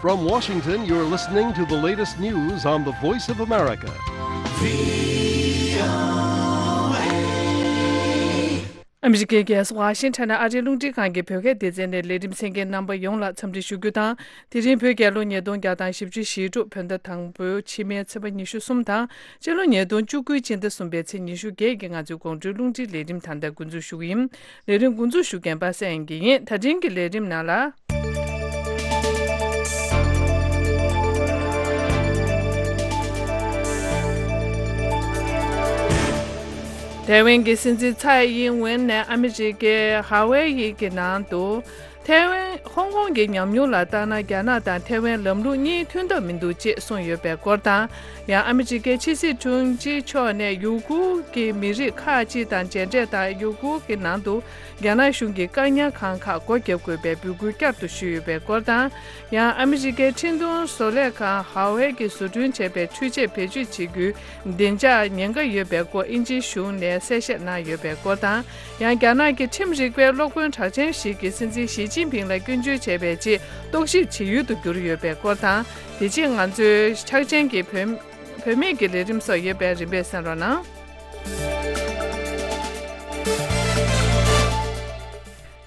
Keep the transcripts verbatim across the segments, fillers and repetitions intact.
From Washington, you're listening to the latest news on the Voice of America. ཨ་མི་རི་ཀའི་རྒྱལ་ས་ཝ་ཤིང་ཊོན་ནས་ཨ་རིའི་རླུང་འཕྲིན་ཁང་གི་བོད་སྐད་སྡེ་ཚན་ནས་ལས་རིམ་གསན་མཁན་རྣམ་པ་ཡོངས་ལ་འཚམས་འདྲི་ཞུ་རྒྱུ་དང་། དེ་རིང་བོད་རྒྱལ་ལོ་ཉིས་སྟོང་བརྒྱ་དང་བཞི་བཅུ་ཞེ་དྲུག་བོད་ཟླ་དང་པོའི་ཕྱི་མའི་ཚེས་པ་ཉི་ཤུ་གསུམ་དང་། སྤྱི་ལོ་ཉིས་སྟོང་བཅུ་དགུའི་སྤྱི་ཟླ་གསུམ་པའི་ཚེས་ཉི་ཤུ་བརྒྱད་ཀྱི་ང་ཚོའི་དགོང་དྲོའི་རླུང་འཕྲིན་ལས་རིམ་ད་ལྟ་འགོ་འཛུགས་ཞུ་གི་ཡིན། ལས་རིམ་འགོ་འཛུགས་ཞུ་མཁན་པ་སངས་དབྱངས་སྐྱིད་ཡིན། ད་ཐེངས་ཀྱི་ལས་རིམ་ནང་ལ། ཐའེ་ཝན་གྱི་སྲིད་འཛིན་ཚའེ་ཨིན་ཝེན་ནས་ཨ་མི་རི་ཀའི་ཧ་ཝེ་ཡི་གི་ནང་དུ། ཐའེ་ཝན། ཧོང་ཀོང་གི་ཉམས་མྱོང་ལ་བལྟས་ན། རྒྱ་ནག་དང་ཐའེ་ཝན་ལམ་ལུགས་གཉིས་མཐུན་ཐབས་མི་འདུག་ཅེས་གསུངས་ཡོད་པའི་སྐོར་དང་། ཡང་ཨ་མི་རི་ཀའི་ཕྱི་སྲིད་དྲུང་ཆེ་མཆོག་ནས་ཡུ་གུར་གྱི་མི་རིགས་ཁག་ཅིག་དང་མཇལ་འཕྲད་དང་། ཡུ་གུར་གྱི་ནང་དུ་རྒྱ་ནག་གཞུང་གིས་བཀག་ཉར་ཁང་ཁག་སྒོ་བརྒྱབ་དགོས་པའི་འབོད་སྐུལ་བསྐྱར་དུ་ཞུས་ཡོད་པའི་སྐོར་དང་། ཡང་ཨ་མི་རི་ཀའི་འཕྲིན་གཏོང་བཟོ་ལས་ཁང་ཧ་ཝེ་གིས་བཟོ་སྐྲུན་བྱས་པའི་འཕྲུལ་ཆས་བེད་སྤྱོད་བྱེད་རྒྱུའི་བདེ་འཇགས་ཉེན་ཁ་ཡོད་པའི་སྐོར་དབྱིན་ཇིའི་གཞུང་ནས་གསལ་བཤད་གནང་ཡོད་པའི་སྐོར་དང་། ཡང་རྒྱ་ནག་གི་ཁྲིམས་རིག་པའི་སློབ་དཔོན་གྲགས་ཅན་ཞིག་གིས་སྲིད་འཛིན་ཞི་ཅིན་ཕིང་ལ་སྐྱོན་བརྗོད་བྱས་པའི་རྗེས་རྟོག་ཞིབ་བྱེད་ཡུལ་དུ་གྱུར་ཡོད་པའི་སྐོར་དང་། དེ་རྗེས་ང་ཚོའི་འཁྲབ་ཆེན་གྱི་བོད་བོད་མིའི་གི་ལས་རིམ་སོགས་ཡོད་པས་རིམ་པས་གསན་རོགས་གནང་།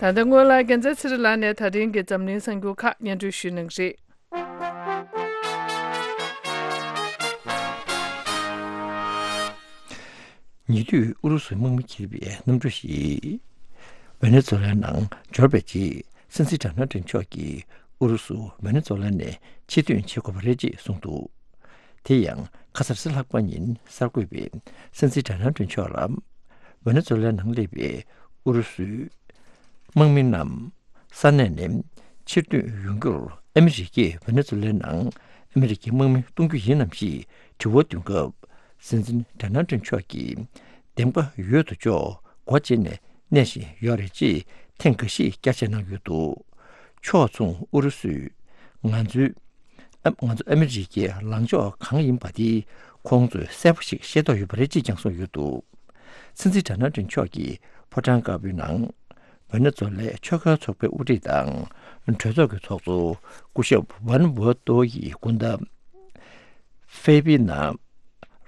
ད་ལྟ་སྔོན་ལ་རྒྱལ་མཚན་ཚེ་རིང་ལགས་ནས་ད་རིང་གི་འཛམ་གླིང་གསར་འགྱུར་ཁག་སྙན་སྒྲོན་ཞུ་གནང་གི་རེད། ཉེ་དུས་ཨུ་རུ་སུའི་དམག་མི་འཁྱེར་བའི་གནམ་གྲུ་ཞིག་ཝེ་ནེ་ཛུ་ལའི་ནང་འབྱོར་བའི་རྗེས། སྲིད་འཛིན་ཌོ་ནལ་ཊམ་མཆོག་གིས་ཨུ་རུ་སུ་ཝེ་ནེ་ཛུ་ལ་ནས་ཕྱིར་ཐོན་བྱེད་དགོས་པ་རེད་ཅེས་གསུངས་འདུག་དེ་ཡང་ཁ་སང་རེས་གཟའ་ལྷག་པ་ཉིན་གསར་འགོད་པས་སྲིད་འཛིན་ཌོ་ནལ་ཊམ་མཆོག་ལ་ཝེ་ནེ་ཛུ་ལའི་ནང་སླེབས་པའི་ཨུ་རུ་སུའི་དམག་མི་རྣམས་ས་གནས་ནས་ཕྱིར་ཐོན་ཡོང་རྒྱུར་ཨ་མི་རི་ཀས་ཝེ་ནེ་ཛུ་ལའི་ནང་ཨ་མི་རི་ཀའི་དམག་མི་གཏོང་རྒྱུ་ཡིན་ནམ་ཞེས་དྲི་བ་འདོན་སྐབས། སྲིད་འཛིན་ཌོ་ནལ་ཊམ་མཆོག་གིས་འདེམས་ཀ་ཡོད་དོ་ཅོག་སྒོ་འབྱེད་ནས་གནས་བཞིན་ཡོད་རེད་ཅེས་ཐེངས་འགའ་ཤས་བསྐྱར་བཅོས་གནང་ཡོད་འདུག་ཕྱོགས་མཚུངས་ཨུ་རུ་སུས་ང་ཚོའི་ཨ་ང་ཚོ་ཨ་མི་རི་ཀའི་ལངས་ཕྱོགས་གང་ཡིན་པ་དེ་ཁོང་ཚོས་གསལ་པོ་ཞིག་ཤེས་རྟོགས་ཡོད་པ་རེད་ཅེས་ཀྱང་གསུངས་ཡོད་འདུག་སྲིད་འཛིན་ཌོ་ནལ་ཊམ་མཆོག་གིས་ཕོ་བྲང་དཀར་པོའི་ནང་ཝེ་ནེ་ཛུ་ལའི་ཆོལ་ཁའི་ཚོགས་པའི་དབུ་ཁྲིད་དང་གྲོས་ཚོགས་ཀྱི་ཚོགས་གཙོ་སྐུ་ཞབས་ཝན་ཝོ་ཏོ་ཡི་སྐུ་ཟླ་ཧྥེ་པི་ན་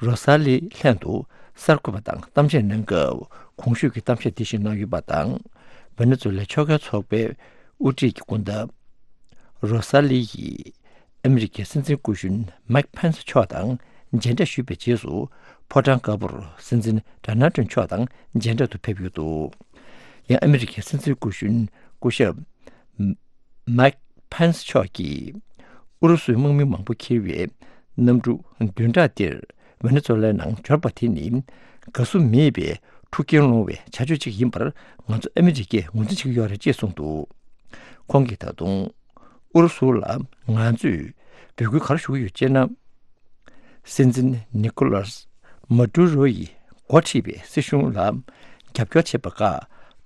རོ་ས་ལི་ལྷན་དུ་གསར་འགོད་པ་དང་གཏམ་བཤད་གནང་སྐབས། གོང་ཞུས་ཀྱི་གཏམ་བཤད་འདི་བཞིན་གནང་ཡོད་པ་དང་། ཝེ་ནེ་ཛུ་ལའི་ཆོལ་ཁའི་ཚོགས་པའི་དབུ་ཁྲིད་ཀྱི་སྐུ་ཟླ་རོ་ས་ལི་ཡིས་ཨ་མི་རི་ཀའི་སྲིད་འཛིན་སྐུ་གཞོན་མཱིག་ཕེན་སི་མཆོག་དང་མཇལ་འཕྲད་ཞུས་པའི་རྗེས་སུ། ཕོ་བྲང་དཀར་པོར་སྲིད་འཛིན་ཌོ་ནལ་ཊམ་མཆོག་དང་མཇལ་འཕྲད་དུ་ཕེབས་ཡོད་འདུག་ཡང་ཨ་མི་རི་ཀའི་སྲིད་འཛིན་སྐུ་གཞོན་སྐུ་ཞབས་མཱིག་ཕེན་སི་མཆོག་གིས་ཨུ་རུ་སུའི་དམག་མི་མང་པོ་འཁྱེར་བའི་གནམ་གྲུ་བདུན་ཕྲག་འདིར་ཝེ་ནེ་ཛུ་ལའི་ནང་འབྱོར་པ་དེ་ནི་དགའ་བསུ་མེད་པའི་འཁྲུག་རྐྱེན་སློང་བའི་བྱ་སྤྱོད་ཅིག་ཡིན་པར་ང་ཚོ་ཨ་མི་རི་ཀས་ངོས་འཛིན་བྱེད་ཀྱི་ཡོད་རེད་ཅེས་གསུངས་འདུག་ཁོང་གིས་ད་དུང་ཨུ་རུ་སུ་ལ་ང་ཚོས་འབོད་སྐུལ་ག་རེ་ཞུ་གི་ཡོད་ཅེ་ན། སྲིད་འཛིན་ནི་ཀོ་ལཱས་མ་ཏུ་རོ་ཡིས་འགོ་ཁྲིད་པའི་སྲིད་གཞུང་ལ་རྒྱབ་སྐྱོར་བྱེད་པ་ཁག་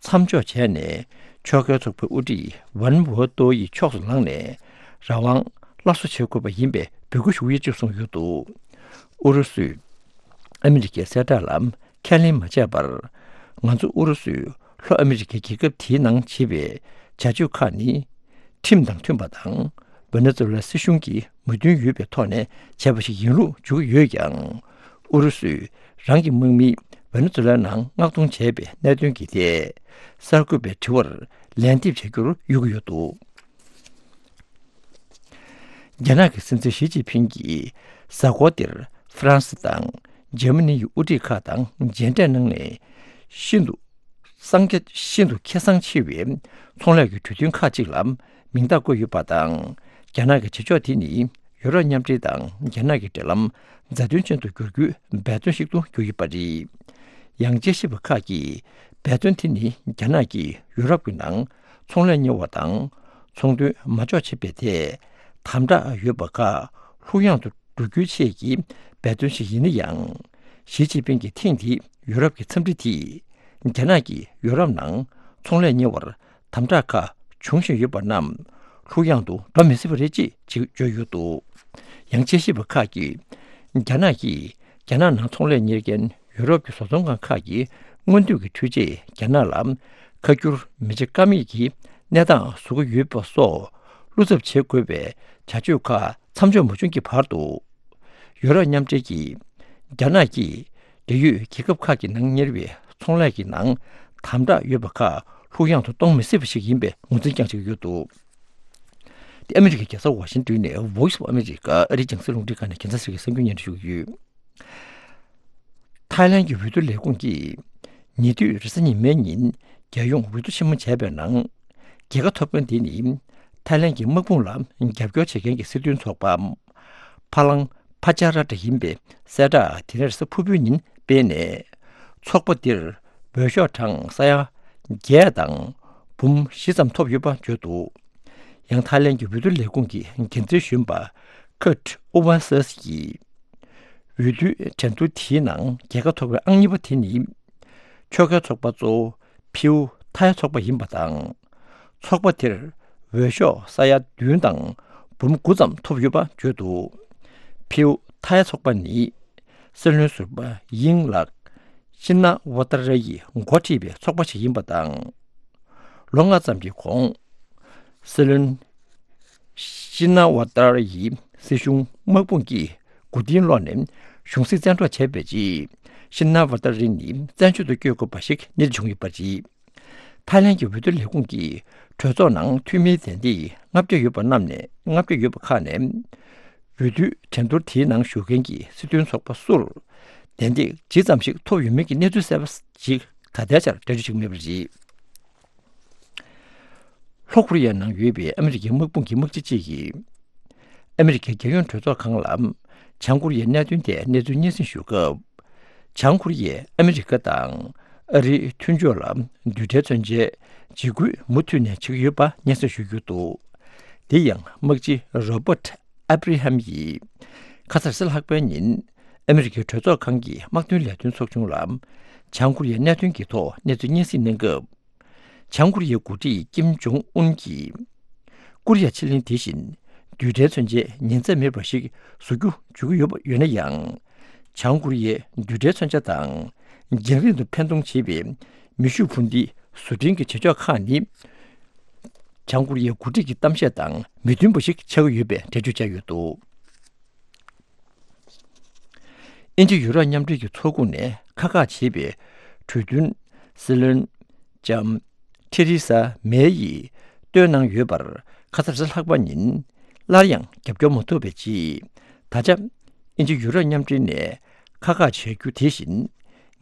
མཚམས་འཇོག་བྱས་ནས། ཆོལ་ཁའི་ཚོགས་པའི་དབུ་ཁྲིད་ཝན་ཝོ་ཏོ་ཡི་ཕྱོགས་སུ་ལངས་ནས་རང་དབང་སླར་གསོ་བྱེད་དགོས་པ་ཡིན་པའི་འབོད་སྐུལ་ཞུ་གི་ཡོད་ཅེས་གསུངས་ཡོད་འདུག་ཨུ་རུ་སུས་ཨ་མི་རི་ཀའི་གསལ་བསྒྲགས་ལ་ཁས་ལེན་མ་བྱས་པར། ང་ཚོ་ཨུ་རུ་སུས་ལྷོ་ཨ་མི་རི་ཀའི་རྒྱལ་ཁབ་དེའི་ནང་བྱེད་པའི་བྱ་སྤྱོད་ཁག་ནི། ཁྲིམས་དང་མཐུན་པ་དང་། ཝེ་ནེ་ཛུ་ལ་སྲིད་གཞུང་གི་མོས་མཐུན་ཡོད་པའི་ཐོག་ནས་བྱས་པ་ཞིག་ཡིན་ལུགས་བརྗོད་ཀྱི་ཡོད་ཀྱང་། ཨུ་རུ་སུས་རང་གི་དམག་མི་ཝེ་ནེ་ཛུ་ལ་ནང་མངགས་གཏོང་བྱས་པའི་གནད་དོན་གྱི་ཐད། གསར་འགོད་པའི་དྲི་བར་ལན་འདེབས་བྱ་རྒྱུར་གཡོལ་གྱི་ཡོད་འདུག་རྒྱ་ནག་གི་སྲིད་འཛིན་ཞི་ཅིན་ཕིང་གིས་གཟའ་འཁོར་འདིར་ཧྥ་རན་སི་དང་འཇར་མ་ནི་ཡི་དབུ་ཁྲིད་ཁག་དང་མཇལ་འཕྲད་གནང་ནས། ཤིན་ཏུ་གསང་རྒྱ་ཤིན་ཏུ་ཁེ་བཟང་ཆེ་བའི་ཚོང་ལས་ཀྱི་གྲོས་མཐུན་ཁག་ཅིག་ལ་མིང་རྟགས་བཀོད་ཡོད་པ་དང་། རྒྱ་ནག་གི་བྱེད་ཕྱོགས་དེ་ནི་ཡུ་རོབ་མཉམ་འབྲེལ་དང་རྒྱ་ནག་གི་འབྲེལ་ལམ་མཛའ་མཐུན་ཅན་དུ་འགྱུར་རྒྱུའི་འབད་བརྩོན་ཞིག་ཏུ་གྱུར་ཡོད་པ་རེད། ཡང་དཔྱད་ཞིབ་པ་ཁག་གིས་འབད་བརྩོན་དེ་ནི་རྒྱ་ནག་གིས་ཡུ་རོབ་ཀྱི་ནང་ཚོང་ལས་གཉེར་བ་དང་ཚོང་དོན་མ་འཇོག་བྱེད་པའི་ཐད་དམ་དྲག་ཡོད་པ་ཁག་ལྷུག་ཡངས་དུ་འགྲོ་རྒྱུའི་ཆེད་ཀྱི་འབད་བརྩོན་ཞིག་ཡིན་ན་ཡང་། ཞི་ཅིན་ཕིང་གིས་ཐེངས་འདིའི་ཡུ་རོབ་ཀྱི་འཚམས་འདྲི་དེས། རྒྱ་ནག་གིས་ཡུ་རོབ་ནང་ཚོང་ལས་གཉེར་བར་དམ་དྲག་ཁག་འབྱུང་བཞིན་ཡོད་པ་རྣམས་ལྷུག་ཡངས་དུ་འགྲོ་མི་སྲིད་པ་རེད་ཅེས་བརྗོད་ཡོད་འདུག་ཡང་དཔྱད་ཞིབ་པ་ཁག་གིས། རྒྱ་ནག་གིས་རྒྱ་ནག་ནང་ཚོང་ལས་གཉེར་མཁན་ཡུ་རོབ་ཀྱི་བཟོ་ཚོང་ཁང་ཁག་གི་སྔོན་དུས་ཀྱི་འཕྲུལ་ཆས་རྒྱ་ནག་ལ་ཁ་བསྒྱུར་མི་བྱེད་ཀ་མེད་ཀྱི་གནས་སྟངས་བཟོ་གི་ཡོད་པ་སོགས། སྐུ་ཚབ་བྱེད་དགོས་པའི་བྱ་སྤྱོད་ཁག་མཚམས་འཇོག་མ་བྱུང་གི་བར་དུ། ཡོ་རོབ་མཉམ་འབྲེལ་གྱིས་རྒྱ་ནག་གིས་འབྲེལ་ཡོད་རྒྱལ་ཁབ་ཁག་གི་ནང་གཉེར་བའི་ཚོང་ལས་ཀྱི་ནང་དམ་དྲག་ཡོད་པ་ཁག་ལྷུག་ཡངས་སུ་གཏོང་མི་སྲིད་པ་ཞིག་ཡིན་པའི་ངོས་འཛིན་ཀྱང་བྱེད་ཀྱི་ཡོད་འདུག། དེ་ཨ་མི་རི་ཀའི་རྒྱལ་ས་ཝ་ཤིང་ཏོན་ནས་Voice of America ཨ་རིའི་རྒྱང་སྲིང་རླུང་འཕྲིན་ཁང་ནས་རྒྱལ་ས་ཟེར་གྱི་གསར་འགྱུར་སྙན་སྒྲོན་ཞུ་གི་ཡོད། ཐའི་ལན་གྱི་འོས་བསྡུ་ལས་ཁུངས་ཀྱིས་ཉེ་དུས་རེས་གཟའ་ཉི་མའི་ཉིན་རྒྱལ་ཡོངས་འོས་བསྡུ་ཆེན་མོ་བྱས་པའི་ནང་། རྒྱལ་ཁ་ཐོབ་མཁན་དེ་ནི་ཐའི་ལན་གྱི་དམག་དཔུང་ལ་རྒྱབ་སྐྱོར་བྱེད་མཁན་གྱི་སྲིད་དོན་ཚོགས་པ་ཕ་ལང་ཕ་ཅ་ར་ཏྲ་ཡིན་པའི་གསལ་བསྒྲགས་དེ་རེས་གཟའ་ཕུར་བུའི་ཉིན་སྤེལ་ནས། ཚོགས་པ་འདིར་འོས་ཤོག་གྲངས་ས་ཡ་བརྒྱད་དང་འབུམ་བཞི་ཙམ་ཐོབ་ཡོད་པ་བརྗོད་འདུག། ཡང་ཐའི་ལན་གྱི་འོས་བསྡུ་ལས་ཁུངས་ཀྱི་འགན་འཛིན་གཞོན་པ་ཁརྟ་ཨུ་ཝན་སེས་ཀྱིས། འོས་བསྡུའི་འགྲན་བསྡུར་དེའི་ནང་རྒྱལ་ཁ་ཐོབ་པའི་ཨང་གཉིས་པ་དེ་ནི། ཆོལ་ཁའི་ཚོགས་པ་གཙོ་བོ་ཕིའུ་ཐའི་ཚོགས་པ་ཡིན་པ་དང་། ཚོགས་པ་དེར་འོས་ཤོག་ས་ཡ་བདུན་དང་འབུམ་དགུ་ཙམ་ཐོབ་ཡོད་པ་བརྗོད་འདུག། ཕིའུ་ཐའི་ཚོགས་པ་ནི། སྲིད་བློན་ཟུར་པ་དབྱིན་ལགས་ཤིན་ན་ཝ་ཏར་ཡིས་འགོ་ཁྲིད་པའི་ཚོགས་པ་ཞིག་ཡིན་པ་དང་། ལོ་ལྔ་ཙམ་གྱི་གོང་། སྲིད་བློན་ཤིན་ན་ཝ་ཏར་ཡི་སྲིད་གཞུང་དམག་དཔུང་གིས་མགོ་རྟིང་སློག་ནས་གཞུང་སྲིད་བཙན་འཕྲོག་བྱས་པའི་རྗེས། ཤིན་ན་ཝ་ཏར་ནི་བཙན་བྱོལ་དུ་བསྐྱོད་དགོས་པ་ཞིག་གནས་ཚུལ་བྱུང་ཡོད་པ་རེད། ཐའི་ལན་གྱི་འོས་བསྡུ་ལས་ཁུངས་ཀྱིས་གྲོས་ཚོགས་ནང་འཐུས་མིའི་བདེན་སྡིག་ལྔ་བརྒྱ་ཡོད་པ་རྣམས་ནས་ལྔ་བརྒྱ་ཡོད་པ་ཁག་ནས། འོས་བསྡུའི་འགྲན་བསྡུར་དེའི་ནང་ཞུགས་མཁན་གྱི་སྲིད་དོན་ཚོགས་པ་སུར་བདེན་སྡིག་ཇི་ཙམ་ཞིག་ཐོབ་ཡོད་མིན་གྱི་གནས་ཚུལ་གསལ་པོ་ཞིག་ད་ལྟའི་ཆར་འགྲེལ་བརྗོད་བྱེད་ཀྱི་མེད་པ་རེད། ལྷོ་ཀོ་རི་ཡའི་ནང་ཡོད་པའི་ཨ་མི་རི་ཀའི་དམག་དཔུང་གི་དམག་སྤྱི་གཅིག་གིས། ཨ་མི་རི་ཀའི་རྒྱལ་ཡོངས་གྲོས་ཚོགས་ཁང་ལ་བྱང་ཀོ་རི་ཡའི་གནད་དོན་ཐད་གནས་ཚུལ་སྙན་སེང་ཞུ་སྐབས། བྱང་ཀོ་རི་ཡས་ཨ་མི་རི་ཀ་དང་ཨ་རིའི་མཐུན་ཕྱོགས་ལ་རྡུལ་ཕྲན་མཚོན་ཆའི་འཇིགས་སྐུལ་མུ་མཐུད་ནས་བྱེད་ཀྱི་ཡོད་པ་སྙན་སེང་ཞུ་རྒྱུ་འདུག། དེ་ཡང་དམག་སྤྱི་རོ་པར་ཨབ་རི་ཧམ་ཡིས་ཁ་སང་རེས་གཟའ་ལྷག་པའི་ཉིན་ཨ་མི་རི་ཀའི་གྲོས་ཚོགས་ཁང་གི་དམག་དོན་ལས་དོན་ཚོགས་ཆུང་ལ་བྱང་ཀོ་རི་ཡའི་གནད་དོན་གྱི་ཐོག་གནས་ཚུལ་སྙན་སེང་གནང་སྐབས། བྱང་ཀོ་རི་ཡའི་འགོ་ཁྲིད་ཀིམ་ཇོང་ཨུན་གྱིས། ཀོ་རི་ཡ་ཕྱེད་གླིང་དེ་བཞིན་རྡུལ་ཕྲན་མཚོན་ཆའི་ཉེན་ཚབས་མེད་པ་ཞིག་བཟོ་རྒྱུ་བརྗོད་ཀྱི་ཡོད་པ་ཡོད་ན་ཡང་། བྱང་ཀོ་རི་ཡའི་རྡུལ་ཕྲན་མཚོན་ཆ་དང་། རྒྱང་རིང་དུ་འཕེན་གཏོང་བྱེད་པའི་མེ་ཤུགས་འཕུར་མདེལ་བཟོ་སྐྲུན་གྱི་བྱེད་ཕྱོགས་ཁག་ནི། བྱང་ཀོ་རི་ཡའི་འགོ་ཁྲིད་ཀྱི་གཏམ་བཤད་དང་མི་མཐུན་པ་ཞིག་ཆགས་ཀྱི་ཡོད་པའི་འགྲེལ་བརྗོད་བྱས་ཡོད་འདུག། དབྱིན་ཇི་ཡུ་རོབ་མཉམ་འབྲེལ་གྱི་ཚོགས་ཁོངས་ནས་ཁག་ཁག་བྱེད་པའི་གྲོས་མཐུན་སྲིད་བློན་ལྕམ་ཐེ་རི་ས་མེ་ཡིས་བཏོན་གནང་ཡོད་པར་ཁ་སང་རེས་གཟའ་ལྷག་པ་ཉིན་སླར་ཡང་རྒྱབ་སྐྱོར་མ་ཐོབ་པའི་རྗེས། ད་ཆ་དབྱིན་ཇི་ཡུ་རོབ་མཉམ་འབྲེལ་ནས་ཁག་ཁག་བྱ་རྒྱུ་དེ་བཞིན་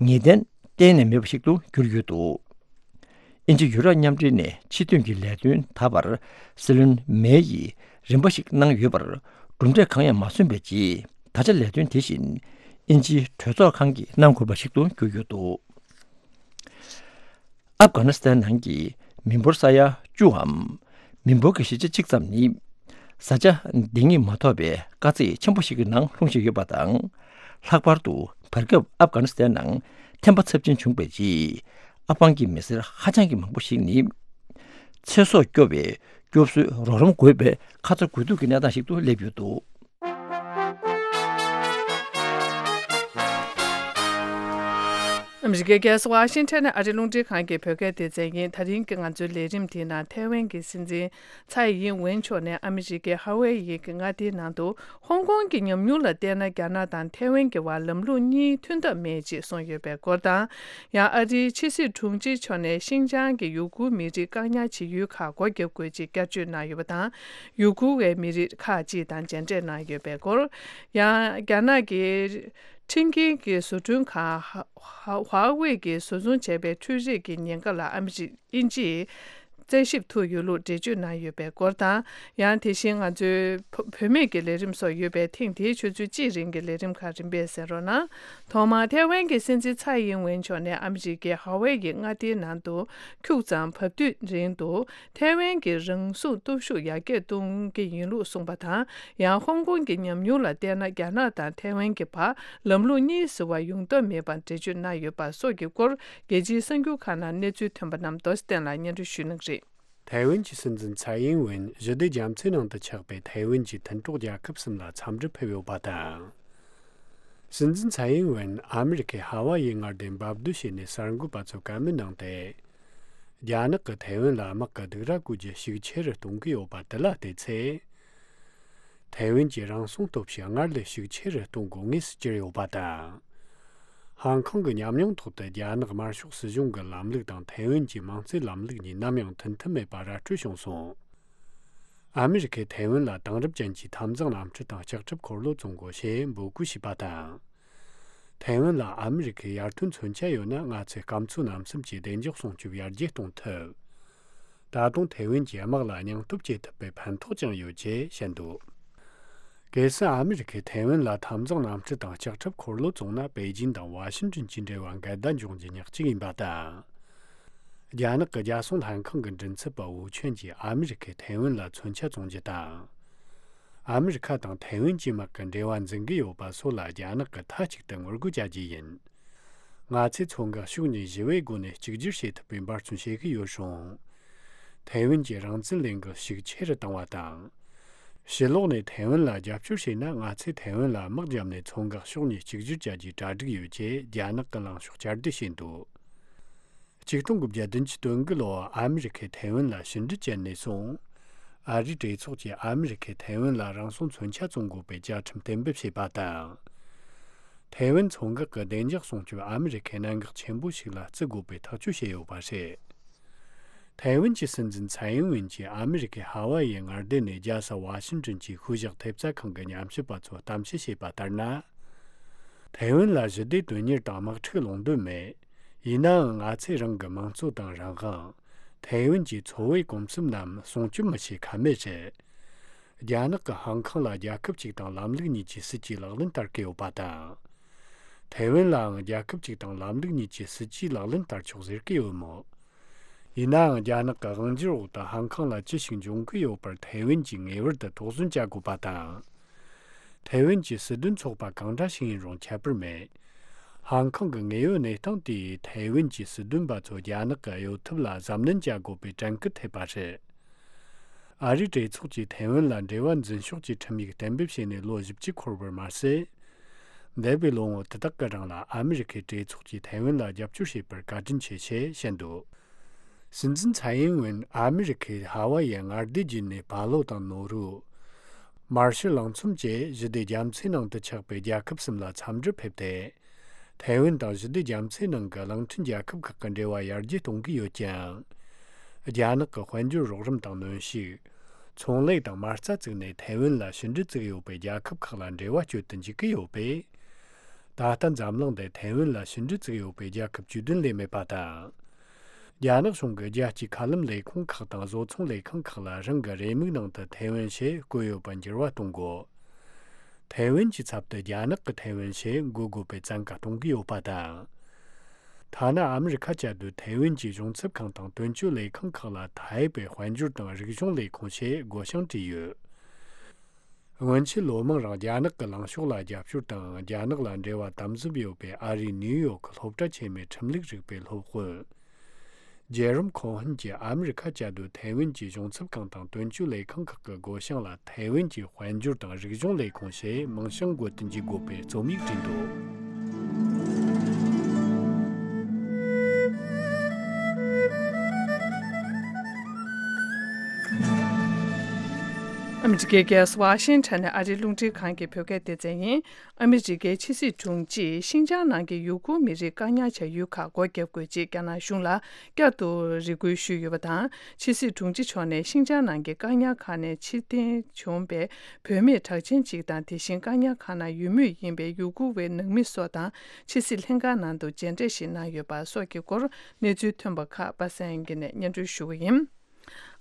ངེས་གཏན་གཏན་ནས་མེད་པ་ཞིག་ཏུ་གྱུར་ཡོད་འདུག། དབྱིན་ཇི་ཡུ་རོབ་མཉམ་འབྲེལ་ནས་ཕྱི་དོན་གྱི་ལས་དོན་ད་བར་སྲིད་བློན་མེ་ཡིས་རིམ་པ་ཞིག་གནང་ཡོད་པར་གྲུབ་འབྲས་གང་ཡང་མ་སོན་པའི་རྗེས། ད་ཆ་ལས་དོན་དེ་བཞིན་དབྱིན་ཇིའི་གྲོས་ཚོགས་ཁང་གིས་གནང་དགོས་པ་ཞིག་ཏུ་གྱུར་ཡོད་འདུག། ཨབ་གྷ་ནི་སི་ཐན་ནང་གི་མི་འབོར་ས་ཡ་བཅུའམ། མི་འབོར་གྱི་བཞི་ཆ་གཅིག་ཙམ་ནི། བཟའ་བཅའ་འདང་ངེས་མ་ཐོབ་པའི་དཀའ་ཚེགས་ཆེན་པོ་ཞིག་གི་ནང་ལྷུང་བཞིན་ཡོད་པ་དང་། ལྷག་པར་དུ་བར་སྐབས་ཨབ་གྷ་ནི་སི་ཐན་ནང་ཐན་པ་ཚབས་ཆེན་བྱུང་བའི་རྗེས། ཨབ་གྷན་གྱི་མི་སེར་ཧ་ཅང་གི་མང་པོ་ཞིག་ནི། ཚེ་སྲོག་སྐྱོབ་པའི་སྐྱོབ་གསོའི་རོགས་རམ་དགོས་པའི་ཁ་ཚ་དགོས་གཏུགས་ཀྱི་གནས་སྟངས་ཤིག་ཏུ་སླེབས་ཡོད་འདུག། ཨ་མི་རི་ཀའི་རྒྱལ་ས་ཝ་ཤིང་ཊོན་ནས་ཨ་རིའི་རླུང་འཕྲིན་ཁང་གི་བོད་སྐད་སྡེ་ཚན་ཡིན། ད་རིང་གི་ང་ཚོའི་ལས་རིམ་དེའི་ནང་ཐའེ་ཝན་གྱི་སྲིད་འཛིན་ཚའེ་ཡིན་ཝེན་མཆོག་ནས་ཨ་མི་རི་ཀའི་ཧ་ཝེ་ཡི་གི་མངའ་སྡེའི་ནང་དུ་ཧོང་ཀོང་གི་ཉམས་མྱོང་ལ་བལྟས་ན། རྒྱ་ནག་དང་ཐའེ་ཝན་གྱི་བར་ལམ་ལུགས་གཉིས་མཐུན་ཐབས་མེད་ཅེས་གསུངས་ཡོད་པའི་སྐོར་དང་། ཡང་ཨ་རིའི་ཕྱི་སྲིད་དྲུང་ཆེ་མཆོག་ནས་ཤིན་ཅང་གི་ཡུ་གུར་མི་རིགས་བཀག་ཉར་བྱེད་ཡུལ་ཁག་སྒོ་བརྒྱབ་དགོས་ཅེས་བསྐྱར་བརྗོད་གནང་ཡོད་པ་དང་། ཡུ་གུར་བའི་མི་རིགས་ཁག་ཅིག་དང་མཇལ་འཕྲད་གནང་ཡོད་པའི་སྐོར། ཡང་རྒྱ་ནག་གི་ཁྲིན་ཀིན་གྱི་བཟོ་སྐྲུན་ཁང་ཧ་ཧ་ཧྭ་ཝེ་གིས་བཟོ་ཚོང་བྱས་པའི་འཕྲུལ་རིག་གི་ཉེན་ཁ་ལ་ཨ་མི་རི་དབྱིན་ཇིས་རྩད་ཞིབ་ཐུག་ཡོད་ལུགས་འགྲེལ་བརྗོད་གནང་ཡོད་པའི་སྐོར་དང་། ཡང་དེ་བཞིན་ང་ཚོའི་བུ་བུད་མེད་ཀྱི་ལས་རིམ་སོགས་ཡོད་པའི་ཐེངས་འདིའི་ཆུ་ཚོད་གཅིག་རིང་གི་ལས་རིམ་ཁག་རིམ་པས་གསན་རོགས་གནང་། ཐོག་མར་ཐའེ་ཝན་གྱི་སྲིད་འཛིན་ཚའེ་ཡིན་ཝེན་མཆོག་ནས་ཨ་མི་རི་ཀའི་ཧ་ཝེ་ཡི་མངའ་སྡེའི་ནང་དུ་ཁྱུག་ཙམ་བབས་དུས་རིང་དུ། ཐའེ་ཝན་གྱི་རང་སྲུང་སྟོབས་ཤུགས་ཡར་རྒྱས་གཏོང་གི་ཡིན་ལུགས་གསུངས་པ་དང་། ཡང་ཧོང་ཀོང་གི་ཉམས་མྱོང་ལ་བལྟས་ན། རྒྱ་ནག་དང་ཐའེ་ཝན་གྱི་བར་ལམ་ལུགས་གཉིས་ཟེར་བ་ཡོང་ཐབས་མེད་པར་འགྲེལ་བརྗོད་གནང་ཡོད་པ་སོགས་ཀྱི་སྐོར། རྒྱལ་སྤྱིའི་གསར་འགྱུར་ཁག་ནང་གནས་ཚུལ་ཐོན་པ་རྣམས་རྡོ་རྗེ་བསྟན་ལ་སྙན་སྒྲོན་ཞུ་གནང་གི་རེད། ཐའེ་ཝན་གྱི་སྲིད་འཛིན་ཚའེ་ཡིན་ཝེན་ཞི་བདེ་རྒྱ་མཚོའི་ནང་དུ་ཆགས་པའི་ཐའེ་ཝན་གྱི་མཐུན་གྲོགས་རྒྱལ་ཁབ་གསུམ་ལ་འཚམས་འདྲི་ཕེབས་ཡོད་པ་དང་། སྲིད་འཛིན་ཚའེ་ཡིན་ཝེན་ཨ་མི་རི་ཀའི་ཧ་ཝ་ཡི་མངའ་སྡེ་འབབ་སྡོད་བྱས་ནས་གསར་འགོད་པ་ཚོར་བཀའ་མོལ་གནང་སྟེ། རྒྱ་ནག་གིས་ཐའེ་ཝན་ལ་དམག་གི་སྡིགས་ར་བསྐུལ་རྒྱུ་ཤུགས་ཆེ་རུ་གཏོང་གི་ཡོད་པ་དེ་ལ་བལྟས་ཚེ། ཐའེ་ཝན་གྱི་རང་སྲུང་སྟོབས་ཤུགས་སྔར་ལས་ཤུགས་ཆེ་རུ་གཏོང་དགོས་ངེས་སུ་གྱུར་ཡོད་པ་དང་། ཧང་ཀོང་གི་ཉམས་མྱོང་ཐོག་ཏུ་རྒྱ་ནག་དམར་ཤོག་སྲིད་གཞུང་གི་ལམ་ལུགས་དང་ཐའེ་ཝན་གྱི་དམངས་གཙོའི་ལམ་ལུགས་གཉིས་ནམ་ཡང་མཐུན་མཐུན་མེད་པ་ར་སྤྲོད་བྱུང་སོང་། ཨ་མི་རི་ཁས་ཐའེ་ཝན་ལ་དེང་རབས་ཅན་གྱི་འཐབ་འཛིང་གནམ་གྲུ་དང་ལྕགས་ཁྲབ་འཁོར་ལོ་བཙོང་དགོས་ཞེས་འབོད་སྐུལ་བྱས་པ་དང་། ཐའེ་ཝན་ལ་ཨ་མི་རི་ཁའི་ཡར་ཐོན་མཚོན་ཆ་ཡོད་ན། ང་ཚོས་སྐམ་མཚོ་གནམ་གསུམ་གྱི་བདེ་འཇགས་སྲུང་སྐྱོབ་ཡར་རྒྱས་གཏོང་ཐུབ། ད་དུང་ཐའེ་ཝན་གྱི་དམག་ལ་སྙིང་སྟོབས་སྐྱེད་ཐུབ་པའི་ཕན་ཐོགས་ཀྱང་ཡོད་ཅེས་བཤད་འདུག། གལ་སྲིད་ཨ་མི་རི་ཁས་ཐའེ་ཝན་ལ་འཐབ་འཛིང་གནམ་གྲུ་དང་ལྕགས་ཁྲབ་འཁོར་ལོ་བཙོང་ན། པེ་ཅིན་དང་ཝ་ཤིང་ཏོན་གྱི་འབྲེལ་བ་འགལ་ཟླ་འབྱུང་རྒྱུ་ཉག་གཅིག་ཡིན་པ་དང་། རྒྱ་ནག་གི་རྒྱལ་སྲུང་ལྷན་ཁང་གི་མགྲིན་ཚབ་པ་ཝུ་ཆོན་གྱིས་ཨ་མི་རི་ཁས་ཐའེ་ཝན་ལ་མཚོན་ཆ་བཙོང་རྒྱུ་དང་། ཨ་མི་རི་ཁ་དང་ཐའེ་ཝན་གྱི་དམག་གི་འབྲེལ་བ་འཛིན་གྱི་ཡོད་པ་སོགས་ལ་རྒྱ་ནག་གིས་མཐའ་གཅིག་ཏུ་ངོ་རྒོལ་བྱ་རྒྱུ་ཡིན། ང་ཚོས་མཚོ་འགག་ཕྱོགས་གཉིས་ཞི་བའི་སྒོ་ནས་གཅིག་གྱུར་བྱེད་ཐུབ་པའི་འབད་བརྩོན་བྱེད་ཀྱི་ཡོད་རུང་། ཐའེ་ཝན་གྱི་རང་བཙན་ལས་འགུལ་ཤུགས་ཆེ་རུ་བཏང་བ་དང་། ཕྱི་ལོགས་ནས་ཐའེ་ཝན་ལ་རྒྱབ་སྐྱོར་བྱས་ན། ང་ཚོས་ཐའེ་ཝན་ལ་དམག་བརྒྱབ་ནས་མཚོ་འགག་ཕྱོགས་གཉིས་གཅིག་གྱུར་བྱ་རྒྱུའི་གྲ་སྒྲིག་ཡོད་ཅེས་རྒྱ་ནག་གི་ལངས་ཕྱོགས་བསྐྱར་ཟློས་བྱས་འདུག། ཆིག་སྟོང་དགུ་བརྒྱ་བདུན་ཅུ་དོན་དགུ་ལོར་ཨ་མི་རི་ཁས་ཐའེ་ཝན་ལ་ཕྱི་འབྲེལ་བཅད་ནས་བཟུང་། ཨ་རིའི་གྲོས་ཚོགས་ཀྱིས་ཨ་མི་རི་ཁས་ཐའེ་ཝན་ལ་རང་སྲུང་མཚོན་ཆ་བཙོང་དགོས་པའི་བཅའ་ཁྲིམས་གཏན་འབེབས་བྱས་པ་དང་། ཐའེ་ཝན་མཚོ་འགག་གི་བདེ་འཇགས་སྲུང་སྐྱོབ་ཨ་མི་རི་ཁའི་གནད་འགག་ཆེན་པོ་ཞིག་ལ་བརྩི་དགོས་པའི་ཐག་གཅོད་བྱས་ཡོད་པ་རེད། ཐའེ་ཝན་གྱི་སྲིད་འཛིན་ཚའེ་ཨིན་ཝེན་གྱིས་ཨ་མི་རི་ཁའི་ཧ་ཝ་ཡའི་མངའ་སྡེ་ནས་རྒྱལ་ས་ཝ་ཤིང་ཏོན་གྱི་ཤུལ་བཞག་ཐེབས་རྩ་ཁང་གི་ཉམས་ཞིབ་པ་ཚོར་གཏམ་བཤད་བྱས་པ་ལྟར་ན། ཐའེ་ཝན་ལ་ཞི་བདེ་དོན་གཉེར་དང་དམག་འཁྲུག་སློང་འདོད་མེད། ཡིན་ནའང་ང་ཚོས་རང་གི་དམངས་གཙོ་དང་རང་དབང་། ཐའེ་ཝན་གྱི་འཚོ་བའི་གོམས་སྲོལ་རྣམས་སྲུང་སྐྱོབ་མི་བྱེད་ཁ་མེད་རེད། རྒྱ་ནག་གིས་ཧང་ཀོང་ལ་རྒྱལ་ཁབ་གཅིག་དང་ལམ་ལུགས་གཉིས་ཀྱི་སྲིད་ཇུས་ལག་ལེན་བསྟར་གྱི་ཡོད་པ་དང་། ཐའེ་ཝན་ལའང་རྒྱལ་ཁབ་གཅིག་དང་ལམ་ལུགས་གཉིས་ཀྱི་སྲིད་ཇུས་ལག་ལེན་བསྟར་ཆོག་ཟེར་གྱི་ཡོད་མོད། ཡིན་ནའང་རྒྱ་ནག་གི་དབང་སྒྱུར་འོག་ཏུ་ཧང་ཀོང་ལ་ཅི་ཞིག་འབྱུང་གི་ཡོད་པར་ཐའེ་ཝན་གྱིས་ངེས་པར་དུ་དོགས་ཟོན་བྱ་དགོས་པ་དང་། ཐའེ་ཝན་གྱི་སྲིད་དོན་ཚོགས་པ་གང་འདྲ་ཞིག་ཡིན་རུང་ཁྱད་པར་མེད། ཧང་ཀོང་གི་དངོས་ཡོད་གནས་སྟངས་དེས་ཐའེ་ཝན་གྱི་སྲིད་དོན་པ་ཚོ་རྒྱ་ནག་གི་གཡོ་ཐབས་ལ་གཟབ་ནན་བྱ་དགོས་པའི་དྲན་སྐུལ་ཐེབས་པ་རེད། ཨ་རིའི་གྲོས་ཚོགས་ཀྱིས་ཐའེ་ཝན་ལ་འབྲེལ་བ་འཛིན་ཕྱོགས་ཀྱི་ཁྲིམས་ཡིག་གཏན་འབེབས་བྱས་ནས་ལོ་བཞི་བཅུ་འཁོར་བར་མ་ཟད། འདས་པའི་ལོ་ངོ་དེ་དག་གི་རིང་ལ་ཨ་མི་རི་ཁའི་གྲོས་ཚོགས་ཀྱིས་ཐའེ་ཝན་ལ་རྒྱབ་སྐྱོར་བྱས་པར་བཀའ་དྲིན་ཆེ་ཞེས་བཤད་འདུག། སྲིད་འཛིན་ཚའེ་ཨིན་ཝེན་ཨ་མི་རི་ཁའི་ཧ་ཝ་ཡའི་མངའ་སྡེ་བརྒྱུད་ནས་ཕ་ལོ་དང་ནོ་རུ། མར་ཤལ་གླིང་ཚོམ་བཅས་ཞི་བདེ་རྒྱ་མཚོའི་ནང་དུ་ཆགས་པའི་རྒྱལ་ཁབ་གསུམ་ལ་འཚམས་འདྲིར་ཕེབས་ཏེ། ཐའེ་ཝན་དང་ཞི་བདེ་རྒྱ་མཚོའི་ནང་གི་གླིང་ཕྲན་རྒྱལ་ཁབ་ཁག་གི་འབྲེལ་བ་ཡར་རྒྱས་གཏོང་གི་ཡོད་ཀྱང་། རྒྱ་ནག་གི་དཔལ་འབྱོར་རོགས་རམ་དང་གནོན་ཤུགས། ཚོང་ལས་དང་མ་རྩ་བཙུགས་ནས་ཐའེ་ཝན་ལ་ཕྱི་འབྲེལ་བཙུགས་ཡོད་པའི་རྒྱལ་ཁབ་ཁག་ལ་འབྲེལ་བ་གཅོད་དུ་འཇུག་གི་ཡོད་པས། ད་ལྟ་འཛམ་གླིང་འདིར་ཐའེ་ཝན་ལ་ཕྱི་འབྲེལ་བཙུགས་ཡོད་པའི་རྒྱལ་ཁབ་བཅུ་བདུན་ལས་མེད་པ་དང་། རྒྱ་ནག་གཞུང་གིས་རྒྱལ་སྤྱིའི་མཁའ་ལམ་ལས་ཁུངས་ཁག་དང་བཟོ་ཚོང་ལས་ཁང་ཁག་ལ་རང་གི་རེའུ་མིག་ནང་དུ་ཐའེ་ཝན་ཞེས་བཀོད་ཡོད་པ་འགྱུར་བ་གཏོང་དགོས། ཐའེ་ཝན་གྱི་ཚབ་ཏུ་རྒྱ་ནག་གི་ཐའེ་ཝན་ཞེས་འགོད་དགོས་པའི་བཙན་བཀའ་གཏོང་གི་ཡོད་པ་དང་། ཐ་ན་ཨ་མི་རི་ཁ་བཅའ་སྡོད་ཐའེ་ཝན་གྱི་གཞུང་ཚབ་ཁང་དང་དོན་གཅོད་ལས་ཁང་ཁག་ལ་ཐའེ་པེ་དཔལ་འབྱོར་དང་རིག་གཞུང་ལས་ཁུངས་ཞེས་བགོ་བཤའ་བྲིས་ཡོད། སྔོན་ཆད་ལོ་མང་རིང་རྒྱ་ནག་གི་ལངས་ཕྱོགས་ལ་རྒྱབ་སྐྱོར་དང་རྒྱ་ནག་ལ་འབྲེལ་བ་དམ་ཟབ་ཡོད་པའི་ཨ་རིའི་ནིའུ་ཡོག་གི་སློབ་གྲྭ་ཆེན་མོའི་ཁྲིམས་ལུགས་རིག་པའི་སློབ་དཔོན། ཇེ་རོམ་ཁོང་ཧན་གྱིས་ཨ་མི་རི་ཁ་བཅའ་སྡོད་ཐའེ་ཝན་གྱི་གཞུང་ཚབ་ཁང་དང་དོན་གཅོད་ལས་ཁང་ཁག་གི་བགོ་བཤའ་ལ་ཐའེ་ཝན་གྱི་དཔལ་འབྱོར་དང་རིག་གཞུང་ལས་ཁུངས་ཞེས་མིང་བྱང་འགོད་དུ་འཇུག་དགོས་པའི་རྩོམ་ཡིག་བྲིས་འདུག། ཨ་མི་རི་ཀའི་རྒྱལ་ས་ཝ་ཤིང་ཊོན་ནས་ཨ་རིའི་རླུང་འཕྲིན་ཁང་གི་བོད་སྐད་སྡེ་ཚན་ཡིན། ཨ་མི་རི་ཀའི་ཕྱི་སྲིད་དྲུང་ཆེས་ཤིན་ཅང་ནང་གི་ཡུ་གུར་མི་རིགས་བཀག་ཉར་བྱ་ཡུལ་ཁག་སྒོ་བརྒྱབ་དགོས་ཅེས་རྒྱ་ནག་གཞུང་ལ་བསྐྱར་དུ་རེ་སྐུལ་ཞུས་ཡོད་པ་དང་། ཕྱི་སྲིད་དྲུང་ཆེ་མཆོག་ནས་ཤིན་ཅང་ནང་གི་བཀག་ཉར་ཁང་ནས་ཕྱིར་འཐེན་བྱུང་བའི་བུད་མེད་གྲགས་ཅན་གཅིག་དང་། དེ་བཞིན་བཀག་ཉར་ཁང་ནང་ཡོད་མུས་ཡིན་པའི་ཡུ་གུར་བའི་ནང་མི་སོགས་དང་། ཕྱི་སྲིད་ལྷན་ཁང་ནང་དུ་མཇལ་འཕྲད་ཞིག་གནང་ཡོད་པ་སོགས་ཀྱི་སྐོར་གནས་ཚུལ་ཐོན་པ་ཁག་པ་སངས་དབྱངས་སྐྱིད་ནས་སྙན་སྒྲོན་ཞུ་གི་ཡིན།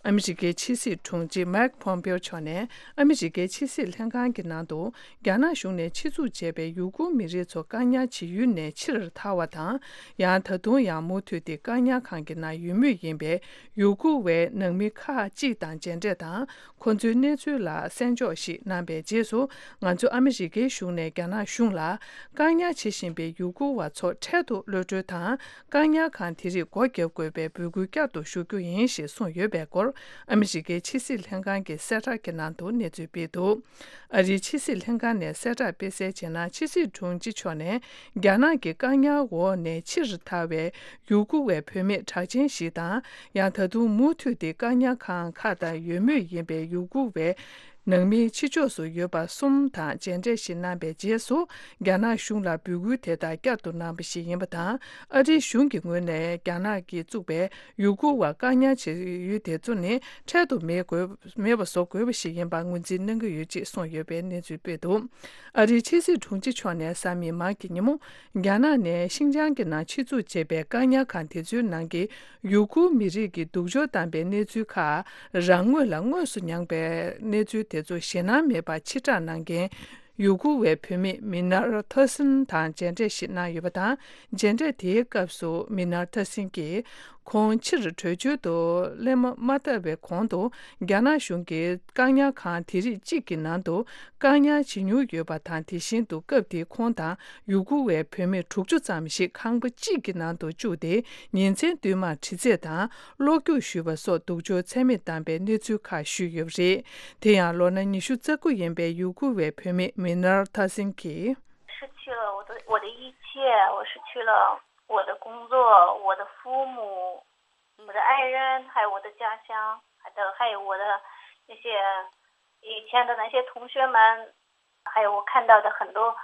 ཨ་མི་རི་ཀའི་ཕྱི་སྲིད་དྲུང་ཆེ་མཱིག་ཕོམ་པེའོ་མཆོག་ནས་ཨ་མི་རི་ཀའི་ཕྱི་སྲིད་ལྷན་ཁང་གི་ནང་དུ། རྒྱ་ནག་གཞུང་ནས་ཆེད་འཛུགས་བྱས་པའི་ཡུ་གུར་མི་རིགས་ཚོ་བཀག་ཉར་བྱེད་ཡུལ་ནས་ཕྱིར་ཐར་བ་དང་། ཡང་ད་དུང་ཡང་མུ་མཐུད་དེ་བཀག་ཉར་ཁང་གི་ནང་ཡོད་མུས་ཡིན་པའི་ཡུ་གུར་བའི་ནང་མི་ཁག་ཅིག་དང་མཇལ་འཕྲད་དང་། ཁོ་ཚོའི་གནས་ཚུལ་ལ་གསན་འཇོག་ཞིག་གནང་པའི་རྗེས་སུ། ང་ཚོ་ཨ་མི་རི་ཀའི་གཞུང་ནས་རྒྱ་ནག་གཞུང་ལ། བཀག་ཉར་བྱེད་བཞིན་པའི་ཡུ་གུར་བ་ཚོ་འཕྲལ་དུ་གློད་གྲོལ་དང་། བཀག་ཉར་ཁང་དེ་རིགས་སྒོ་བརྒྱབ་དགོས་པའི་འབོད་སྐུལ་བསྐྱར་དུ་ཞུ་རྒྱུ་ཡིན་ཞེས་གསུངས་ཡོད་པའི་སྐོར། ཨ་མི་རི་ཀའི་ཕྱི་སྲིད་ལྷན་ཁང་གི་གསལ་བསྒྲགས་ཀྱི་ནང་དུ་གནས་ཚུལ་སྤེལ་འདུག་ཨ་རིའི་ཕྱི་སྲིད་ལྷན་ཁང་ནས་གསལ་བསྒྲགས་སྤེལ་གསལ་བྱས་ན། ཕྱི་སྲིད་དྲུང་ཆེ་མཆོག་ནས་རྒྱ་ནག་གི་བཀག་ཉར་འོག་ནས་ཕྱིར་ཐར་བའི་ཡུ་གུར་བའི་བུད་མེད་གྲགས་ཅན་ཞིག་དང་། ཡང་ད་དུང་མུ་མཐུད་དེ་བཀག་ཉར་ཁང་ཁག་ཏུ་ཡོད་མུས་ཡིན་པའི་ཡུ་གུར་བའི་ནང་མིའི་ཕྱི་ཕྱོགས་སུ་ཡོད་པ་གསུམ་དང་མཇལ་འཕྲད་ཞིག་གནང་པའི་རྗེས་སུ། རྒྱ་ནག་གཞུང་ལ་འབོད་སྐུལ་དེ་དག་བསྐྱར་དུ་གནང་བ་ཞིག་ཡིན་པ་དང་། ཨ་རིའི་གཞུང་གི་ངོས་ནས་རྒྱ་ནག་གིས་བཙུགས་པའི་ཡུ་གུར་བ་བཀག་ཉར་བྱེད་ཡུལ་དེ་ཚོ་ནི་འཕྲལ་དུ་མེད་དགོས་མེད་པ་བཟོ་དགོས་པ་ཞིག་ཡིན་པར་ངོས་འཛིན་གནང་གི་ཡོད་ཅེས་གསུངས་ཡོད་པའི་གནས་ཚུལ་སྤེལ་འདུག་ཨ་རིའི་ཕྱི་སྲིད་དྲུང་ཆེ་མཆོག་ནས་གཟའ་མིག་དམར་གྱི་ཉིན་མོ། རྒྱ་ནག་ནས་ཤིན་ཅང་གི་ནང་ཆེད་འཛུགས་བྱས་པའི་བཀག་ཉར་ཁང་དེ་ཚོའི་ནང་གི་ཡུ་གུར་མི་རིགས་ཀྱི་སྡུག་སྦྱོང་བཏང་པའི་གནས་ཚུལ་ཁག་རང་ངོས་ལ་དངོས་སུ་མྱངས་པའི་གནས་ཚུལ་དེ་ཚོ་ཞེད་སྣང་མེད་པར་ཕྱིར་བསྒྲགས་གནང་མཁན་ཡུ་གུར་བའི་བུད་མེད་མི་ནར་ཐ་སིན་དང་མཇལ་འཕྲད་ཞིག་གནང་ཡོད་པ་དང་། མཇལ་འཕྲད་དེའི་སྐབས་སུ་མི་ནར་ཐ་སིན་གྱིས། ཁོང་ཕྱིར་བྲོས་བྱོལ་དུ་སླེབས་མ་ཐུབ་པའི་གོང་དུ། རྒྱ་ནག་གཞུང་གིས་བཀག་ཉར་ཁང་དེ་རིགས་གཅིག་གི་ནང་དུ་བཀག་ཉར་བྱེད་མྱོང་ཡོད་པ་དང་། དེ་བཞིན་དུ་སྐབས་དེའི་ཁོང་དང་ཡུ་གུར་བའི་བུད་མེད་དྲུག་ཅུ་ཙམ་ཞིག་ཁང་པ་གཅིག་གི་ནང་དུ་བཅུག་སྟེ། ཉིན་མཚན་བསྟུད་མར་དྲི་རྩད་དང་གློ་རྒྱུག་ཞུས་པ་སོགས་སྡུག་སྦྱོང་ཚད་མེད་བཏང་པའི་གནས་ཚུལ་ཁག་ཞུས་ཡོད་པ་རེད། དེ་ཡང་ལོ་ན་ཉི་ཤུ་རྩ་དགུ་ཡིན་པའི་ཡུ་གུར་བའི་བུད་མེད་མི་ནར་ཐ་སིན་གྱིས། 失去了我的我的一切，我失去了我的工作，我的父母，我的爱人，还有我的家乡，还有还有我的那些以前的那些同学们，还有我看到的很多，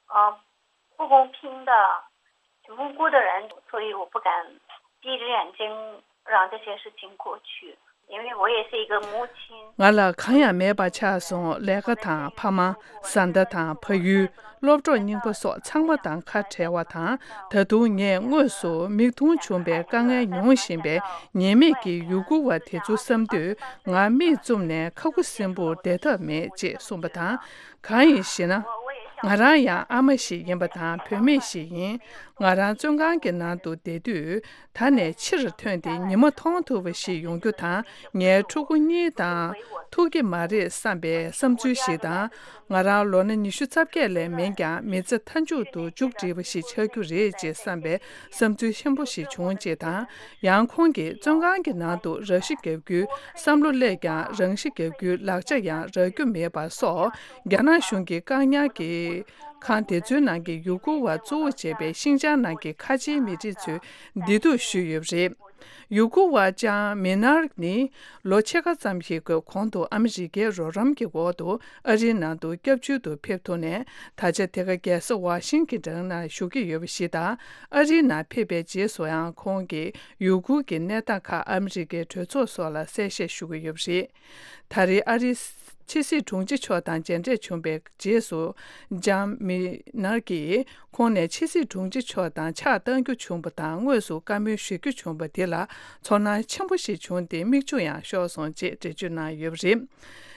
呃，不公平的、无辜的人，所以我不敢闭着眼睛让这些事情过去，因为我也是一个母亲。 ང་ལ་གང་ཡང་མེད་པ་ཆགས་སོང་། ལས་ཀ་དང་ཕ་མ། བཟའ་ཟླ་དང་ཕ་ཡུལ། སློབ་གྲོགས་རྙིང་པ་སོགས་ཚང་མ་དང་ཁ་བྲལ་བ་དང་། ད་དུང་ངས་དངོས་སུ་མིག་མཐོང་བྱུང་བའི་དཀའ་ངལ་མྱོང་བཞིན་པའི་ཉེས་མེད་ཀྱི་ཡུ་གུར་བ་དེ་ཚོ་བསམ་དུས། ང་མིག་བཙུམ་ནས་ཁ་ཁུ་སིམ་པོར་བསྡད་ཐབས་མེད་ཅེས་གསུངས་པ་དང་། གང་ཡིན་ཞེ་ན། ང་རང་ཡང་ཨ་མ་ཞིག་ཡིན་པ་དང་བུད་མེད་ཞིག་ཡིན། ང་རང་བཙོན་ཁང་གི་ནང་དུ་བསྡད་དུས། ད་ནས་ཕྱིར་ཐོན་ཏེ་ཉི་མ་མཐོང་ཐུབ་པ་ཞིག་ཡོང་རྒྱུ་དང་། ངའི་ཕྲུ་གུ་གཉིས་དང་ཐུག་གི་མ་རེད་བསམ་པའི་བསམ་ཚུལ་ཞིག་དང་། ང་རང་ལོ་ན་ཉི་ཤུ་རྩ་བརྒྱད་ལས་མིན་ཀྱང་མི་ཚེ་མཐའ་མཇུག་ཏུ་མཇུག་སྒྲིལ་བ་ཞིག་ཆགས་རྒྱུ་རེད་ཅེས་བསམ་པའི་བསམ་ཚུལ་ཆེན་པོ་ཞིག་བྱུང་ཅེས་དང་། ཡང་ཁོང་གིས་བཙོན་ཁང་གི་ནང་དུ་ར་ཤི་བརྒྱབ་རྒྱུའི་བསམ་བློ་སླེབས་ཀྱང་། རང་ཤི་བརྒྱབ་རྒྱུའི་ལག་ཆ་ཡང་རག་རྒྱུ་མེད་པ་སོགས། རྒྱ་ནག་གཞུང་གིས་བཀག་ཉར་གྱི་ཁང་དེ་ཚོའི་ནང་གི་ཡུ་གུར་བ་གཙོ་བོ་བྱས་པའི་ཤིན་ཅང་ནང་གི་ཁ་ཆེའི་མི་རིགས་ཚོའི་བདེ་སྡུག་ཞུས་ཡོད་པ་རེད། ཡུ་གུར་བ་ཅང་མི་ནར་ནི་ལོ་ཕྱེད་ཀ་ཙམ་ཞིག་གི་གོང་དུ་ཨ་མི་རི་ཀའི་རོགས་རམ་གྱི་འོག་ཏུ་ཨ་རིའི་ནང་དུ་སྐྱབས་བཅོལ་དུ་ཕེབས་ཐུབ་ནས། ད་ཆ་དེ་ག་རྒྱལ་ས་ཝ་ཤིང་ཊོན་ནང་བཞུགས་ཀྱི་ཡོད་པ་ཞིག་དང་། ཨ་རིའི་ནང་ཕེབས་པའི་རྗེས་སུ་ཡང་ཁོང་གིས་ཡུ་གུར་གྱི་གནས་སྟངས་ཁག་ཨ་མི་རི་ཀའི་གྲོས་ཚོགས་སོགས་ལ་གསལ་བཤད་ཞུ་གི་ཡོད་པ་རེད། ད་རེས་ཨ་རིའི་ཕྱི་སྲིད་དྲུང་ཆེ་མཆོག་དང་མཇལ་འཕྲད་བྱུང་བའི་རྗེས་སུ། ལྕམ་མི་ནར་གྱིས་ཁོང་ནས་ཕྱི་སྲིད་དྲུང་ཆེ་མཆོག་དང་ཕྱག་བཏང་རྒྱུ་བྱུང་བ་དང་། དངོས་སུ་བཀའ་མོལ་ཞུ་རྒྱུ་བྱུང་བ་དེ་ལ་ཚོར་སྣང་ཆེན་པོ་ཞིག་བྱུང་སྟེ། མིག་ཆུ་ཡང་ཤོར་སོང་ཅེས་འགྲེལ་བརྗོད་གནང་ཡོད་པ་རེད།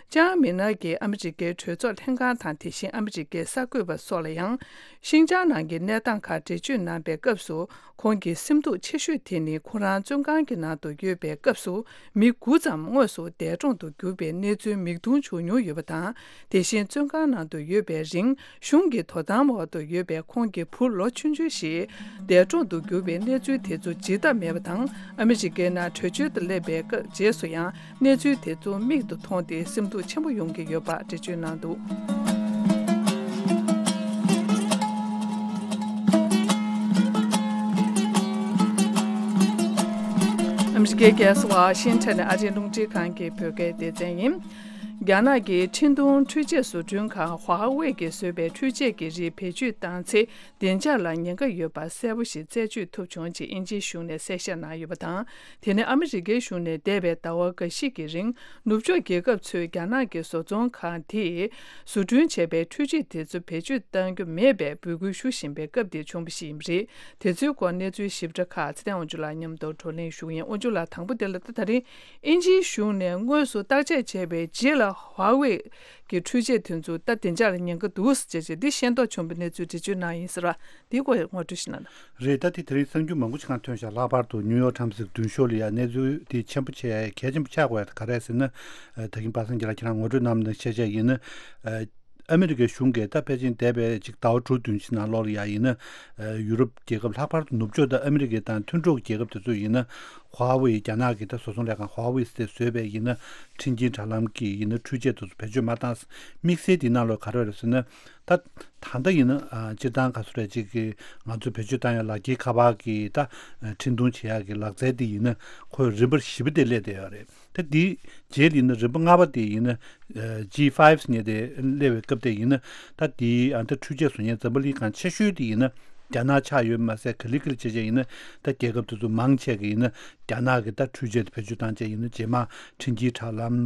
ལྕམ་མི་ནར་གྱིས་ཨ་མི་རི་ཀའི་གྲོས་ཚོགས་ལྷན་ཁང་དང་། དེ་བཞིན་ཨ་མི་རི་ཀའི་གསར་འགོད་པ་སོགས་ལ་ཡང་། ཤིན་ཅང་ནང་གི་གནས་སྟངས་ཁག་འགྲེལ་བརྗོད་གནང་པའི་སྐབས་སུ། ཁོང་གི་སེམས་སྡུག་ཆེ་ཤོས་དེ་ནི། ཁོ་རང་བཙོན་ཁང་གི་ནང་དུ་ཡོད་པའི་སྐབས་སུ། མི་དགུ་ཙམ་དངོས་སུ་འདས་གྲོངས་དུ་གྱུར་པའི་གནས་ཚུལ་མིག་མཐོང་བྱུང་མྱོང་ཡོད་པ་དང་། དེ་བཞིན་བཙོན་ཁང་ནང་དུ་ཡོད་པའི་རིང་། གཞུང་གི་དོ་དམ་འོག་ཏུ་ཡོད་པའི་ཁོང་གི་བུ་ལོ་ཆུང་ཆུང་ཞིག་འདས་གྲོངས་དུ་གྱུར་པའི་གནས་ཚུལ་དེ་ཚོ་བརྗེད་ཐབས་མེད་པ་དང་། ཨ་མི་རི་ཀའི་ནང་བྲོས་བྱོལ་དུ་སླེབས་པའི་སྐབས་རྗེས་སུ་ཡང་། གནས་ཚུལ་དེ་ཚོ་མིག་ཏུ་མཐོང་སྟེ། སེམས་སྡུག་ཆེན་པོ་ཡོང་གི་ཡོད་པ་འགྲེལ་བརྗོད་གནང་འདུག་ཨ་མི་རི་ཀའི་རྒྱལ་ས་ཝ་ཤིང་ཊོན་ནས་ཨ་རིའི་རླུང་འཕྲིན་ཁང་གི་བོད་སྐད་སྡེ་ཚན་ཡིན། རྒྱ་ནག་གི་འཕྲིན་གཏོང་འཕྲུལ་ཆས་བཟོ་སྐྲུན་ཁང་ཧྭ་ཝེ་གིས་བཟོས་པའི་འཕྲུལ་ཆས་ཀྱི་རིགས་བེད་སྤྱོད་བཏང་ཚེ། བདེ་འཇགས་ལ་ཉེན་ཁ་ཡོད་པ་གསལ་པོ་ཞིག་རྩད་གཅོད་ཐུབ་བྱུང་ཅེས་དབྱིན་ཇིའི་གཞུང་ནས་གསལ་བཤད་གནང་ཡོད་པ་དང་། དེ་ནི་ཨ་མི་རི་ཀའི་གཞུང་ནས་འདས་པའི་ཟླ་བ་འགའ་ཞིག་གི་རིང་། ནུབ་ཕྱོགས་རྒྱལ་ཁབ་ཚོས་རྒྱ་ནག་གི་བཟོ་ཚོང་ཁང་དེས་བཟོ་སྐྲུན་བྱས་པའི་འཕྲུལ་ཆས་དེ་ཚོ་བེད་སྤྱོད་གཏང་རྒྱུ་མེད་པའི་འབོད་སྐུལ་ཞུ་བཞིན་པའི་སྐབས་དེར་བྱུང་བ་ཞིག་ཡིན་པ་རེད། དེ་ཚོའི་སྐོར་གནས་ཚུལ་ཞིབ་ཕྲ་ཁག་ཚེ་བརྟན་དབང་ཕྱུག་ལགས་མཉམ་དུ་བགྲོ་གླེང་ཞུ་གི་ཡིན། དབང་ཕྱུག་ལགས། དང་པོ་དེ་ལ་ད་ད་རིང་། དབྱིན་ཇིའི་གཞུང་ནས་དངོས་སུ་བརྟག་དཔྱད་བྱས་པའི་རྗེས་ལ། ཧྭ་ཝེ་གི་འཕྲུལ་ཆས་དེ་ཚོ་ད་བདེ་འཇགས་ལ་ཉེན་ཁ་འདུག་ཟེར་བྱས་འདི་ཤེས་རྟོགས་བྱུང་བའི་གནས་ཚུལ་འགྲེལ་བརྗོད་གནང་ཡིན་ཟེར་བ་འདིའི་སྐོར་ངོ་སྤྲོད་ཞིག་གནང་དང་། རེད། ད་དེ་དེ་རིང་གསར་འགྱུར་མང་པོ་ཞིག་གང་ཐོན་ཤག་ལྷག་པར་དུ་ནིའུ་ཡོག་ཊའིམ་སི་གི་མདུན་ཤོག་ལ་ཡ་གནས་ཚུལ་དེ་ཆེན་པོ་ཆེ་གལ་ཆེན་པོ་ཆགས་དགོས་ཡ་ག་རེ་ཟེར་ན། ད་གིན་པ་སངས་རྒྱས་ལགས་ཁྱེད་རང་ངོ་སྤྲོད་གནང་ནས་བཤད་བྱས་ཡིན་ན། ཨ་མི་རི་ཀའི་གཞུང་གིས་ད་ཕལ་ཆེར་འདས་པའི་ཅིག་ཟླ་བ་དྲུག་བདུན་ཕྱི་ནང་ལོགས་ལ་ཡ་ཡིན་ན། ཡུ་རོབ་རྒྱལ་ཁབ་ལྷག་པར་དུ་ནུབ་ཕྱོགས་དང་ཨ་མི་རི་ཀ་དང་མཐུན་གྲོགས་རྒྱལ་ཁབ་དེ་ཚོ་ཡིན་ན། ཧྭ་ཝེ་རྒྱ་ནག་གི་ད་བཟོ་ཚོང་ལས་ཁང་ཧྭ་ཝེ་ཟེར་བཟོས་པའི་ཡིན་ན་འཕྲིན་སྐྱེལ་དྲ་ལམ་གྱི་ཡིན་ན་འཕྲུལ་ཆས་དེ་ཚོ་བེད་སྤྱོད་མ་བཏང་། དམིགས་བསལ་དེའི་ནང་ལོགས་ག་རེ་རེད་ཟེར་ན། ད་ད་ལྟ་ཡིན་ན་ཨ་སྤྱིར་བཏང་ག་ཚོད་རེད་ཅིག་གི་ང་ཚོས་བེད་སྤྱོད་བཏང་ཡ་ལག་འཁྱེར་ཁ་པར་གྱི་ད་འཕྲིན་གཏོང་བྱེད་ཡ་གི་ལག་རྩལ་དེ་ཡིན་ན་ཁོས་རིམ་པར་ཞིབ་པ་དེ་སླེབས་བསྡད་ཡོད་རེད། ད་དེའི་རྗེས་ལ་ཡིན་ན་རིམ་པ་ལྔ་པ་དེ་ཡིན་ན་ཇི་ཕའིབ་ཟེར་མཁན་དེ་སླེབས་པའི་སྐབས་དེ་ཡིན་ན། ད་དེའི་ཨ་ད་འཕྲུལ་ཆས་བཟོ་མཁན་འཛམ་བུ་གླིང་སྒང་ཆེ་ཤོས་དེ་ཡིན་ན་རྒྱ་ནག་ཆགས་ཡོད་མ་ཟད། ག་ལེ་ག་ལེ་བྱས་བྱས་ཡིན་ན་ད་རྒྱལ་ཁབ་དེ་ཚོ་མང་ཆེ་གི་ཡིན་ན་རྒྱ་ནག་གི་ད་འཕྲུལ་ཆས་དེ་བེད་སྤྱོད་བཏང་བྱས་ཡིན་ན་རྗེས་མ་འཕྲིན་སྐྱེལ་དྲ་ལམ་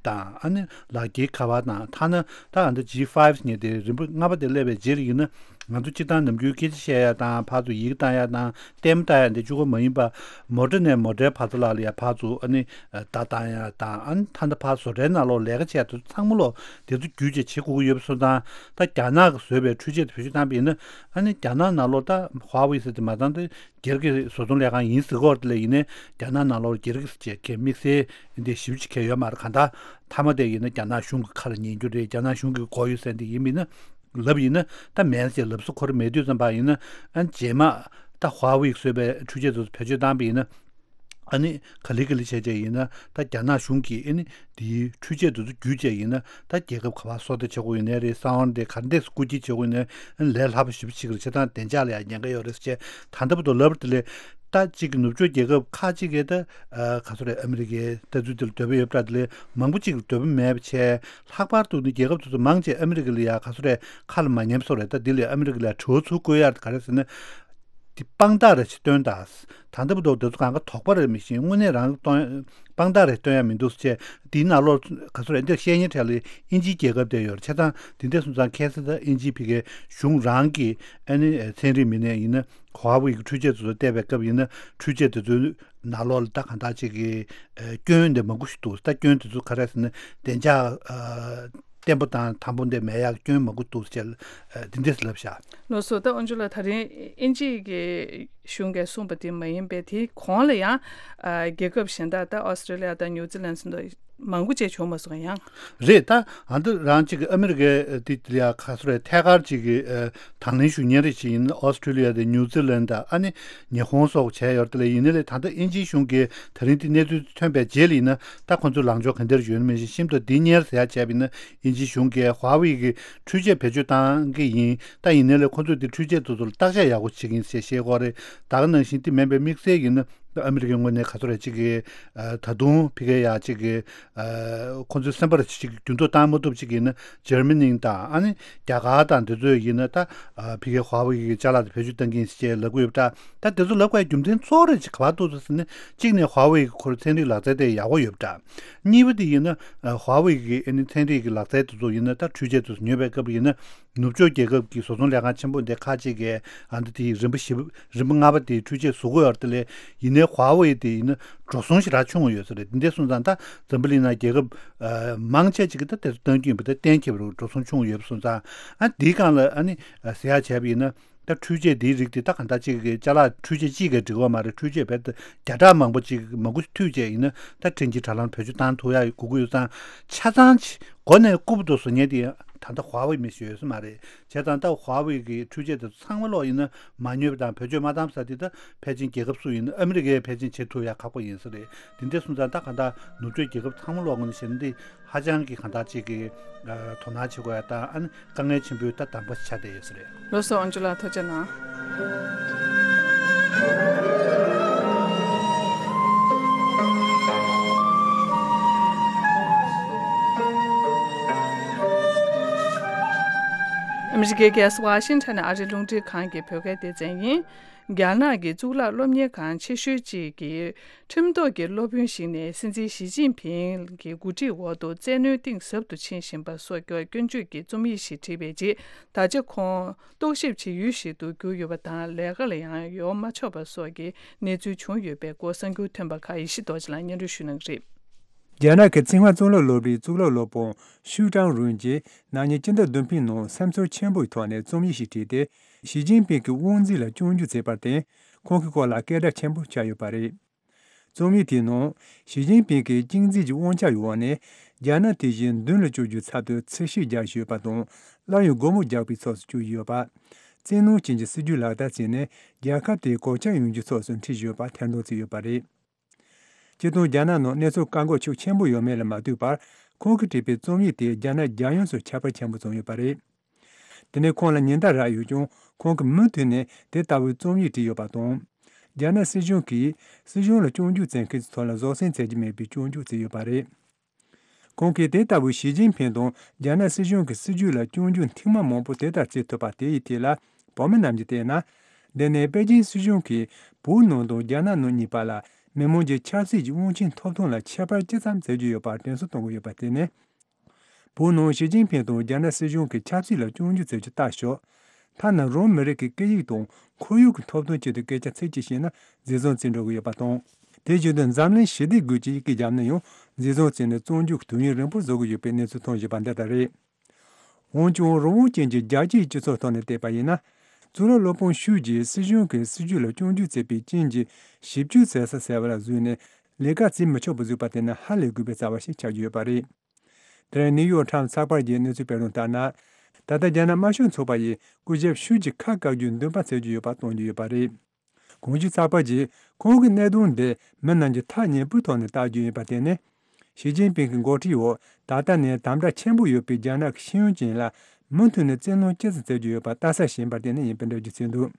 དང་ཨ་ནི་ལག་འཁྱེར་ཁ་པར་དང་། ཐ་ན་ད་ཨ་ད་ཇི་ཕའིབ་ཟེར་མཁན་དེ་རིམ་པ་ལྔ་པ་དེ་སླེབས་པའི་རྗེས་ལ་ཡིན་ན། ང་ཚོ་སྤྱིར་བཏང་ནམ་རྒྱུན་སྐད་ཆ་བཤད་ཡ་དང་ཕར་ཚུར་ཡི་གེ་བཏང་ཡ་དང་ལྟད་མོ་ལྟ་ཡ་འདི་གཅིག་པོ་མ་ཡིན་པ། མོ་ཊ་ནས་མོ་ཊའི་བར་མཚམས་ལ་ལ་ཡ་ཕར་ཚུར་ཨ་ནི་བརྡ་བཏང་ཡ་དང་། ཨ་ནི་ད་ལྟ་ཕར་བཟོ་གྲྭའི་ནང་ལོགས་ལས་ཀ་བྱེད་ཡ་དེ་ཚོ་ཚང་མ་ལོག་དེ་ཚོ་བརྒྱུད་བྱས་བྱེད་དགོས་ཀྱི་ཡོད་པ་སོང་ཙང་། ད་རྒྱ་ནག་གིས་བཟོས་པའི་འཕྲུལ་ཆས་དེ་བེད་སྤྱོད་བཏང་པ་ཡིན་ན། ཨ་ནི་རྒྱ་ནག་ནང་ལོགས་ད་ཧྭ་ཝེ་ཟེར་དེ་མ་ཚང་དེ་སྒེར་གྱི་བཟོ་ཚོང་ལས་ཁང་ཡིན་ཟེར་གྱི་ཡོད་རེད། དེ་ལ་ཡིན་ནའི་རྒྱ་ནག་ནང་ལོགས་སྒེར་གྱི་ཟེར་བྱས་ཁྱད་དམིགས་བསལ་འདི་ཞིབ་ཅིག་གལ་ཡོད་མ་རེད། གང་ལྟར་མཐའ་མ་དེ་ཡིན་ན་རྒྱ་ནག་གཞུང་གི་ཁ་ལ་ཉན་རྒྱུ་རེད། རྒྱ་ནག་གཞུང་གི་མགོ་ཡོད་ཟེར་འདི་ཡིན་མིན་ན། ལབ་ཡིན་ན་ད་མེད་ཟེར་ལབ་ས་ཁོ་རང་མེད་དུས་ཙམ་པ་ཡིན་ན། ཨ་རྗེས་མ་ད་ཧྭ་ཝེ་གིས་བཟོས་པའི་འཕྲུལ་ཆས་དེ་ཚོ་བེད་སྤྱོད་བཏང་པ་ཡིན་ན། ཨ་ནི་ག་ལེ་ག་ལེ་བྱས་བྱས་ཡིན་ན་ད་རྒྱ་ནག་གཞུང་གིས་ཨ་ནི་དེའི་འཕྲུལ་ཆས་དེ་ཚོ་བརྒྱུད་བྱས་ཡིན་ན་ད་རྒྱལ་ཁབ་ག་པར་སོ་ལྟ་བྱེད་དགོས་ཡིན་ནའི་རེད། གསང་བ་དེ་ག་འདྲས་སེ་རྐུ་འཁྱེར་བྱེད་དགོས་ཡིན་ནའི་ཨ་ནི་ལས་སླ་པོ་ཞེ་པོ་ཅིག་རེད། བྱས་ཙང་བདེ་འཇགས་ལ་ཡང་ཉེན་ཁ་ཡོད་རེད་ཟེར་བྱས། ད་ལྟ་བར་དུ་ལབ་དེ་ལས་ད་གཅིག་གི་ནུབ་ཕྱོགས་རྒྱལ་ཁབ་ཁག་ཅིག་གིས་ད་ཨ་ག་ཚོད་རེད། ཨ་མི་རི་ཀའི་ལྟ་ཚུལ་དེ་ལ་འདོད་པ་ཡོད་པ་འདྲ། དེ་ལས་མང་པོ་ཅིག་ལ་འདོད་པ་མེད་པ་བྱས། ལྷག་པར་དུ་ནི་རྒྱལ་ཁབ་དེ་ཚོ་མང་ཆེ་ཨ་མི་རི་ཀ་ལ་ཡ་ག་ཚོད་རེད་ཁ་ལ་མ་ཉན་པ་བཟོ་རེད། ད་འདི་ལས་ཨ་མི་རི་ཀ་ལ་ཡ་དྲི་བ་ཚུར་བཀོད་ཡ་ག་རེ་ཟེར་ན། འདི་དཔང་རྟགས་རེ་ཞིག་སྟོན་དང་། ད་ལྟ་བར་དུ་དེ་ཚོ་གང་ག་དོགས་པ་རེད་མི་ཤེས། དངོས་གནས་རང་གཏོང་དཔང་རྟགས་རེ་སྟོན་ཡ་མི་འདུག་ཟེར་བྱས། འདིའི་ནང་ལོགས་ག་ཚོད་རེད། འདིར་བཤད་མཁན་གྲས་ལ་ཨིན་ཇིའི་རྒྱལ་ཁབ་དེ་ཡོད་རེད། བྱས་ཙང་འདི་འདྲ་སོང་ཙང་ཁ་སང་ད་ཨིན་ཇིའི་ཕ་གིའི་གཞུང་རང་གི་ཨ་ནི་ཚན་རིག་མི་སྣས་ཡིན་ན་ཧྭ་ཝེ་གི་འཕྲུལ་ཆས་དེ་ཚོ་བལྟས་པའི་སྐབས་ཡིན་ན། འཕྲུལ་ཆས་དེ་ཚོའི་ནང་ལོགས་ལ་ད་གང་ལྟར་ཅིག་གི་ཨ་སྐྱོན་དེ་མང་པོ་ཞིག་འདུག་ད་སྐྱོན་དེ་ཚོ་ག་རེ་ཟེར་ན་བདེ་འཇགས་ཨ་བརྟན་པོ་དང་དམ་པོ་འདི་མེད་ཡག་སྐྱོན་མང་པོ་འདུག་ཅེས་ཨ་འདི་འདྲས་ལབ་བཞག་ལགས་སོ། ད་ཨོན་ཇུ་ལ་ད་རིང་ཨིན་ཇིའི་གི་གཞུང་གིས་གསུངས་པ་དེ་མ་ཡིན་པའི་དེའི་གོང་ལ་ཡང་ཨ་རྒྱལ་ཁབ་གཞན་དག་ད་ཨོ་སི་ཀྲི་ལི་ཡ་དང་ནིའུ་ཛི་ལན་སོགས་མང་པོ་ཅིག་བྱུང་མ་སོང་ཡང་། རེད། ད་ཨ་འདི་རང་ཅིག་གི་ཨ་མི་རི་ཀའི་དེ་ལ་ཡ་ག་ཚོད་རེད། ཐད་ཀར་ཅིག་གི་ཨ་དང་ལེན་ཞུ་མཁན་རེ་ཞིག་ཡིན་ན་ཨོ་སི་ཀྲི་ལི་ཡ་དང་ནིའུ་ཛི་ལན་དང་ཨ་ནི་ཉི་ཧོང་སོགས་བྱས་ཡོད་རེད། དེ་ལས་ཡིན་ནའི་ལས་ད་ལྟ་ཨིན་ཇིའི་གཞུང་གིས་ད་རིང་དེ་གནས་ཚུལ་ཐོན་པའི་རྗེས་ལ་ཡིན་ན་ད་ཁོ་ཚོའི་ལངས་ཕྱོགས་ག་འདྲ་ཡོད་ན་མིན་ཞིག་ཤིན་ཏུ་འདི་གཉེར་ཟེར་ཡ་བྱས་པ་ཡིན་ན། ཨིན་ཇིའི་གཞུང་གིས་ཧྭ་ཝེ་གི་འཕྲུལ་ཆས་བེད་སྤྱོད་བཏང་གི་ཡིན། ད་ཡིན་ནའི་ལས་ཁོ་ཚོས་དེ་འཕྲུལ་ཆས་དེ་ཚོ་ལ་བརྟག་དཔྱད་ཡག་པོ་བྱེད་ཀྱི་ཡིན་ཞེས་བཤད་ཀྱི་ཡོད་རེད། ད་ག་ནང་བཞིན་དེ་མིན་པའི་དམིགས་བསལ་ཡིན་ན་ཨ་མི་རི་ཀའི་ངོས་ནས་ག་ཚོད་རེད་ཅིག་གི་ཨ་ད་དུང་ཕ་གིར་ཡ་ཅིག་གི་ཨ་ཁོ་ཚོའི་སེམས་པར་ཅིག་འགྱུར་ལྡོག་བཏང་མ་ཐུབ་ཅིག་ཡིན་ན་འཇར་མ་ནི་དང་ཨ་ནི་རྒྱ་གར་དང་དེ་ཚོས་ཡིན་ན་ད་ཨ་ཕ་གིའི་ཧྭ་ཝེ་གི་ཅ་ལག་དེ་བེད་སྤྱོད་གཏང་གི་ཡིན་ཞེས་ལབ་ཀྱི་ཡོད་པ་འདྲ། ད་དེ་ཚོ་ལབ་དགོས་རྒྱུ་མཚན་གཙོ་བོ་རེ་ཅིག་ག་པར་འདུག་ཟེར་ན། གཅིག་ནས་ཧྭ་ཝེ་གི་ཁོར་ཚན་རིག་ལག་རྩལ་དེ་ཡག་པོ་ཡོད་པ་འདྲ། གཉིས་པ་དེ་ཡིན་ན་ཧྭ་ཝེ་གི་ཨ་ནི་ཚན་རིག་གི་ལག་རྩལ་དེ་ཚོ་ཡིན་ན་ད་འཕྲུལ་ཆས་དེ་ཚོ་ཉོས་པའི་སྐབས་ཡིན་ན། ནུབ་ཕྱོགས་རྒྱལ་ཁབ་ཀྱི་བཟོ་ཚོང་ལས་ཁང་ཆེན་པོ་འདི་ཁག་ཅིག་གིས་ཨ་འདི་དེའི་རིམ་པ་བཞི་པ་རིམ་པ་ལྔ་པ་དེའི་འཕྲུལ་ཆས་བཟོ་གི་ཡོད་རེད། དེ་ལས་ཡིན་ནའི་ཧྭ་ཝེ་དེ་ཡིན་ན་འགྲོ་སོང་ཞེ་དྲག་ཆུང་བ་ཡོད་ས་རེད། འདི་འདྲ་སོང་ཙང་ད་འཛམ་བུ་གླིང་ནང་རྒྱལ་ཁབ་ཨ་མང་ཆེ་ཅིག་གིས་ད་དེ་ཚོ་གཏང་རྒྱུ་ཡིན་པ་ད་གཏན་འཁེལ་བ་རེད། འགྲོ་སོང་ཆུང་བ་ཡོད་པ་སོང་ཙང་ཨ་འདིའི་སྒང་ལ་ཨ་ནི་ཟེར་ཡག་བྱས་པ་ཡིན་ན། ད་འཕྲུལ་ཆས་འདིའི་རིགས་དེ་ད་གང་ལྟར་གཅིག་གི་ཅ་ལག་འཕྲུལ་ཆས་གཅིག་གིས་འགྲིག་པ་མ་རེད། འཕྲུལ་ཆས་བེད་བརྒྱ་ཕྲག་མང་པོ་ཅིག་མང་པོ་ཞིག་མཐུད་བྱས་ཡིན་ན་ད་འཕྲིན་སྐྱེལ་དྲ་ལམ་བེད་སྤྱོད་བཏང་ཐུབ་ཡག་དགོས་ཀྱི་ཡོད་ཙང་། ཆ་ཚང་ཅིག་མགོ་ནས་རྐུབ་ཏུ་བཟོ་མཁན་དེ་ད་ལྟ་ཧྭ་ཝེ་མི་ཞིག་ཡོད་ས་མ་རེད། བྱས་ཙང་ད་ཧྭ་ཝེ་གི་འཕྲུལ་ཆས་དེ་ཚོ་ཚང་མ་ལོག་ཡིན་ན་མ་ཉོས་པ་དང་བེད་སྤྱོད་མ་བཏང་ས་དེ་ད་ཕལ་ཆེར་རྒྱལ་ཁབ་སུ་ཡིན་ན་ཨ་མི་རི་ཀས་ཕལ་ཆེར་བྱེད་ཐུབ་ཡག་ཁག་པོ་ཡིན་ས་རེད། དེ་འདྲ་སོང་ཙང་ད་གང་ལྟར་ནུབ་ཕྱོགས་རྒྱལ་ཁབ་ཚང་མ་ལོག་ངོས་ནས་བཤད་ན་འདི། ཧ་ཅང་གི་གང་ལྟར་ཅིག་གི་ཨ་དོ་སྣང་བྱེད་དགོས་ཡ་དང་ཨ་ནི་དཀའ་ངལ་ཆེན་པོའི་ད་གདམ་ག་ཆགས་བསྡད་ཡོད་ས་རེད། ལགས་སོ། ཨོན་ཇུ་ལགས་ཐུགས་རྗེ་གནང་། ཨ་མི་རི་ཀའི་རྒྱལ་ས་ཝ་ཤིང་ཊོན་ནས་ཨ་རིའི་རླུང་འཕྲིན་ཁང་གི་བོད་སྐད་སྡེ་ཚན་ཡིན། རྒྱ་ནག་གི་གཙུག་ལག་སློབ་གཉེར་ཁང་ཆེ་ཤོས་གཅིག་གི་ཁྲིམས་ཐོག་གི་སློབ་དཔོན་ཞིག་ནས་སྲིད་འཛིན་ཞི་ཅིན་ཕིང་གི་འགོ་ཁྲིད་འོག་ཏུ་བཙན་གནོན་གཏིང་ཟབ་ཏུ་ཕྱིན་བཞིན་པ་སོགས་ཀྱི་སྐྱོན་བརྗོད་ཀྱི་རྩོམ་ཡིག་ཞིག་བྲིས་པའི་རྗེས། ད་ཆ་ཁོང་རྟོག་ཞིབ་བྱེད་ཡུལ་ཞིག་ཏུ་གྱུར་ཡོད་པ་དང་། ལས་ཀ་ལ་ཡང་ཡོང་མ་ཆོག་པ་སོགས་ཀྱི་གནས་ཚུལ་བྱུང་ཡོད་པའི་སྐོར་གསར་འགྱུར་ཐོན་པ་ཁག་ཡེ་ཤེས་རྡོ་རྗེ་ལགས་སྙན་སྒྲོན་ཞུ་གནང་གི་རེད། རྒྱ་ནག་གི་ཚིང་ཧྭ་གཙུག་ལག་སློབ་གྲྭའི་གཙུག་ལག་སློབ་དཔོན་ཤུའུ་ཀྲང་རུན་གྱིས་ན་ནིང་སྤྱི་ཟླ་བདུན་པའི་ནང་སེམས་ཚོར་ཆེན་པོའི་ཐོག་ནས་རྩོམ་ཡིག་ཞིག་བྲིས་ཏེ། ཞི་ཅིན་ཕིང་གི་དབང་འཛིན་ལ་སྐྱོན་བརྗོད་བྱས་པར་བརྟེན། ཁོང་གི་སྐོར་ལ་སྐད་སྒྲ་ཆེན་པོ་ཆགས་ཡོད་པ་རེད། རྩོམ་ཡིག་དེའི་ནང་ཞི་ཅིན་ཕིང་གི་གཅིག་འཛིན་གྱི་དབང་ཆ་ཡོད་པ་ནས་རྒྱ་ནག་དེ་བཞིན་མདུན་ལ་བསྐྱོད་རྒྱུའི་ཚབ་ཏུ་འཚེ་ཤོག་རྒྱག་བཞིན་ཡོད་པ་དང་། སླར་ཡང་སྒོ་མོ་རྒྱག་པའི་ཕྱོགས་སུ་བསྐྱོད་བཞིན་ཡོད་པ། བཙན་གནོན་ཅན་གྱི་སྲིད་ཇུས་ལག་བསྟར་བྱས་ནས་རྒྱལ་ཁབ་དེའི་གོད་ཆག་ཡོང་རྒྱུའི་ཕྱོགས་སུ་འཁྲིད་བཞིན་ཡོད་པ་ཐེར་འདོན་བྱས་ཡོད་པ་རེད། སྤྱིར་བཏང་རྒྱ་ནག་ནང་གནས་ཚུལ་བཀག་འགོག་ཤུགས་ཆེན་པོ་ཡོད་མེད་ལ་མ་ལྟོས་པར། ཁོང་གིས་བྲིས་པའི་རྩོམ་ཡིག་དེས་རྒྱ་ནག་རྒྱལ་ཡོངས་སུ་ཁྱབ་པར་ཆེན་པོ་བྱུང་ཡོད་པ་རེད། དེ་ནས་ཁོང་ལ་ཉེན་བརྡ་རག་ཡོད་ཀྱང་། ཁོང་གིས་མུ་མཐུད་ནས་དེ་ལྟ་བུའི་རྩོམ་ཡིག་བྲིས་ཡོད་པ་དང་། རྒྱ་ནག་སྲིད་གཞུང་གིས་སྲིད་གཞུང་ལ་སྐྱོན་བརྗོད་བྱེད་མཁན་ཚོའི་ཐོག་ལ་བཟོད་བསྲན་བྱེད་ཀྱི་མེད་པའི་སྐྱོན་བརྗོད་བྱས་ཡོད་པ་རེད། ཁོང་གིས་དེ་ལྟ་བུའི་ཞི་ཅིན་ཕིང་དང་རྒྱ་ནག་སྲིད་གཞུང་གི་སྲིད་བྱུས་ལ་སྐྱོན་བརྗོད་མཐིལ་མ་མང་པོ་དེ་ལྟར་བྱེད་ཐུབ་པ་དེ་ཡི་ཐད་ལ། བོད་མི་རྣམས་ཀྱིས་བལྟས་ན། འདི་ནི་པེ་ཅིན་སྲིད་གཞུང་གིས་བོད་ནང་དང་རྒྱ་ནག་ནང་གཉིས་བར་ལ་མི་མང་གི་ཆབ་སྲིད་ཀྱི་དབང་ཆའི་ཐོབ་ཐང་ལ་ཁྱད་པར་ཅི་ཙམ་བྱེད་ཀྱི་ཡོད་པར་དྲན་གསོ་གཏོང་གི་ཡོད་པ་དེ་ནི། བོད་ནང་ཞི་ཅིན་ཕིང་དང་རྒྱ་ནག་སྲིད་གཞུང་གི་ཆབ་སྲིད་ལ་སྐྱོན་བརྗོད་བྱེད་རྒྱུ་ལྟ་ཞོག་ཐ་ན་རང་མི་རིགས་ཀྱི་སྐད་ཡིག་དང་ཁོར་ཡུག་གི་ཐོབ་ཐང་ཆེད་དུ་སྐད་ཆ་ཚིག་གཅིག་བཤད་ན་འཛིན་བཟུང་བྱེད་འགྲོ་གི་ཡོད་པ་དང་། དེ་བཞིན་དུ་འཛམ་གླིང་ཞི་བདེ་དགོས་ཀྱི་ཡི་གེ་བརྒྱབ་ན་ཡང་འཛིན་བཟུང་བྱས་ནས་བཙོན་འཇུག་གི་དུས་ཡུན་རིང་པོ་བཟོ་གི་ཡོད་པའི་གནས་ཚུལ་ཐོན་བཞིན་པ་འདི་ལྟར་རེད། འོན་ཀྱང་རང་དབང་ཅན་གྱི་རྒྱལ་སྤྱིའི་སྤྱི་ཚོགས་ཐོག་ནས་བལྟས་པ་ཡིན་ན། གཙུག་ལག་སློབ་དཔོན་ཤུའུ་ཅིས་སྲིད་གཞུང་གི་སྲིད་བྱུས་ལ་སྐྱོན་བརྗོད་བྱས་པའི་རྐྱེན་གྱིས་ཞིབ་དཔྱོད་བྱེད་ས་ཟེར་བ་ལ་བཟོས་ནས་ལས་ཀ་བྱེད་མི་ཆོག་པ་བཟོས་པ་དེ་ནི་ཧ་ལས་དགོས་པའི་རྩ་བ་ཞིག་ཆགས་ཀྱི་ཡོད་པ་རེད། དེ་རིང་ནིའུ་ཡོག་ཊའིམ་ཚགས་པར་གྱིས་གནས་ཚུལ་སྤེལ་དོན་ལྟར་ན། ད་ལྟ་རྒྱ་ནག་དམར་ཤོག་ཚོགས་པ་ཡིས་སྐུ་ཞབས་ཤུའུ་ཅི་ཁ་བཀག་རྒྱུའི་འདུན་པ་བྱེད་ཀྱི་ཡོད་པ་སྟོན་གྱི་ཡོད་པ་རེད། གོང་ཞུས་ཚགས་པར་གྱིས་ཁོང་གི་གནད་དོན་འདི་མི་རྣམས་ཀྱིས་ཐག་ཉེ་པོའི་ཐོག་ནས་བལྟ་རྒྱུ་ཡིན་པ་དེ་ནི། ཞི་ཅིན་ཕིང་གི་འགོ་ཁྲིད་འོག་ད་ལྟ་ནས་དམ་དྲག་ཆེན་པོ་ཡོད་པའི་རྒྱ་ནག་གི་ཤེས་ཡོན་ཅན་ལ་མུ་མཐུད་ནས་བཙན་གནོན་ཅི་ཙམ་བྱེད་རྒྱུ་ཡོད་པ་ལྟ་ས་ཞིག་ཡིན་པ་དེ་ནི་ཡིན་པའི་འགྲེལ་བརྗོད་བྱས་འདུག་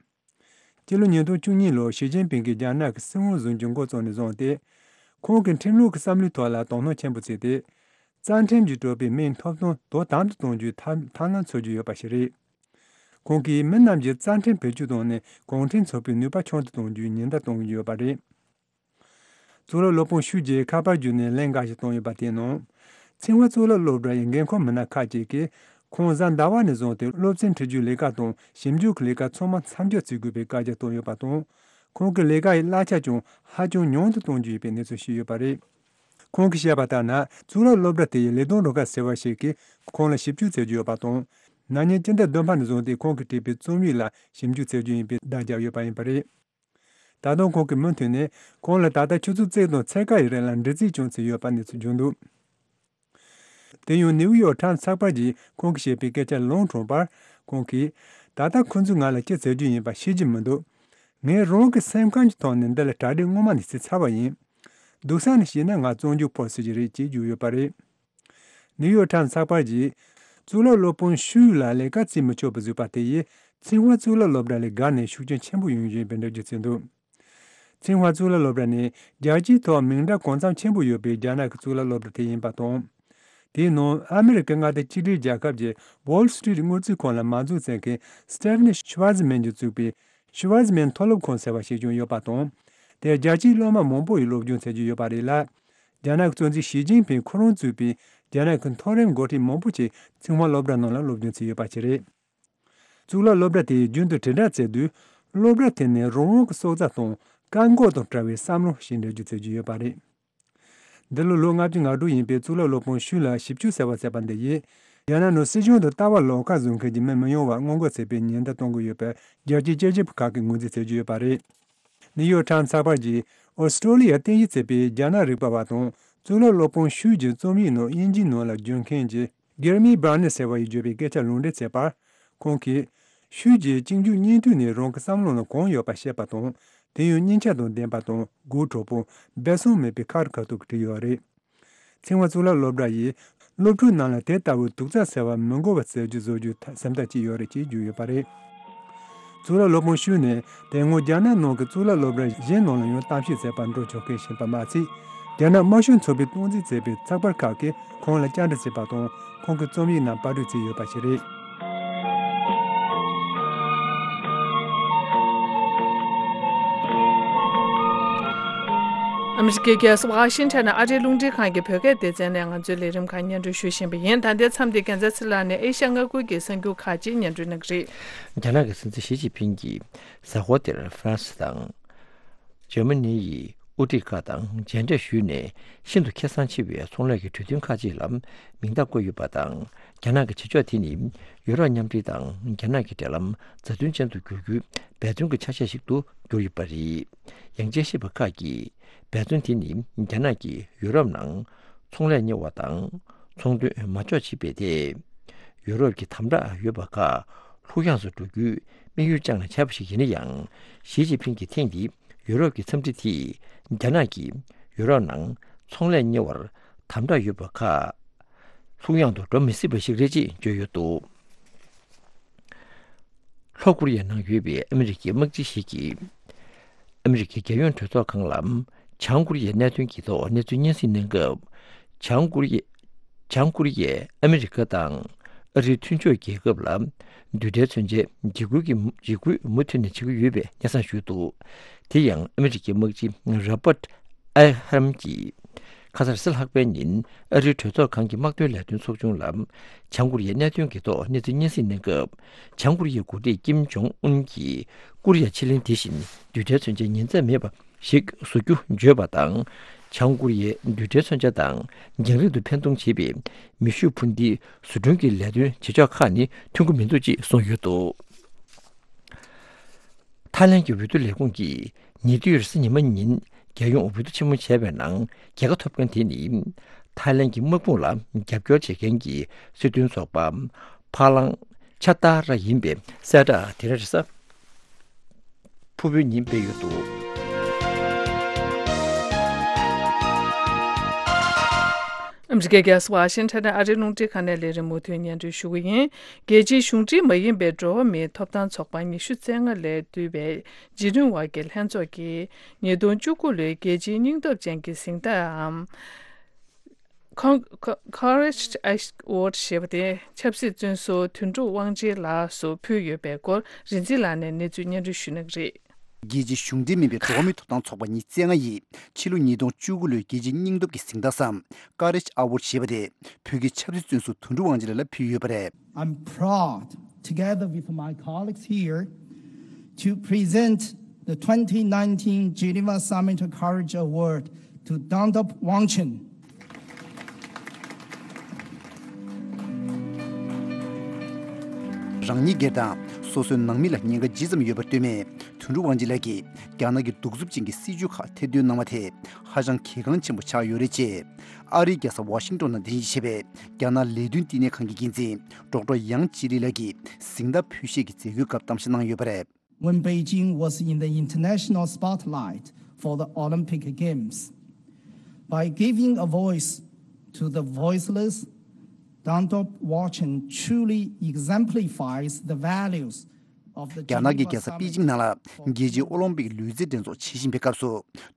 སྤྱི་ལོ་ཉིས་སྟོང་བཅུ་གཉིས་ལོར་ཞི་ཅིན་ཕིང་གིས་རྒྱ་ནག་གི་སྲིད་དབང་འཛིན་རྒྱུ་འགོ་བཙུགས་ནས་བཟུང་སྟེ། ཁོང་གིས་ཁྲིམས་ལུགས་ཀྱི་བསམ་བློའི་ཐོག་ལ་དོ་སྣང་ཆེན་པོ་བྱས་ཏེ། རྩ་ཁྲིམས་ཀྱིས་གྲུབ་པའི་མིའི་ཐོབ་ཐང་དོ་དམ་དུ་གཏོང་རྒྱུའི་ཐབས་ཐབས་ལམ་འཚོལ་རྒྱུ་ཡོད་པ་ཞིག་རེད། ཁོང་གིས་མི་རྣམས་ཀྱིས་རྩ་ཁྲིམས་བེད་སྤྱོད་བཏང་ནས་གུང་ཁྲན་ཚོགས་པའི་ནུས་པ་ཆུང་དུ་གཏོང་རྒྱུའི་ཉེན་བརྡ་གཏོང་གི་ཡོད་པ་རེད། གཙུག་ལག་སློབ་དཔོན་ཤུའུ་ཅིས་ཁ་པར་བརྒྱུད་ནས་ལན་འགའ་ཞིག་བཏང་ཡོད་པ་དེའི་ནང་། ཚིང་ཧྭ་གཙུག་ལག་སློབ་གྲྭ་ཡི་འགན་འཁུར་མི་སྣ་ཁག་ཅིག་གིས་ཁོང་གཟའ་ཟླ་བ་ནས་བཟུང་སྟེ་སློབ་ཚན་ཁྲིད་རྒྱུའི་ལས་ཀ་དང་ཞིབ་འཇུག་གི་ལས་ཀ་ཚང་མ་མཚམས་འཇོག་བྱེད་དགོས་པའི་བཀའ་རྒྱ་བཏང་ཡོད་པ་དང་། ཁོང་གི་ལས་ཀ་ཡི་གླ་ཆ་ཀྱང་ཧ་ཅང་ཉུང་དུ་གཏོང་རྒྱུ་ཡིན་པའི་གནས་ཚུལ་ཞིག་ཡོད་པ་རེད། ཁོང་གིས་བཤད་པ་ལྟར་ན། གཙུག་ལག་སློབ་གྲྭ་དེ་ཡི་ལས་དོན་རུ་ཁག་ཟེར་བ་ཞིག་གིས་ཁོང་ལ་ཞིབ་འཇུག་བྱེད་རྒྱུ་ཡོད་པ་དང་། ན་ནིང་སྤྱི་ཟླ་བདུན་པ་ནས་བཟུང་སྟེ་ཁོང་གིས་བྲིས་པའི་རྩོམ་ཡིག་ལ་ཞིབ་འཇུག་བྱེད་རྒྱུ་ཡིན་པའི་བརྡ་བརྒྱབ་ཡོད་པ་ཡིན་པ་རེད། ད་དུང་ཁོང་གིས་མུ་མཐུད་ནས་ཁོང་ལ་ད་ལྟ་ཆུ་ཚོད་གཅིག་དང་ཕྱེད་ཀ་ཡི་རིང་ལ་འདྲི་རྩད་ཀྱང་བྱས་ཡོད་པ་གནས་ཚུལ་བྱུང་འདུག་དེ་ཡང་ནིའུ་ཡོག་ཊའིམ་ཚགས་པར་གྱིས་ཁོང་གིས་བཤད་པའི་སྐད་ཆ་ལུང་དྲངས་པར། ཁོང་གིས། ད་ལྟ་ཁོ་ཚོས་ང་ལ་ཅི་བྱེད་རྒྱུ་ཡིན་པ་ཤེས་ཀྱི་མི་འདུག་ངས་རང་གི་སེམས་ཁམས་ཀྱི་ཐོག་ནས་འདི་ལ་གྲ་སྒྲིག་སྔོན་མ་ནས་བྱས་ཚར་བ་ཡིན། སྡུག་ས་ནས་བཤད་ན་ང་བཙོན་འཇུག་ཕོག་སྲིད་ཀྱི་རེད་ཅེས་བརྗོད་ཡོད་པ་རེད། ནིའུ་ཡོག་ཊའིམ་ཚགས་པར་གྱིས། གཙུག་ལག་སློབ་དཔོན་ཤུའུ་ལ་ལས་ཀ་བྱེད་མི་ཆོག་པ་བཟོས་པ་དེ་ཡིས་ཚིང་ཧྭ་གཙུག་ལག་སློབ་གྲྭ་ལས་བརྒལ་ནས་ཤུགས་རྐྱེན་ཆེན་པོ་ཡོང་བཞིན་པའི་འགྲེལ་བརྗོད་བྱས་འདུག་ཚིང་ཧྭ་གཙུག་ལག་སློབ་གྲྭ་ནི་རྒྱལ་སྤྱིའི་ཐོག་མིང་གྲགས་གང་འཚམ་ཆེན་པོ་ཡོད་པའི་རྒྱ་ནག་གི་གཙུག་ལག་སློབ་གྲྭ་དེ་ཡིན་པ་དང་། དེའི་ནང་ཨ་མི་རི་ཀའི་མངའ་སྡེ་གཅིག་སྒྲིལ་རྒྱལ་ཁབ་ཀྱི་Wall Street དངུལ་རྩིས་ཁང་ལ་མ་འཛུགས་ཚད་མཁན་Stephanie Schwarzman གྱིས་བཙུགས་པའི་Schwarzman མཐོ་སློབ་ཁང་ཟེར་བ་ཞིག་ཀྱང་ཡོད་པ་དང་། དེར་རྒྱལ་སྤྱིའི་སློབ་མ་མང་པོ་ཡིས་སློབ་སྦྱོང་བྱེད་ཀྱི་ཡོད་པ་རེད་ལ། རྒྱ་ནག་གི་གཙོ་འཛིན་ཞི་ཅིན་ཕིང་ཁོ་རང་གཙོས་པའི་རྒྱ་ནག་གི་མཐོ་རིམ་འགོ་ཁྲིད་མང་པོ་ཞིག་ཚིང་ཧྭ་སློབ་གྲྭ་ནང་ལ་སློབ་སྦྱོང་བྱས་ཡོད་པ་ཞིག་རེད། གཙུག་ལག་སློབ་གྲྭ་དེས་རྒྱུན་དུ་དྲིལ་བསྒྲགས་བྱས་དུས། སློབ་གྲྭ་དེ་ནི་རང་དབང་གི་སྲོག་རྩ་དང་བཀག་འགོག་དང་བྲལ་བའི་བསམ་བློ་ཞེས་འགྲེལ་བརྗོད་བྱེད་ཀྱི་ཡོད་པ་རེད། འདི་ལོ་ལོ་ལྔ་བཅུ་ང་དྲུག་ཡིན་པའི་གཙུག་ལག་སློབ་དཔོན་ཤུའུ་ལ་ཞིབ་དཔྱོད་ཟེར་བ་ཟེར་བ་འདི་ཡིས། རྒྱ་ནག་ནང་སྲིད་གཞུང་དང་ལྟ་བ་ལོགས་ཀ་བཟོ་མཁན་གྱི་མི་མི་ཡོང་བར་སྔོན་འགོག་བྱེད་པའི་ཉེན་བརྡ་གཏོང་གི་ཡོད་པའི་རྒྱལ་སྤྱིའི་དཔྱད་ཞིབ་པ་ཁག་གིས་ངོས་འཛིན་བྱེད་ཀྱི་ཡོད་པ་རེད། ནིའུ་ཡོག་ཊའིམ་ཚགས་པར་གྱིས་ཨོ་སི་ཀྲོ་ལི་ཡར་རྟེན་གཞི་བྱས་པའི་རྒྱ་ནག་རིག་པ་བ་དང་གཙུག་ལག་སློབ་དཔོན་ཤུའུ་ཅིའི་རྩོམ་ཡིག་ནང་དབྱིན་ཇིའི་ནང་ལ་བསྒྱུར་མཁན་གྱི་Jeremy Barnes ཟེར་བ་ཡིས་བརྗོད་པའི་སྐད་ཆ་ལུང་འདྲེན་བྱས་པར། ཁོང་གིས། ཤུའུ་ཅིས་གཅིག་མཇུག་གཉིས་མཐུད་ནས་རང་གི་བསམ་བློ་ནང་གང་ཡོད་པ་བཤད་པ་དང་། དེ་ཡང་སྙིང་ཆ་དང་ལྡན་པ་དང་དགོད་བྲོ་པོ། སྦས་གསང་མེད་པའི་ཁ་རི་ཁ་ཐུག་གིས་བྲིས་ཡོད་རེད། ཚིང་ཧྭ་གཙུག་ལག་སློབ་གྲྭ་ཡིས། སློབ་ཕྲུག་རྣམས་ལ་དེ་ལྟ་བུའི་དུག་རྩ་ཟེར་བ་མི་འགོ་བ་བྱེད་རྒྱུ་བཟོ་རྒྱུའི་སེམས་ཐག་བཅད་ཡོད་རེད་ཅེས་བརྗོད་ཡོད་པ་རེད། གཙུག་ལག་སློབ་དཔོན་ཤུའུ་ནི་དེ་སྔོན་རྒྱ་ནག་ནང་གི་གཙུག་ལག་སློབ་གྲྭ་གཞན་ནང་ལ་ཡང་གཏམ་བཤད་མཛད་པར་འགྲོ་ཆོག་མཁན་ཞིག་ཡིན་པ་མ་ཚད། རྒྱ་ནག་དམར་ཤོག་ཚོགས་པས་སྟངས་འཛིན་བྱས་པའི་ཚགས་པར་ཁག་གིས་ཁོང་ལ་བཅར་འདྲི་བྱས་པ་དང་། ཁོང་གི་རྩོམ་ཡིག་རྣམས་པར་སྐྲུན་བྱས་ཡོད་པ་ཞིག་རེད། ཨ་མི་རི་ཀའི་རྒྱལ་ས་ཝ་ཤིང་ཊོན་ནས་ཨ་རིའི་རླུང་འཕྲིན་ཁང་གི་བོད་སྐད་སྡེ་ཚན་ནས་ང་ཚོའི་ལས་རིམ་ཁག་སྙན་སྒྲོན་ཞུ་བཞིན་པ་ཡིན། ད་ལྟའི་མཚམས་འདིར་རྒྱལ་མཚན་ཚེ་ལགས་ནས་ཨེ་ཤ་ཡ་མངའ་ཁུལ་གྱི་གསར་འགྱུར་ཁག་ཅིག་སྙན་སྒྲོན་གནང་གི་རེད། རྒྱ་ནག་གི་སྲིད་འཛིན་ཞི་ཅིན་ཕིང་གིས་གཟའ་འཁོར་འདིར་ཧྥ་རན་སི་དང་། འཇར་མ་ནི་ཡི་ཨུ་ཏི་ཀ་དང་མཇལ་འཕྲད་ཞུས་ནས། ཤིན་ཏུ་ཁེ་བཟང་ཆེ་བའི་ཚོང་ལས་ཀྱི་གྲོས་མཐུན་ཁག་ཅིག་ལ་མིང་རྟགས་བཀོད་ཡོད་པ་དང་། རྒྱ་ནག་གི་བྱེད་ཕྱོགས་དེ་ནི་ཡུ་རོབ་མཉམ་འབྲེལ་དང་རྒྱ་ནག་གི་འབྲེལ་ལམ་མཛའ་མཐུན་ཅན་དུ་འགྱུར་རྒྱུའི་འབད་བརྩོན་གྱི་ཆ་ཤས་ཤིག་ཏུ་གྱུར་ཡོད་པ་རེད། ཡང་དཔྱད་ཞིབ་པ་ཁག་གིས་འབད་བརྩོན་དེ་ནི་རྒྱ་ནག་གིས་ཡུ་རོབ་ནང་ཚོང་ལས་གཉེར་བ་དང་ཚོང་དོན་མ་འཇོག་བྱེད་པའི་ཐད། ཡུ་རོབ་ཀྱི་དམ་དྲག་ཡོད་པ་ཁག་ལྷུག་ཡངས་སུ་འགྲོ་རྒྱུའི་དམིགས་ཡུལ་བཅངས་ནས་བྱས་པ་ཞིག་ཡིན་ན་ཡང་། ཞི་ཅིན་ཕིང་གིས་ཐེངས་འདིའི་ཡུ་རོབ་ཀྱི་འཚམས་འདྲི་དེས་རྒྱ་ནག་གིས་ ཡུ་རོབ་ནང་ཚོང་ལས་གཉེར་བར་དམ་དྲག་ཡོད་པ་ཁག་ལྷུག་ཡངས་དུ་འགྲོ་མི་སྲིད་པ་ཞིག་རེད་ཅེས་བརྗོད་ཡོད་འདུག་ལྷོ་ཀོ་རི་ཡའི་ནང་ཡོད་པའི་ཨ་མི་རི་ཀའི་དམག་སྤྱི་ཞིག་གིས། ཨ་མི་རི་ཀའི་རྒྱལ་ཡོངས་གྲོས་ཚོགས་ཁང་ལ་བྱང་ཀོ་རི་ཡའི་གནད་དོན་གྱི་ཐོག་གནས་ཚུལ་སྙན་སེང་གནང་སྐབས། བྱང་ཀོ་རི་ཡས། བྱང་ཀོ་རི་ཡས་ཨ་མི་རི་ཀ་དང་ཨ་རིའི་མཐུན་ཕྱོགས་རྒྱལ་ཁབ་ལ་རྡུལ་ཕྲན་མཚོན་ཆའི་འཇིགས་སྐུལ་གྱི་འཇིགས་སྐུལ་མུ་མཐུད་ནས་བྱེད་ཀྱི་ཡོད་པའི་སྙན་སེང་ཞུས་འདུག་དེ་ཡང་ཨ་མི་རི་ཀའི་དམག་སྤྱི་རོ་པར་ཨེ་ཧ་རམ་གྱིས་ཁ་སང་རེས་གཟའ་ལྷག་པའི་ཉིན་ཨ་རིའི་གྲོས་ཚོགས་ཁང་གི་དམག་དོན་ལས་དོན་ཚོགས་ཆུང་ལ་བྱང་ཀོ་རི་ཡའི་གནད་དོན་གྱི་ཐོག་གནས་ཚུལ་སྙན་སེང་གནང་སྐབས། བྱང་ཀོ་རི་ཡའི་འགོ་ཁྲིད་ཀིམ་ཇོང་ཨུན་གྱིས་ཀོ་རི་ཡ་ཕྱེད་གླིང་དེ་བཞིན་རྡུལ་ཕྲན་མཚོན་ཆའི་ཉེན་ཚབས་མེད་པ་ཞིག་བཟོ་རྒྱུ་བརྗོད་པ་དང་། བྱང་ཀོ་རི་ཡའི་རྡུལ་ཕྲན་མཚོན་ཆ་དང་རྒྱང་རིང་དུ་འཕེན་གཏོང་བྱེད་པའི་མེ་ཤུགས་འཕུར་མདེལ་བཟོ་སྐྲུན་གྱི་ལས་དོན་བྱེད་ཕྱོགས་ཁག་ནི་མཐུན་གྱི་མི་འདུག་ཅེས་གསུངས་ཡོད་འདུག་ཐའི་ལན་གྱི་འོས་བསྡུ་ལས་ཁུངས་ཀྱིས་ཉེ་དུས་རེས་གཟའ་ཉི་མ་ཉིན་རྒྱལ་ཡོངས་འོས་བསྡུ་ཆེན་མོ་བྱས་པའི་ནང་རྒྱལ་ཁ་ཐོབ་མཁན་དེ་ནི་ཐའི་ལན་གྱི་དམག་དཔུང་ལ་རྒྱབ་སྐྱོར་བྱེད་མཁན་གྱི་སྲིད་དོན་ཚོགས་པ་ཕ་ལང་ཆ་ཏཱ་ར་ཡིན་པའི་གསལ་བསྒྲགས་དེ་རེས་གཟའ་ཕུར་བུའི་ཉིན་སྤེལ་ཡོད་འདུག་ཨ་མི་རི་ཀའི་རྒྱལ་ས་ཝ་ཤིང་ཊོན་ནས་ཨ་རིའི་རླུང་འཕྲིན་ཁང་ནས་ལས་རིམ་མུ་མཐུད་སྙན་སྒྲོན་ཞུ་གི་ཡིན། རྒྱལ་སྤྱིའི་གཞུང་འབྲེལ་མ་ཡིན་པའི་འགྲོ་བ་མིའི་ཐོབ་ཐང་ཚོགས་པ་ཉི་ཤུ་རྩ་ལྔ་ལས་བསྡུས་པའི་རྗེས་དྲན་དབར་གྱི་ལྷན་ཚོགས་ཀྱིས་ཉིས་སྟོང་བཅུ་དགུ་ལོའི་རྒྱལ་སྤྱིའི་སྙིང་སྟོབས་ཅན་གྱི་གཟེངས་རྟགས་འམ། Con- Co- Courage Award ཞེས་པ་དེ་ཆབ་སྲིད་བཙོན་ཟུར་དོན་གྲུབ་དབང་ཆེན་ལགས་སུ་ཕུལ་ཡོད་པའི་སྐོར་རིག་འཛིན་ལགས་ནས་གནས་ཚུལ་སྙན་སྒྲོན་ཞུ་གནང་གི་རེད། རྒྱལ་སྤྱིའི་གཞུང་འབྲེལ་མིན་པའི་འགྲོ་བ་མིའི་ཐོབ་ཐང་ཚོགས་པ་ཉི་ཤུ་རྩ་ལྔ་ཡིས་ཕྱི་ལོ་ཉིས་སྟོང་བཅུ་དགུ་ལོའི་རྒྱལ་སྤྱིའི་སྙིང་སྟོབས་ཀྱི་གཟེངས་རྟགས་སམ་Courage Award ཞེས་པ་དེ་བོད་ཀྱི་ཆབ་སྲིད་བཙོན་ཟུར་དོན་གྲུབ་དབང་ཆེན་ལགས་ལ་ཕུལ་ཡོད་པ་རེད། I'm proud, together with my colleagues here, to present the twenty nineteen Geneva Summit Courage Award to Dangdop Wangchun. རང་ཉིད་སྒེར་དང་སོ་སོའི་ནང་མི་ལ་ཉེན་ཁ་ཇི་ཙམ་ཡོད་པར་ལྟོས་མེད། དོན་གྲུབ་དབང་ཆེན་ལགས་ཀྱིས་རྒྱ་ནག་གི་གདུག་རྩུབ་ཅན་གྱི་སྲིད་བྱུས་ཁག་ཐེར་འདོན་གནང་བ་དེ་ཧ་ཅང་གལ་འགངས་ཆེན་པོ་ཆགས་ཡོད་རེད་ཅེས། ཨ་རིའི་རྒྱལ་ས་ཝ་ཤིང་ཏོན་ནང་རྟེན་གཞི་བྱས་པའི་རྒྱ་ནག་ལས་དོན་བསྟི་གནས་ཁང་གི་འགན་འཛིན་ཌོག་ཊར་ཡང་ཅི་ལི་ལགས་ཀྱིས་གཟེངས་རྟགས་ཕུལ་བཞེས་ཀྱི་མཛད་སྒོའི་སྐབས་གཏམ་བཤད་གནང་ཡོད་པ་རེད། When Beijing was in the international spotlight for the Olympic Games, by giving a voice to the voiceless, Dangdop Wangchun truly exemplifies the values of the རྒྱ་ནག་གི་རྒྱལ་ས་པེ་ཅིང་ནང་ལ་རྒྱལ་སྤྱིའི་ཨོ་ལིམ་པིག་ལུས་རྩལ་འགྲན་ཚོགས་བྱེད་བཞིན་པའི་སྐབས་སུ།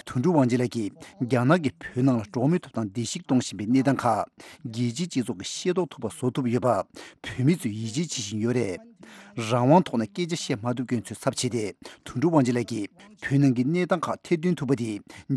དོན་གྲུབ་དབང་ཆེན་ལགས་ཀྱིས་རྒྱ་ནག་གིས་བོད་ནང་ལ་འགྲོ་བ་མིའི་ཐོབ་ཐང་བརྡལ་བཤིག་གཏོང་བཞིན་པའི་གནས་སྟངས་ཁག་རྒྱལ་སྤྱིའི་སྤྱི་ཚོགས་ཀྱིས་ཤེས་རྟོགས་ཐུབ་པ་བཟོ་ཐུབ་ཡོད་པ་བོད་མི་ཚོས་ཡིད་ཆེས་བྱེད་བཞིན་ཡོད་རེད། རང་དབང་ཐོག་ནས་སྐད་ཆ་བཤད་མ་ཐུབ་མཁན་ཚོའི་ཚབ་བྱས་ཏེ། དོན་གྲུབ་དབང་ཆེན་ལགས་ཀྱིས་བོད་ནང་གི་གནས་སྟངས་ཁག་ཐེར་འདོན་ཐུབ་པ་དེ་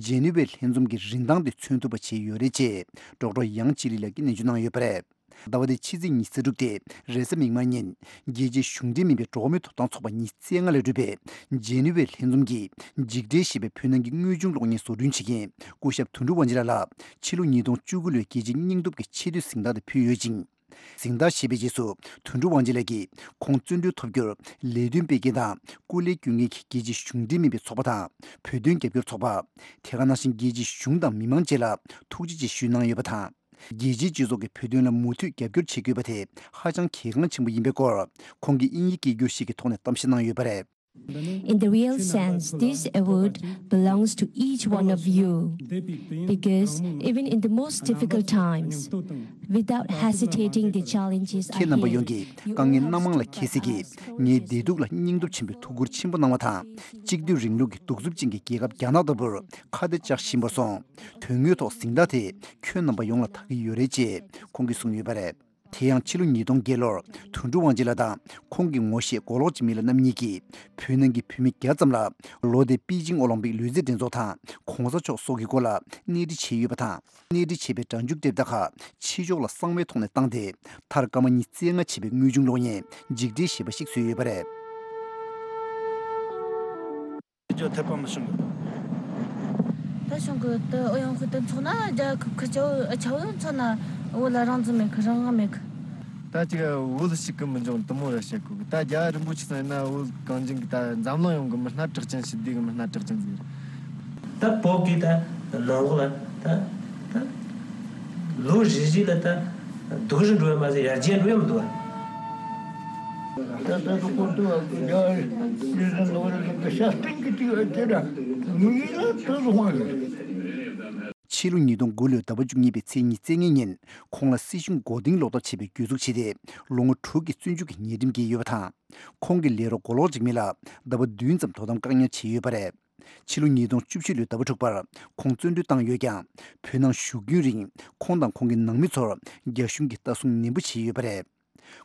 ཇེ་ནི་ཝའི་ལྷན་འཛོམས་ཀྱི་རིན་ཐང་དེ་མཚོན་ཐུབ་པ་བྱས་ཡོད་རེད་ཅེས་ཌོག་ཊར་ཡང་ཅི་ལི་ལགས་ཀྱིས་སྙན་སྒྲོན་གནང་ཡོད་པ་རེད། ཟླ་བ་འདིའི་ཕྱི་ཚེས་ཉི་ཤུ་རྩ་དྲུག་སྟེ་རེས་གཟའ་མིག་དམར་ཉིན་རྒྱལ་སྤྱིའི་གཞུང་འབྲེལ་མིན་པའི་འགྲོ་བ་མིའི་ཐོབ་ཐང་ཚོགས་པ་ཉི་ཤུ་རྩ་ལྔ་ལས་གྲུབ་པའི་ཇེ་ནི་ཝའི་ལྷན་འཛོམས་ཀྱིས་འཇིགས་བྲལ་ཞེས་པའི་བོད་ནང་གི་དངོས་བྱུང་གློག་བརྙན་བཟོ་སྐྲུན་བྱེད་མཁན་སྐུ་ཞབས་དོན་གྲུབ་དབང་ཆེན་ལགས་ལ་ཕྱི་ལོ་ཉིས་སྟོང་བཅུ་དགུ་ལོའི་རྒྱལ་སྤྱིའི་སྙིང་སྟོབས་ཀྱི་ཆེ་བསྟོད་གཟེངས་རྟགས་དེ་ཕུལ་ཡོད་ཅིང་། གཟེངས་རྟགས་བཞེས་པའི་རྗེས་སུ་དོན་གྲུབ་དབང་ཆེན་ལགས་ཀྱིས་ཁོང་བརྩོན་འགྲུས་ཐོབ་རྒྱུར་ལས་དོན་སྤེལ་མཁན་དང་སྐུ་ལས་སྐྱོན་མཁན་གྱི་རྒྱལ་སྤྱིའི་གཞུང་འབྲེལ་མིན་པའི་ཚོགས་པ་དང་བོད་དོན་རྒྱབ་སྐྱོར་ཚོགས་པ། དེ་ག་ནང་བཞིན་རྒྱལ་སྤྱིའི་གཞུང་དང་མི་མང་བཅས་ལ་ཐུགས་རྗེ་ཆེ་ཞུས་གནང་ཡོད་པ་དང་། རྒྱལ་སྤྱིའི་སྤྱི་ཚོགས་ཀྱིས་བོད་དོན་ལ་མུ་མཐུད་རྒྱབ་སྐྱོར་བྱེད་དགོས་པ་དེ་ཧ་ཅང་གལ་འགངས་ཆེན་པོ་ཡིན་པའི་སྐོར་ཁོང་གིས་དབྱིན་ཡིག་སྐད་སྒྱུར་ཞིག་གི་ཐོག་ནས་གཏམ་བཤད་གནང་ཡོད་པ་རེད། In the real sense, this award belongs to each one of you. Because even in the most difficult times, without hesitating the challenges ཁྱེད་རྣམ་པ་ཡོངས་ཀྱིས་དཀའ་ངལ་སྣ་མང་ལ་འཁྱེལ་སྲིད་ཀྱི་ངའི་བདེ་སྡུག་ལ་སྙིང་སྟོབས་ཆེན་པོས་ཐུགས་ཁུར་ཆེན་པོ་གནང་བ་དང་། གཅིག་སྡུད་རིང་ལུགས་ཀྱི་གདུག་རྩུབ་ཅན་གྱི་རྒྱལ་ཁབ་རྒྱ་ནག་ལྟ་བུར་ཁ་གཏད་བཅག་བཞིན་པར་སོང་། དོན་དངོས་ཐོག་གཟེངས་རྟགས་དེ་ཁྱོད་རྣམ་པ་ཡོངས་ལ་བདག་གི་ཡོད་རེད་ཅེས་ཁོང་གིས་གསུངས་ཡོད་པ་རེད། དེ་ཡང་ཕྱི་ལོ་ཉིས་སྟོང་བརྒྱད་ལོར་དོན་གྲུབ་དབང་ཆེན་ལགས་དང་ཁོང་གི་ངོ་ཤེས་མགོ་ལོག་ཅིག་མི་ལ་རྣམ་གཉིས་ཀྱིས་བོད་ནང་གི་བོད་མི་བརྒྱ་ཙམ་ལ་ལོ་འདིའི་པེ་ཅིང་ཨོ་ལིམ་པིག་ལུས་རྩལ་འགྲན་ཚོགས་དང་གོང་ས་མཆོག་སོགས་ཀྱི་སྐོར་ལ་གནས་འདྲི་བྱས་ཡོད་པ་དང་། གནས་འདྲི་བྱས་པའི་སྒྲ་འཇུག་དེབ་དག་ཁག་ཕྱི་ཕྱོགས་ལ་གསང་བའི་ཐོག་ནས་བཏང་སྟེ། མཐར་སྐར་མ་ཉི་ཤུ་རྩ་ལྔ་བྱས་པའི་དངོས་བྱུང་གློག་བརྙན་འཇིགས་བྲལ་ཞེས་པ་ཞིག་བཟོས་ཡོད་པ་རེད། ཅོ་འཐད་པ་མི་བྱུང་གི། ད་བྱུང་གི། ད་ཨོ་ཡང་ཁུ་ད་མཚོགས་ན་རྒྱ་ཁུ་ཁུ་ཅོ་ཨ་ཆ་བོ་མཚོགས་ན་བོད་ལ་རང་བཙན་མེད་གི། རང་དབང་མེད་གི། ད་ཅིག་བོད་ཞིག་གི་མི་འབྱུང་དུ་མོ་ར་བཤད་གོ་གི། ད་རྒྱ་རིན་པོ་ཆེ་ཚང་ཡིན་ན་བོད་གངས་ཅན་གི་ད་འཛམ་གླིང་ཡོངས་གི་མི་སྣ་གྲགས་ཅན་ཞིག་བསྡུས་གི། མི་སྣ་གྲགས་ཅན་ཟིག་རེད། ད་བོད་གི་ད་ནང་ལོགས་ལ་ད་ད་ལོ་རེ་རེ་ལ་ད་སྡུག་རུ་འགྲོ་བ་མ་ཟད་ཡར་རྒྱས་འགྲོ་ཡ་མི་འདུག་བ། ད་ལྟ་དུ་ཁོ་ཐུ་བ་གི་རྒྱ་རི་རི་ཟིན་ནོ་རི་ཟིན་གི་ཤ་སྟེང་གི་ཏི་བ་ཅི་ར་མི་ཡི་ལ་ཐུ་སོང་བ་རེད། ཕྱི་ལོ་ཉིས་སྟོང་དགུ་ལོའི་ཟླ་བ་བཅུ་གཉིས་པའི་ཚེས་ཉི་ཤུ་རྩ་ལྔ་ཉིན་ཁོང་ལ་སྲིད་གཞུང་མགོ་རྟིང་སློག་ཐབས་བྱས་པའི་གྱོད་འཛུགས་བྱས་ཏེ་ལོ་ངོ་དྲུག་གི་བཙོན་འཇུག་གི་ཉེས་ཁྲིམས་བཀལ་ཡོད་པ་དང་། ཁོང་གི་ལས་རོགས་མགོ་ལོག་འཇིགས་མེད་ལ་ཟླ་བ་བདུན་ཙམ་དོ་དམ་བཀག་ཉར་བྱས་ཡོད་པ་རེད། ཕྱི་ལོ་ཉིས་སྟོང་བཅུ་བཞི་ལོའི་ཟླ་བ་དྲུག་པར་ཁོང་བཙོན་གྲོལ་བཏང་ཡོད་ཀྱང་། བོད་ནང་བཞུགས་རྒྱུན་རིང་ཁོང་དང་ཁོང་གི་ནང་མི་ཚོར་རྒྱ་གཞུང་གིས་ལྟ་སྲུང་ནན་པོ་བྱས་ཡོད་པ་རེད།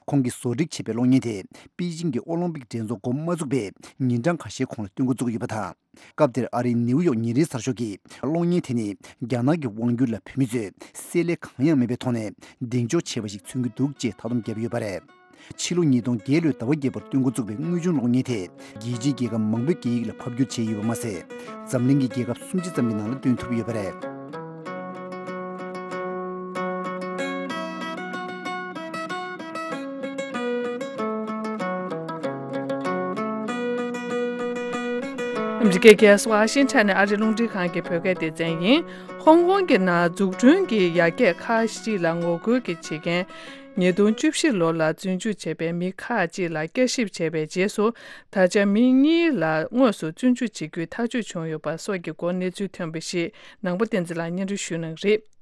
ཁོང་གིས་བཟོ་སྒྲིག་བྱས་པའི་གློག་བརྙན་དེ་པེ་ཅིང་གི་ཨོ་ལིམ་པིག་འགྲན་ཚོགས་འགོ་མ་བཙུགས་པའི་ཉིན་གྲངས་ཁ་ཤས་གོང་ལ་སྟོན་འགོ་བཙུགས་ཡོད་པ་དང་། སྐབས་དེར་ཨ་རིའི་ནེའུ་ཡོག་ཉིན་རེའི་གསར་ཤོག་གིས་གློག་བརྙན་དེ་ནི་རྒྱ་ནག་གི་དབང་སྒྱུར་ལ་བོད་མི་ཚོས་བསྲེ་ལྷད་གང་ཡང་མེད་པའི་ཐོག་ནས་གདེང་འཇོག་བྱས་པ་ཞིག་མཚོན་གྱི་འདུག་ཅེས་ཐག་དོམ་བརྒྱབ་ཡོད་པ་རེད། ཕྱི་ལོ་ཉིས་སྟོང་བརྒྱད་ལོའི་ཟླ་བ་བརྒྱད་པར་སྟོན་འགོ་བཙུགས་པའི་དངོས་བྱུང་གློག་བརྙན་དེ་རྒྱལ་སྤྱིའི་རྒྱལ་ཁབ་མང་པོའི་སྐད་ཡིག་ལ་ཕབ་བསྒྱུར་བྱས་ཡོད་པ་མ་ཟད། འཛམ་གླིང་གི་རྒྱལ་ཁབ་སུམ་ཅུ་ཙམ་གྱི་ནང་ལ་སྟོན་ཐུབ་ཡོད་པ་རེད། ཨ་མི་རི་ཀའི་རྒྱལ་ས་ཝ་ཤིང་ཊོན་ནས་ཨ་རིའི་རླུང་འཕྲིན་ཁང་གི་བོད་སྐད་སྡེ་ཚན་ཡིན། ཧོང་ཀོང་གི་ནང་འཛུགས་སྐྲུན་གྱི་ཡར་རྒྱས་ཁག་ཅིག་ལ་ངོ་རྒོལ་གྱི་བྱེད་མཁན། ཉིས་སྟོང་བཅུ་བཞི་ལོ་ལ་བཙོན་འཇུག་བྱས་པའི་མི་ཁག་ཅིག་ལ་བསྐྱར་ཞིབ་བྱས་པའི་རྗེས་སུ། ད་ཆ་མི་གཉིས་ལ་དངོས་སུ་བཙོན་འཇུག་བྱེད་རྒྱུའི་ཐག་གཅོད་བྱུང་ཡོད་པ་སོགས་ཀྱི་སྐོར་གནས་ཚུལ་ཐོན་པ་ཞིག་ནང་པ་བསྟན་འཛིན་ལགས་སྙན་སྒྲོན་ཞུ་གནང་གི་རེད།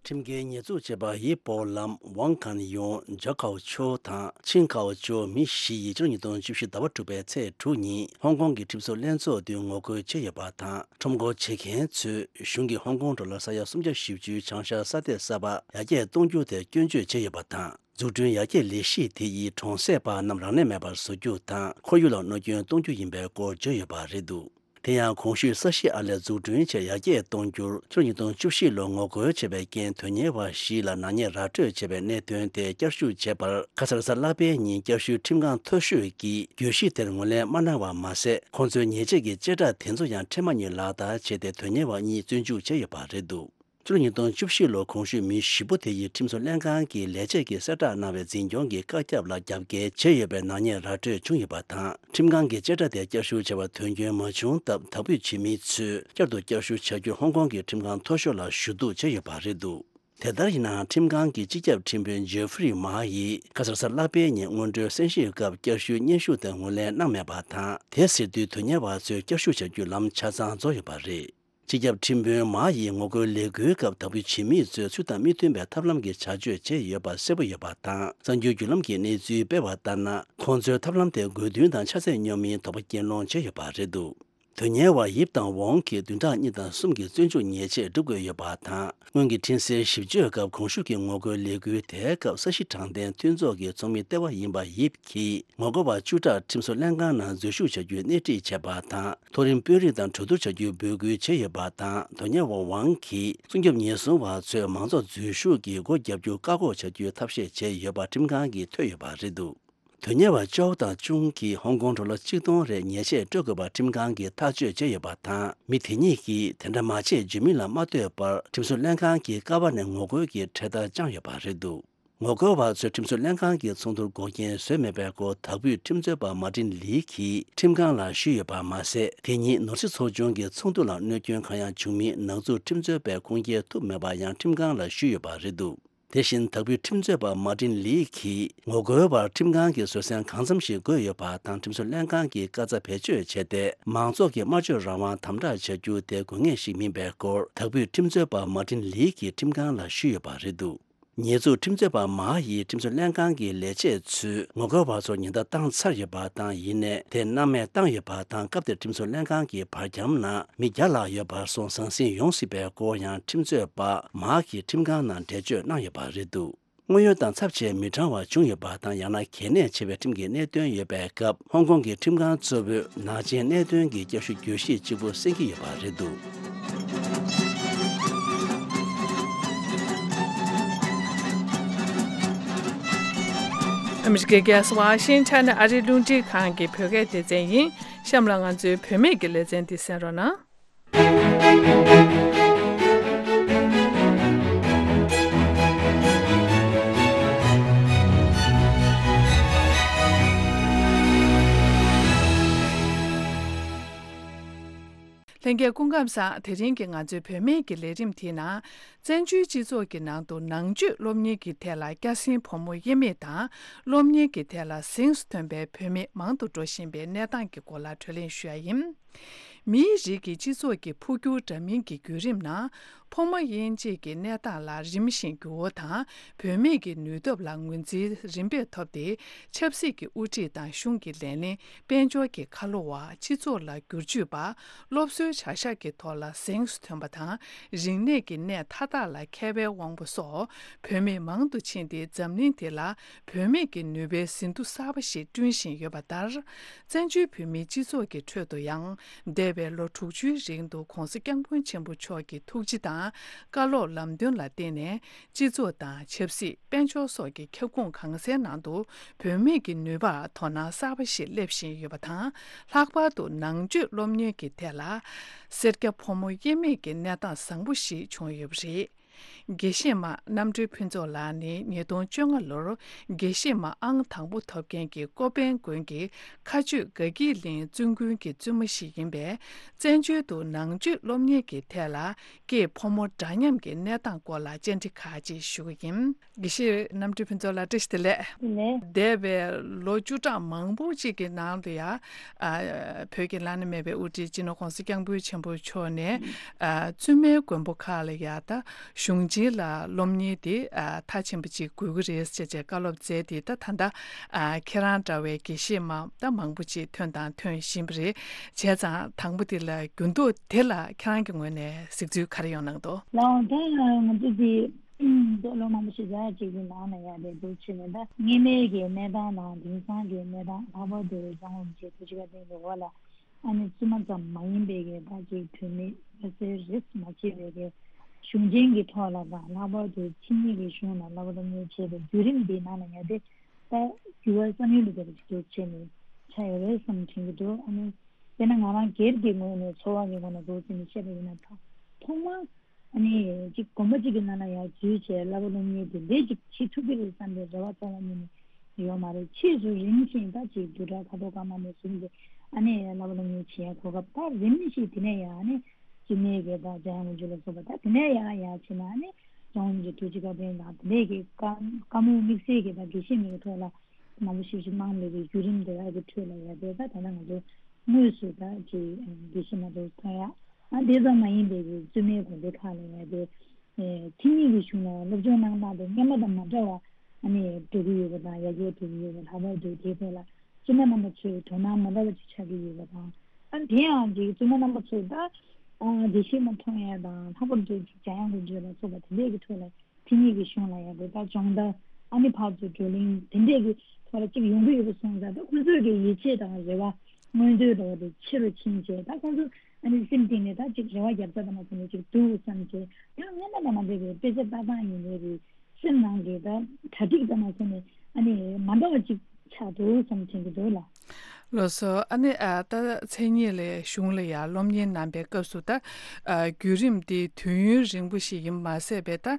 ཁྲིམས་འགལ་ཉེས་འཛུགས་བྱས་པ་ཡི་པོ་ལམ་ཝང་ཁན་ཡུང་། ཇོ་ཁའོ་ཆོ་དང་ཆིང་ཁའོ་ཅོ་མི་བཞི་ཡིས་ཕྱི་ལོ་ཉིས་སྟོང་བཅུ་བཞི་ཟླ་བ་དྲུག་པའི་ཚེས་དྲུག་ཉིན་ཧོང་ཀོང་གི་ཁྲིམས་བཟོ་ལྷན་ཚོགས་མདུན་ངོ་རྒོལ་བྱས་ཡོད་པ་དང་། ཁྲོམ་སྐོར་བྱེད་མཁན་ཚོས་གཞུང་གིས་ཧོང་ཀོང་གྲོང་ལ་ས་ཡ་སུམ་བརྒྱ་བཞི་བཅུའི་བྱང་ཤར་ས་སྡེ་གསར་པ་ཡར་རྒྱས་གཏོང་རྒྱུ་དེ་སྐྱོན་བརྗོད་བྱས་ཡོད་པ་དང་། འཛུགས་སྐྲུན་ཡར་རྒྱས་ལས་གཞི་དེ་ཡིས་གྲོང་གསེབ་པ་རྣམས་རང་ལས་མེད་པར་བཟོ་རྒྱུ་དང་། ཁོར་ཡུག་ལ་གནོད་སྐྱོན་གཏོང་རྒྱུ་ཡིན་པའི་སྐོར་བརྗོད་ཡོད་པ་རེད་འདུག་དེ་ཡང་གོང་ཞུས་ས་གཞི་ཨར་ལས་འཛུགས་སྐྲུན་ཆེད་ཡར་རྒྱས་གཏོང་རྒྱུར་ཕྱི་ལོ་ཉིས་སྟོང་བཅུ་བཞི་ལོར་ངོ་རྒོལ་བྱས་པའི་རྐྱེན་དོན་གཉེར་བ་བཞི་ལ་ནག་ཉེས་ར་སྤྲོད་བྱས་པའི་གནད་དོན་དེ་བསྐྱར་ཞིབ་བྱས་པར། ཁ་སང་རེས་གཟའ་ལྷག་པའི་ཉིན་བསྐྱར་ཞུའི་ཁྲིམས་ཁང་མཐོ་ཤོས་ཀྱིས་གྱོད་གཞི་དེར་ངོས་ལེན་མ་གནང་བ་མ་ཟད། ཁོང་ཚོའི་ཉེས་ཆད་ཀྱི་བཅད་ཁྲ་དེ་ཚོ་ཡང་འཕྲལ་མ་ཉིད་ལག་བསྟར་བྱས་ཏེ། དོན་གཉེར་བ་གཉིས་བཙོན་འཇུག་བྱས་ཡོད་པ་རེད་འདུག་ཕྱི་ལོ་ཉིས་སྟོང་བཅུ་བཞི་ལོར་གོང་ཞུས་མི་བཞི་པོ་དེ་ཡིས་ཁྲིམས་བཟོ་ལྷན་ཁང་གི་ལས་བྱེད་ཀྱིས་གསལ་བསྒྲགས་གནང་བའི་འཛིན་སྐྱོང་གི་བཀའ་ཁྱབ་ལ་རྒྱབ་འགལ་བྱས་ཡོད་པའི་ནག་ཉེས་ར་སྤྲོད་བྱུང་ཡོད་པ་དང་། ཁྲིམས་ཁང་གིས་བཅད་ཁྲ་དེ་བསྐྱར་ཞུ་བྱ་བར་དོན་འཁྱོལ་མ་བྱུང་སྟབས། དག་འབུད་བྱེད་མི་ཚོས་བསྐྱར་དུ་བསྐྱར་ཞུ་བྱ་རྒྱུར་ཧོང་ཀོང་གི་ཁྲིམས་ཁང་མཐོ་ཤོས་ལ་ཞུ་གཏུག་བྱས་ཡོད་པ་རེད་འདུག་དེ་ལྟར་ཡིན་ནའང་། ཁྲིམས་ཁང་གི་སྤྱི་ཁྱབ་ཁྲིམས་དཔོན་ཇེ་ཧྥི་རི་མ་ཡིས་ཁ་སང་རེས་གཟའ་ལྷག་པའི་ཉིན་སྔོན་འགྲོའི་གསན་ཞིབ་སྐབས་བསྐྱར་ཞུའི་སྙན་ཞུ་དེར་ངོས་ལེན་གནང་མེད་པ་དང་། དེ་ཟེར་དུས་དོན་གཉེར་བ་ཚོས་བསྐྱར་ཞུ་བྱ་རྒྱུའི་ལམ་ཆ་ཚང་རྫོགས་ཡོད་པ་རེད། སྤྱི་ཁྱབ་ཁྲིམས་དཔོན་མ་ཡིས་ངོ་རྒོལ་ལས་འགུལ་སྐབས་དག་འབུད་བྱེད་མི་ཚོས་ཚུལ་དང་མི་མཐུན་པའི་ཐབས་ལམ་གྱི་བྱ་སྤྱོད་བྱས་ཡོད་པ་གསལ་པོ་ཡོད་པ་དང་། གསར་འགྱུར་བརྒྱུད་ལམ་གྱི་གནས་ཚུལ་སྤེལ་བ་ལྟར་ན། ཁོང་ཚོའི་ཐབས་ལམ་དེ་དགོས་འདུན་དང་ཆ་ཚད་སྙོམས་མིན་དོགས་པ་སྐྱེ་སློང་བྱས་ཡོད་པ་རེད་འདུག་དོན་གཉེར་བ་ཡིབ་དང་ཝོང་གིས་བདུན་ཕྲག་གཉིས་དང་གསུམ་གྱི་བཙོན་འཇུག་ཉེས་ཆད་སྒྲུབ་དགོས་ཡོད་པ་དང་། སྔོན་གྱི་འཕྲིན་གསལ་ཞིབ་བརྗོད་སྐབས་གོང་ཞུས་ཀྱི་ངོ་རྒོལ་ལས་འགུལ་དེའི་སྐབས་ས་གཞི་དྲང་བདེན་མཐུན་ཚོགས་ཀྱི་ཚོགས་མི་ལྟེ་བ་ཡིན་པ་ཡིབ་ཀྱིས་ངོ་རྒོལ་བ་བཅུ་ཕྲག་ཁྲིམས་བཟོ་ལྷན་ཁང་ནང་འཛུལ་ཞུགས་བྱ་རྒྱུའི་སྣེ་ཁྲིད་བྱས་པ་དང་། མཐོ་རིམ་དཔོན་རིགས་དང་གྲོས་བསྡུར་བྱ་རྒྱུའི་འབོད་སྐུལ་བྱས་ཡོད་པ་དང་། དོན་གཉེར་བ་ཝང་གིས་སྲུང་སྐྱོབ་ཉེན་སྲུང་བ་ཚོས་མང་ཚོགས་འཛུལ་ཞུགས་ཀྱིས་སྒོ་བརྒྱབ་རྒྱུ་བཀག་འགོག་བྱ་རྒྱུའི་ཐབས་ཤེས་བྱས་ཡོད་པ་ཁྲིམས་ཁང་གིས་ཐོས་ཡོད་པ་རེད་འདུག་དོན་གཉེར་བ་ཅའོ་དང་ཅུང་གིས་ཧོང་ཀོང་གྲོང་ལ་ཆིག་སྟོང་རེ་ཉེས་ཆད་སྤྲོད་དགོས་པ་ཁྲིམས་ཁང་གིས་ཐག་གཅོད་བྱས་ཡོད་པ་དང་། མི་དེ་གཉིས་ཀྱིས་དེ་འདྲ་མ་བྱེད་བརྗོད་མིན་ལ་མ་ལྟོས་པར་ཁྲིམས་བཟོ་ལྷན་ཁང་གི་ཀ་བ་ནས་ངོ་རྒོལ་གྱི་འཕྲེད་དར་བཅངས་ཡོད་པ་རེད་འདུག་ངོ་རྒོལ་བ་ཚོས་ཁྲིམས་བཟོ་ལྷན་ཁང་གི་ཚོགས་འདུར་འགོག་རྐྱེན་བཟོས་མེད་པའི་སྐོར་དག་འབུད་ཁྲིམས་རྩོད་པ་མ་ཏིན་ལི་གིས་ཁྲིམས་ཁང་ལ་ཞུས་ཡོད་པ་མ་ཟད། དེ་ཉིན་ནོར་སྲིད་ཚོགས་ཆུང་གི་ཚོགས་འདུ་ལ་གནོད་སྐྱོན་གང་ཡང་བྱུང་མིན་ནག་འཛུགས་ཁྲིམས་རྩོད་པས་ཁུངས་སྐྱེལ་ཐུབ་མེད་པ་ཡང་ཁྲིམས་ཁང་ལ་ཞུས་ཡོད་པ་རེད་འདུག་དེ་བཞིན་དག་འབུད་ཁྲིམས་རྩོད་པ་མ་ཏིན་ལི་གིས་ངོ་རྒོལ་བར་ཁྲིམས་ཁང་གིས་བཟོད་བསྲན་གང་འཚམ་ཞིག་དགོས་ཡོད་པ་དང་། ཁྲིམས་བཟོ་ལྷན་ཁང་གིས་བཀའ་རྩ་བེད་སྤྱོད་བྱས་ཏེ། མང་ཚོགས་ཀྱི་སྨྲ་བརྗོད་རང་དབང་དམ་དྲག་བྱ་རྒྱུ་དེ་དགོས་ངེས་ཤིག་མིན་པའི་སྐོར་དག་འབུད་ཁྲིམས་རྩོད་པ་མ་ཏིན་ལི་གིས་ཁྲིམས་ཁང་ལ་ཞུས་ཡོད་པ་རེད་འདུག་ཉེས་འཛུགས་ཁྲིམས་རྩོད་པ་མ་ཡིས་ཁྲིམས་བཟོ་ལྷན་ཁང་གི་ལས་བྱེད་ཚོས་ངོ་རྒོལ་བ་ཚོར་ཉེན་བརྡ་བཏང་ཚར་ཡོད་པ་དང་། ཡིན་ནའི་དེ་སྣང་མེད་བཏང་ཡོད་པ་དང་། སྐབས་དེར་ཁྲིམས་བཟོ་ལྷན་ཁང་གི་བར་ཁྱམས་ནང་མི་བརྒྱ་ལྷག་ཡོད་པར་སོང་། ཟང་ཟིང་ཡོང་སྲིད་པའི་སྐོར་ཡང་ཁྲིམས་རྩོད་པ་མ་གིས་ཁྲིམས་ཁང་ནང་འགྲེལ་བརྗོད་གནང་ཡོད་པ་རེད་འདུག་དངོས་ཡོད་དང་ཚབས་ཆེས་མི་དྲང་བ་བྱུང་ཡོད་པ་དང་། ཡང་ན་གལ་གནད་ཆེ་བའི་ཁྲིམས་ཀྱི་གནད་དོན་ཡོད་པའི་སྐབས། ཧོང་ཀོང་གི་ཁྲིམས་ཁང་གཙོ་བོས་ནག་ཅན་གནད་དོན་གྱི་བསྐྱར་ཞུ་གྱོད་གཞི་གཅིག་པུ་གསན་གྱི་ཡོད་པ་རེད་འདུག་ཨ་མི་རི་ཀའི་རྒྱལ་ས་ཝ་ཤིང་ཊོན་ནས་ཨ་རིའི་རླུང་འཕྲིན་ཁང་གི་བོད་སྐད་སྡེ་ཚན་ཡིན། གཤམ་ལ་ང་ཚོའི་བུད་མེད་ཀྱི་ལེ་ཚན་འདི་གསན་རོགས་གནང་། ལྷན་རྒྱས་སྐུ་ཁམས་བཟང་། དེ་རིང་གི་ང་ཚོའི་བུད་མེད་ཀྱི་ལས་རིམ་དེའི་ནང་། བཙན་བྱོལ་སྤྱི་ཚོགས་ཀྱི་ནང་དུ་ནང་ཆོས་སློབ་གཉེར་གྱི་ཐད་ལ་སྐྱ་སེང་ཕོ་མོ་དབྱེར་མེད་དང་། སློབ་གཉེར་གྱི་ཐད་ལ་གཟེངས་སུ་ཐོན་པའི་བུད་མེད་མང་དུ་འགྲོ་བཞིན་པའི་གནས་སྟངས་ཀྱི་སྐོར་ལ་གྲོས་གླེང་ཞུ་ཡ་ཡིན། མིའི་རིགས་ཀྱི་སྤྱི་ཚོགས་ཀྱི་འཕོ་འགྱུར་འདྲ་མིན་གྱི་བརྒྱུད་རིམ་ནང་། ཕོ་མོ་དབྱེ་འབྱེད་ཀྱི་གནས་སྟངས་ལ་རིམ་བཞིན་འགྱུར་བ་དང་། བུད་མེད་ཀྱི་ནུས་སྟོབས་ལ་ངོས་འཛིན་རིམ་པས་ཐོབ་སྟེ། ཆབ་སྲིད་ཀྱི་དབུ་ཁྲིད་དང་གཞུང་གི་ལས་སྣེ། དཔལ་འབྱོར་གྱི་ཁ་ལོ་བ། སྤྱི་ཚོགས་ལ་བསྒྱུར་བཅོས་པ། སློབ་གསོའི་བྱ་གཞག་གི་ཐོག་ལ་གཟེངས་སུ་ཐོན་པ་དང་། རིག་གནས་ཀྱི་གནས་མཐའ་དག་ལ་མཁས་པའི་དབང་པོ་སོགས་བུད་མེད་མང་དུ་ཕྱིན་ཏེ། འཛམ་གླིང་འདི་ལ་བུད་མེད་ཀྱི་ནུས་པའི་ཟིན་ཐོ་གསར་པ་ཞིག་བསྐྲུན་བཞིན་ཡོད་པ་ལྟར། བཙན་བྱོལ་བོད་མིའི་སྤྱི་ཚོགས་ཀྱི་ཁྲོད་དུ་ཡང་། འདས་པའི་ལོ་དྲུག་ཅུའི་རིང་དུ་༸གོང་ས་༸སྐྱབས་མགོན་ཆེན་པོ་མཆོག་གི་ཐུགས་རྗེ་དང་བཀའ་སློབ་ལམ་སྟོན་ལ་བརྟེན་ནས། སྤྱི་ཚོགས་དང་ཆབ་སྲིད། དཔལ་འབྱོར་སོགས་ཀྱི་ཁྱབ་ཁོངས་གང་སའི་ནང་དུ་བུད་མེད་ཀྱི་ནུས་པར་དོ་སྣང་གསར་པ་ཞིག་སླེབས་བཞིན་ཡོད་པ་དང་། ལྷག་པར་དུ་ནང་ཆོས་སློབ་གཉེར་གྱི་ཐད་ལ་སེར་སྐྱ་ཕོ་མོ་དབྱེ་མེད་ཀྱི་གནས་སྟངས་བཟང་པོ་ཞིག་བྱུང་ཡོད་པ་རེད། དགེ་བཤེས་མ་རྣམ་གྲོལ་ཕུན་ཚོགས་ལགས་ནི་ཉིས་སྟོང་བཅོ་ལྔ་ལོར་དགེ་བཤེས་མ་ཨང་དང་པོ་ཐོབ་མཁན་གྱི་ཀོ་པན་དགོན་གྱི་མཁའ་སྤྱོད་དགའ་སྐྱིད་གླིང་བཙུན་དགོན་གྱི་བཙུན་མ་ཞིག་ཡིན་པས། བཙན་བྱོལ་དུ་ནང་ཆོས་སློབ་གཉེར་གྱི་ཐད་ལ་སྐྱེས་ཕོ་མོ་འདྲ་མཉམ་གྱི་གནས་སྟངས་སྐོར་ལ་བཅར་འདྲི་ཁག་ཅིག་ཞུ་གི་ཡིན། དགེ་བཤེས་རྣམ་གྲོལ་ཕུན་ཚོགས་ལགས། བཀྲ་ཤིས་བདེ་ལེགས། བདེ་ལེགས། འདས་པའི་ལོ་བཅུ་ཕྲག་མང་པོ་ཅིག་གི་ནང་དུ་ཡང་། ཨ། བོད་ཀྱི་བླ་ན་མེད་པའི་དབུ་ཁྲིད་སྤྱི་ནོར་༸གོང་ས་༸སྐྱབས་མགོན་ཆེན་པོ་མཆོག་ནས། ཨ། བཙུན་མའི་དགོན་པ་ཁག་ལ་ཡང་ད་གཞུང་ཆེན་ལ་སློབ་གཉེར་དེ། ཨ། མཐའ་ཕྱིན་པ་ཅིག་དགོས་ཀྱི་རེད་ཅེས་བཀའ་སློབ་སྩལ་ཏེ། ད་ད་ལྟ། ཨ། ཁྱེད་རང་འདྲ་བའི་དགེ་བཤེས་མ་ད་མང་པོ་ཅིག་ཐོན་དང་ཐོན་བཞིན་པ་རེད། བྱས་ཙང་དང་པོ་དེ་ལ་འགྱུར་ལྡོག་དེ་ལ་ཁྱེད་རང་གི་ངོས་ནས་གཟིགས་ཚུལ་ག་རེ་ཡོང་གནང་འདུག་ལགས། ད་ང་ཚོ་དེ། ད་ལོ་མང་པོ་ཞིག་རྒྱ་ཡག་ཅིག་གི་ནང་ལ་ཡག་དེ་འདུག་བྱས་ནས། ད་སྔོན་མའི་གི་གནས་སྟངས་དང་དེང་སང་གི་གནས་སྟངས། ལྷག་པར་དུ་ལྗང་དབུ་མི་ཆེ་ཐུགས་རྗེ་བཀའ་དྲིན་གྱི་འོག་ལ། ཨ་ནི་བཙུན་མ་ཙམ་མ་ཡིན་པའི་གི་ད་ཅིག་བུད་མེད་ལྷ་སའི་རིས་མ་ཕྱེ་བའི་གི་གཞུང་ཆེན་གྱི་ཐོག་ལ་དང་། ལྷག་པར་དུ་ཕྱི་མི་གི་གཞུང་ལ་བསླབ་པ་སློབ་གཉེར་བྱེད་པའི་བརྒྱུད་རིམ་འདིའི་ནང་ལ་ཡག་དེ་ད་འགྱུར་བ་བསམ་ཡུལ་ལས་འདས་པ་ཅིག་འདུག་བྱས་ནས་ཆགས་ཡོད་རེད་བསམ་དྲན་གྱི་འདུག་ཨ་ནི་དཔེར་ན་ང་རང་སྒེར་གྱི་ངོས་ནས་ཚོར་བ་གི་ངོས་ནས་འདུག་བྱས་ནས་བཤད་པ་ཡིན་ན། ད་ཐོག་མར། ཨ་ནི་ཅིག་དགོན་པ་ཅིག་གི་ནང་ལ་ཡར་འཛུལ་བྱས་བསླབ་པ་སློབ་གཉེར་དེ་འདྲས་ཅིག་བྱེད་ཐུབ་ཀྱི་རེད་བསམ་པའི་རེ་བ་རྩ་བ་ཉིད་ནས་ཡོད་མ་རེད། ཕྱིས་སུ་རིམ་བཞིན་ད་ཅིག་བསྡུས་གྲྭ་ཁ་དོག་ཀརྨ་ནས་བཟུང་སྟེ། ཨ་ནི་བསླབ་པ་སློབ་གཉེར་བྱེད་ཡ་གོ་སྐབས། ད་རིམ་བཞིན་དེ་ནས་ཡང་ཨ་ནི་སྤྱི་མེས་ཀྱི་ད་འཇམ་དབྱངས་དབང་ཕྱུག་ལ་སོགས་པ། ད་དེ་ནས་ཡང་ཡར་ཕྱིན་ན་ཨ་ནི་ལྗང་དབུ་མི་ཆེ་ཐུགས་རྗེ་བཀའ་དྲིན་དང་དེ་འདྲས་ཀྱི་བཀའ་བཀའ་མོལ་དམིགས་བསལ་གྱི་ད་དགེ་བཤེས་མའི་ཐོག་ལ་མང་པོ་ཞིག་ཞིག་གནང་མེད་པའི་བརྒྱུད་རིམ་དེ་དག་གི་ཁྲོད་ལ་ཡ་དེ་ད་ད་ལྟ་ང་ཚོ་དངོས་སུ་ད་ཅིག་དགེ་བཤེས་མ་དེ་ཚོ་མཐོང་ཡ། ཨ། དེ་ཙམ་མ་ཡིན་པའི་གི་བཙུན་མའི་དགོན་སྡེ་ཁག་ལ་ཡ་དེ། ཨེ། ཕྱི་མི་གི་གཞུང་ལ་སློབ་སྦྱོང་གནང་སྟངས་དེ་སྔོན་མ་དང་མ་འདྲ་བ་ཨ་ནི་འགྲོ་གི་ཡོད་པ་དང་། ཡར་རྒྱས་འགྲོ་གི་ཡོད་པ། ལྷག་པར་དུ་དེའི་ཐད་ལ་བཙུན་མ་རྣམ་པ་ཚོས་དོ་སྣང་མ་འདྲ་བ་ཅིག་བྱ་གི་ཡོད་པ་དང་། ཨ། དེ་ཡང་ཅིག་བཙུན་མ་རྣམ་པ་ཚོས་ད། ཨ། དགེ་བཤེས་མ་མཐོང་ཡ་དང་། ལྷག་པར་དུ་ཅིག་འཇམ་དབྱངས་དབང་ཕྱུག་ལ་སོགས་པ་དེ་འདྲས་ཀྱི་ཁྲོད་ལ། ཕྱི་མི་གི་གཞུང་ལ་ཡ་དེ་ད་སྦྱོང་བརྡར། ཨ་ནི་ཕར་ཚུར་བགྲོ་གླེང་དེ་འདྲས་ཀྱི་ཐོག་ལ་ཅིག་ཡོང་གི་ཡོད་པ་སོང་ཙང་། ད་ཁོང་ཚོའི་གི་ཡིད་ཆེས་དང་རེ་བ། མངོན་འདོད་འདྲ་བ་དེ་ཆེ་རུ་ཕྱིན་བྱས། ད་ཁོང་ཚོ་ཨ་ནི་སེམས་གཏིང་ནས་ད་ཅིག་རེ་བ་རྒྱབ་ས་དང་མ་སོང་ནས་ཅིག་འདུག་བསམ་བྱས། ཡང་སྔོན་མ་དང་མ་འདྲ་བའི་དཔེ་ཆ་ལྟ་སྟངས་ཡིན་ནའི་རེད། སེམས་ནང་གི་ད་གྲ་སྒྲིག་དང་མ་སོང་ནས་ཨ་ནི་མ་འདྲ་བ་ཅིག་ཆགས་འདུག་བསམ་དྲན་གྱི་འདུག་ལགས། ལགས་སོ། ཨ་ནི། ཨ། ད་མཚན་ཉིད་ལས་གཞུང་ལ་ཡར་སློབ་གཉེར་གནང་པའི་སྐབས་སུ། ད། ཨ། བརྒྱུད་རིམ་འདི་དུས་ཡུན་རིང་པོ་ཞིག་ཡིན་མ་ཟད་པའི། ད།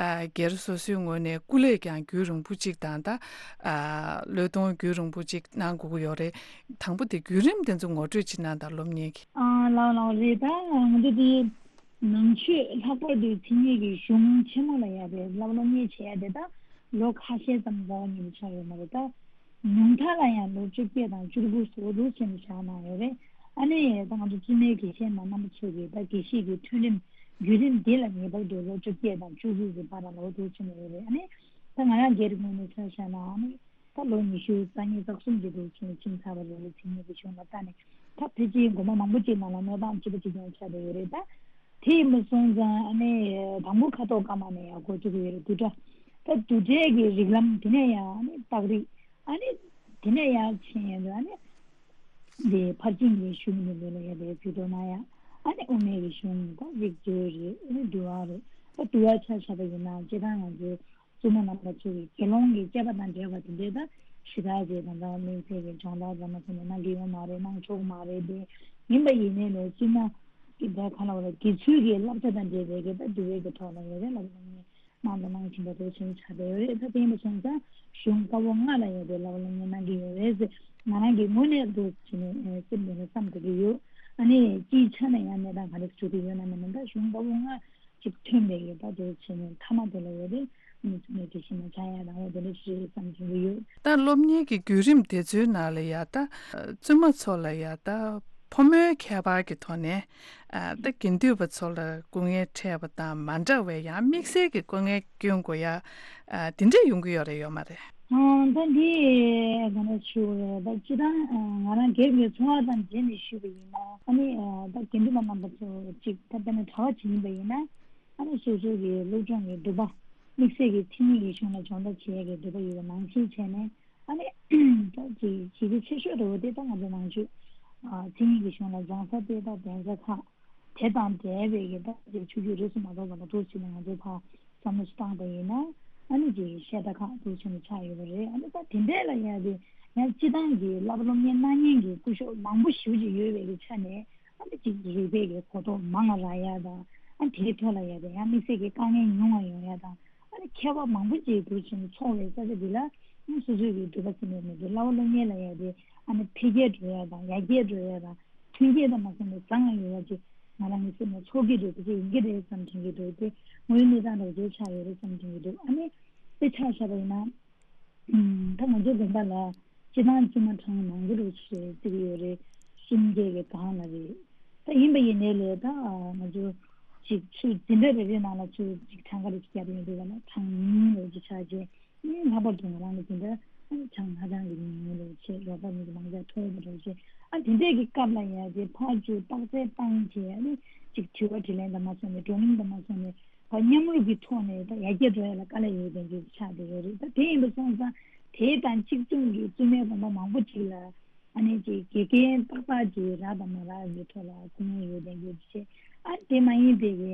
ཨ། སྒེར་སོ་སོའི་ངོས་ནས་སྐུ་ལས་ཀྱང་རྒྱུན་རིང་པོ་ཅིག་དང་། ད། ཨ། བློས་གཏོང་རྒྱུན་རིང་པོ་ཅིག་གནང་དགོས་ཀྱི་ཡོད་རེད། དང་པོ་དེ་བརྒྱུད་རིམ་དེ་ཚོ་ངོ་སྤྲོད་ཅིག་གནང་དང་། སློབ་གཉེར་གྱི། ཨ། ལགས་ལགས་རེད། ད་ང་ཚོ་དེ་ནང་ཆོས། ལྷག་པར་དུ་མཚན་ཉིད་ཀྱི་གཞུང་ཆེན་མོ་ལ་ཡ་དེ་བསླབ་སློབ་གཉེར་བྱེད་ཡ་དེ་ད་ལོ་ཁ་ཤས་ཙམ་རྩ་བ་ཉིད་ནས་ཆགས་ཡོད་མ་རེད། ད་ཉུང་མཐའ་ལ་ཡང་ལོ་བཅོ་བརྒྱད་དང་བཅུ་དགུ་སོགས་འདུག་བྱས་ནས་བཞག་གནང་ཡོད་རེད། ཨ་ནི་ད་ང་ཚོ་བཙུན་མའི་དགེ་བཤེས་མ་རྣམ་པ་ཚོ་གིས་ད་དགེ་བཤེས་ཀྱི་ཐོན་རིམ་བརྒྱུད་རིམ་འདི་ལ་ངེས་པར་དུ་ལོ་བཅོ་བརྒྱད་དང་བཅུ་དགུ་གི་བར་ལ་འདུག་བྱས་ནས་ཡོད་རེད། ཨ་ནི་ད་ང་རང་སྒེར་གྱི་ངོས་ནས་ཆ་བཞག་ན། ཨ་ནི་ད་ལོ་ཉི་ཤུ་རྩ་གཉིས་རྩ་གསུམ་ཅིག་འདུག་བྱས་ནས་ཕྱིན་ཚར་བ་རེད། མཚན་ཉིད་ཀྱི་གཞུང་ལ་ལྟ་ནས། ད་ཕལ་ཆེར་དགོན་པ་མང་པོ་ཅིག་ནང་ལ་གནས་སྟངས་གཅིག་པ་གཅིག་རྐྱང་ཆགས་བསྡད་ཡོད་རེད། ད་དེ་ཡིན་པ་སོང་ཙང་། ཨ་ནི་དང་པོ་ཁ་དོག་ཀརྨ་ནས་ཡར་འགོ་བཙུགས་ཀྱི་ཡོད་རེད། བསྡུས་གྲྭ། ད་བསྡུས་གྲྭའི་གི་རིགས་ལམ། དེ་ནས་ཡང་ཨ་ནི་རྟགས་རིགས། ཨ་ནི་དེ་ནས་ཡར་ཕྱིན་ཡོང་དུས་ཨ་ནི་དེ་ཕར་ཕྱིན་གྱི་གཞུང་ནས་ལོ་ལ་ཡ་དེ་ཕྱི་དོ་ན་ཡ། ཨ་ནི་དབུ་མའི་གི་གཞུང་། ད་རིགས་འགྲེལ་རེད། ཨ་ནི་འདུལ་བ་རེད། ད་འདུལ་བ་ཆ་བཞག་པ་ཡིན་ན་སྤྱིར་བཏང་ང་ཚོའི་བཙུན་མ་རྣམ་པ་ཚོ་གི་དགེ་སློང་གི་སྤྱད་པ་དང་འབྲེལ་བ་དེ་འདྲའི་ད་ཞེ་དྲག་ཅིག་དང་། ད་དམིགས་བསལ་གྱི་སྦྱོང་བརྡར་ཙམ་མ་སོང་ནས་གནང་གི་ཡོད་མ་རེད། གནང་ཆོག་མ་རེད། དེ་ཡིན་པ་ཡིན་ནའི་ལས་བཙུན་མ་གི་ད་ག་ལ་བ་ལ་དགེ་ཚུལ་གྱི་བསླབ་བྱ་དང་འབྲེལ་བའི་གི་ད་འདུལ་བའི་གི་ཐོག་ལ་ཡོད་རེད། བསླབ་པ་སློབ་གཉེར་གནང་དང་གནང་བཞིན་པ་འདུག་བྱས་ནས་ཆགས་བསྡད་ཡོད་རེད། ད་དེ་ཡིན་པ་སོང་ཙང་གཞུང་བཀའ་པོད་ལྔ་ལ་ཡ་དེ་བསླབ་པ་སློབ་གཉེར་གནང་གི་ཡོད་རེད་ཟེར་ང་རང་གི་ངོས་ནས་འདུག་བྱས་ནས་སེམས་ནང་ནས་བསམ་དགོས་ཀྱི་ཡོད། ཨ་ནི་སྤྱིའི་ཆ་ནས་ཡང་གནས་སྟངས་ག་རེ་བྱུང་གི་ཡོད་ན་མིན་ན། ད་གཞུང་བཀའ་པོད་ལྔ་ཅིག་ཐོན་པའི་ཡོད་པ་དེ་བྱས་ནས་མཐའ་མ་དེ་ལ་ཡོད་དེ། ཨ་ནི་བཙུན་མའི་དགེ་བཤེས་མ་ཆགས་ཡ་དང་འོ་དེ་འདྲ་ཞིག་བསམ་གྱི་ཡོད། ད་སློབ་གཉེར་གྱི་བརྒྱུད་རིམ་དེ་ཚོའི་ནང་ལ་ཡ་ད་བཙུན་མ་ཚོ་ལ་ཡ་ད་ ཕོ་མོའི་ཁྱད་པར་གྱི་ཐོག་ནས་ཨ་ད་དགེ་འདུན་པ་ཚོ་ལ་སྐུ་ངལ་འཕྲད་པ་དང་མ་འདྲ་བའི་ཡང་དམིགས་བསལ་གྱི་སྐུ་ངལ་སྐྱོན་དགོས་ཡ་ཨ་དེ་འདྲ་ཡོང་གི་ཡོད་རེད་ཡོད་མ་རེད། ཨ་ད་འདི་ག་ནས་ཞུ་རེད། ད་སྤྱི་བཏང་ང་རང་སྒེར་གྱི་ཚོར་བ་དང་འབྲེལ་ནས་ཞུས་པ་ཡིན་ན་ཨ་ནི་ད་དགེ་འདུན་པ་རྣམ་པ་ཚོ་གཅིག་ད་དཔེར་ན་གྲྭ་བ་ཅིག་ཡིན་པ་ཡིན་ན་ཨ་ནི་སོ་སོ་གི་སློབ་སྦྱོང་གི་འདུན་པ་དམིགས་བསལ་གྱི་མཚན་ཉིད་ཀྱི་གཞུང་ལ་སྦྱོང་བརྡར་བྱེད་ཡས་ཀྱི་འདུན་པ་ཡོད་པ་ནང་བཞིན་བྱས་ནས། ཨ་ནི་ད་ཅིག་གཞི་རྒྱ་ཆེ་ཤོས་འདྲ་བོ་དེ་ད་ང་ཚོ་ནང་ཆོས་ཨ་མཚན་ཉིད་ཀྱི་གཞུང་ལ་སྦྱང་ས་དེ་ད་གདན་ས་ཁག་དེ་དང་འབྲེལ་བའི་གི་ད་ཅིག་ཆོས་བརྒྱུད་རིས་སུ་མ་གཏོགས་པ་ལ་འདུག་ཕྱིན་ནས་ང་ཚོ་ཕར་བསམ་བློ་ཞིག་བཏང་པ་ཡིན་ན་ཨ་ནི་ཅིག་བཤད་གྲྭ་ཁག་འདུག་ཕྱིན་ནས་ཆགས་ཡོད་པ་རེད། ཨ་ནི་ད་དེ་འདྲས་ལ་ཡ་དེ་ཡང་སྤྱི་བཏང་གི་བསླབ་པ་སློབ་གཉེར་གནང་མཁན་གྱི་སྐུ་ཞབས་མང་པོ་ཞེ་པོ་ཅིག་ཡོད་པའི་གི་ཆ་ནས་ཨ་ནི་ཅིག་རིག་པའི་གི་གོ་རྟོགས་མང་ང་རག་ཡ་དང་ཨ་དེའི་ཐོག་ལ་ཡ་དེ་ཡང་དམིགས་བསལ་གྱི་དཀའ་ངལ་ཉུང་བ་ཡོང་ཡ་དང་། ཨ་ནི་མཁས་པ་མང་པོ་ཅིག་འདུག་ཕྱིན་ཚོགས་པའི་ས་ཆ་འདི་ལ་ཨ་སོ་སོའི་གི་འདོད་པ་ཟིན་པའི་མི་འདུག་བསླབ་པ་སློབ་གཉེར་ལ་ཡ་དེ་ཨ་ནི་འཕེལ་རྒྱས་འགྲོ་ཡ་དང་ཡར་རྒྱས་འགྲོ་ཡ་དང་མཐུན་རྐྱེན་དང་མ་ཟིན་པའི་བཟང་ང་ཡོད་ཡ་ཅིག་ང་རང་གི་སེམས་ནང་ཚོར་གྱི་འདུག་དེ་ཅིག་ཡིན་གྱི་རེད་བསམ་དྲན་གྱི་འདུག་དེ་དངོས་ཡོད་གནས་སྟངས་འདྲ་བོ་ཅིག་ཆགས་ཡོད་རེད་བསམ་དྲན་གྱི་འདུག་ཨ་ནི་དཔེ་ཆ་བཞག་པ་ཡིན་ན། ད་ང་ཚོའི་དགོན་པ་ལ་སྤྱི་བཏང་བཙུན་མ་གྲངས་མང་པོ་རུ་ཞིག་བརྩི་གི་ཡོད་རེད། སུམ་བརྒྱ་གི་སྒང་ལ་རེད། ད་ཡིན་པ་ཡིན་ནའི་ལས་ད་ང་ཚོ་ཅིག་ཆུ་འཛིན་གྲྭ་རེ་རེ་ནང་ལ་ཆུ་ཅིག་གྲངས་ཀ་རེ་ཅིག་བརྒྱབ་ཡོང་དུས་ག་ལ་གྲངས་ཉུང་རེ་ཅིག་ཆགས་རྗེས་ཨ་ནི་ལྷག་པར་དུ་ང་རང་གི་འཛིན་གྲྭ་ཨ་ནི་གྲངས་ཧ་ཅང་གི་ཉུང་ཉུང་རེ་བྱས་རོགས་པ་མི་གི་མང་ཚད་མཐོ་བོ་རེ་བྱས་ཨ་དེ་འདྲས་ཀྱི་སྐབས་ལ་ཡ་དེ་ཕར་ཚུར་བརྟག་དཔྱད་བཏང་བྱས་ཨ་ནི་ཅིག་དྲི་བ་དྲིས་ལན་དང་མ་སོང་ནས་བགྲོ་གླེང་དང་མ་སོང་ནས། བ་མཉམ་རུབ་ཀྱི་ཐོག་ནས་ད་ཡར་རྒྱས་འགྲོ་ཡ་ལ་དཀའ་ལས་ཡོད་མཁན་གྱི་ཆགས་བསྡད་ཡོད་རེད། ད་དེ་ཡིན་པ་སོང་ཙང་དེ་དང་གཅིག་མཚུངས་ཀྱི་བཙུན་མའི་དགོན་པ་མང་པོ་ཅིག་ལ་ཨ་ནི་ཅིག་དགེ་རྒན་ཏག་ཏག་ཅིག་རག་དང་མ་རག་གི་ཐོག་ལ་སྐུ་ངལ་ཡོད་མཁན་གྱི་ཆེ་ཨ་དེ་མ་ཡིན་པའི་གི་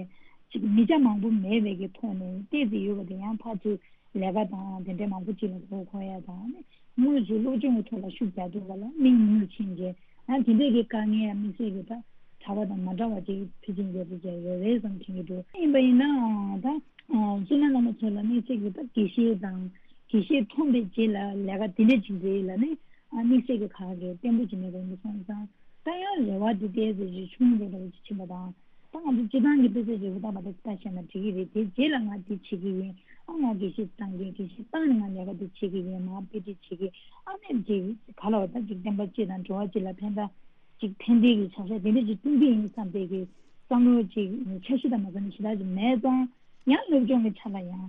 ཅིག་མི་ཆ་མང་པོ་མེད་པའི་གི་ཐོག་ནས་བལྟས་ཏེ་ཡོད་པ་དེ་ཡང་ཕར་ཚུར་ལས་ཀ་དང་དེ་འདྲའི་མང་པོ་ཅིག་ལ་མགོ་འཁོར་ཡ་དང་ཨ་ནི་དངོས་སུ་སློབ་སྦྱོང་གི་ཐོག་ལ་ཤུགས་རྒྱག་དུས་ག་ལ་མི་ཉུང་ཉུང་ཕྱིན་རྗེས་ཨ་དེ་འདྲའི་གི་དཀའ་ངལ་དམིགས་བསལ་གྱི་ད། གྲྭ་པ་དང་མ་འདྲ་བ་ཅིག་ཕལ་ཆེར་མཛད་པ་ཅིག་ཡོད་རེད་བསམ་དྲན་གྱི་འདུག་ཡིན་པ་ཡིན་ནའང་ད་བཙུན་མ་རྣམ་པ་ཚོ་ལ་དམིགས་བསལ་གྱི་ད་དགེ་བཤེས་དང་དགེ་བཤེས་ཐོན་པའི་རྗེས་ལ་ལས་ཀ་དེ་འདྲ་ཅིག་མཛད་ཡོད་ལ་ནི་དམིགས་བསལ་གྱི་ཁག་གི་བརྟན་པོ་ཅིག་མེད་པ་ཡིན་པ་སོང་ཙང་ད་ཡང་རེ་བ་དེ་ཏོག་ཙམ་ཅིག་ཆུང་རུ་རུ་ཅིག་ཕྱིན་པ་དང་ད་ང་ཚོ་སྤྱི་བཏང་གི་དཔེ་ཆ་རེ་བ་ལྟ་བ་དེ་ལྟ་བཤད་ན་འགྲིག་གི་རེད། དེ་རྗེས་ལ་ང་འདི་བྱེད་ཀྱི་ཡིན་ཨ་ང་དགེ་བཤེས་བཏང་གི་དགེ་བཤེས་བཏང་ནས་ང་ལས་ཀ་འདི་བྱེད་ཀྱི་ཡིན་མ་དཔེ་ཁྲིད་བྱེད་ཀྱི་ཨ་ནི་འདི་ག་ལ་བ་ད་ཅིག་བསྟན་པ་སྤྱི་དང་འགྲོ་བ་སྤྱི་ལ་ཕན་ཐོགས། ཅིག་ཕན་བདེ་གི་བྱ་གཞག་དེ་འདྲ་ཅིག་སྐྲུན་གྱི་ཡིན་བསམ་པའི་གི་བསམ་བློ་ཅིག་འཆར་གཞི་དང་མ་འཛོམས་ཞེ་དྲག་ཅིག་མེད་ཙང་ཡང་སློབ་སྦྱོང་གི་ཆ་ལ་ཡང་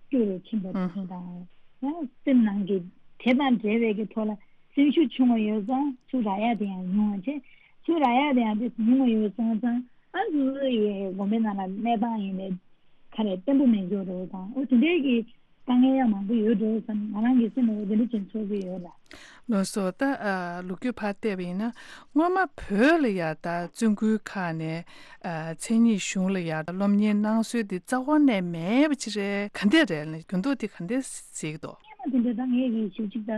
སྐྱོ་རུ་ཕྱིན་པ་དང་ཡང་སེམས་ནང་གི་དེ་དང་འབྲེལ་བའི་གི་ཐོག་ལ་སེམས་ཤུགས་ཆུང་བ་ཡོད་ཙང་ཚུར་རག་ཡ་དེ་ཡང་ཉུང་བ་བྱས་ཚུར་རག་ཡ་དེ་ཡང་དེ་ཉུང་བ་ཡོད་སོང་ཙང་ཨ་ཚུར་ཡི་དགོན་པའི་ནང་ལ་གནས་སྟངས་ཡིན་པའི་ག་རེ་བརྟན་པོ་མེད་འཇོག་རེད་དང་འོ་དེ་འདྲའི་གི་དཀའ་ངལ་ཡང་མང་པོ་ཡོད་འགྲོ་བསམ་ང་རང་གི་སེམས་ལ་འོ་དེ་འདྲ་ཅིག་ཚོར་གྱི་ཡོད་ལ། ལགས་སོ། ད་ཨ་ལོ་རྒྱུས་ཕར་བལྟས་པ་ཡིན་ན་སྔོན་མ་བོད་ལ་ཡ་ད་བཙུན་སྐུལ་ཁག་ནས་ཨ་མཚན་ཉིད་གཞུང་ལ་ཡ་སློབ་གཉེར་གནང་སྲོལ་འདི་རྩ་བ་ནས་མེད་པ་ཅིག་རེད། ག་འདྲ་རེད་ལ་འགྱུར་ལྡོག་འདི་ག་འདྲ་གཟིགས་འདུག་སྔོན་མ་དེ་འདྲ་ད་ངས་ཀྱི་ཞིབ་ཅིག་ད་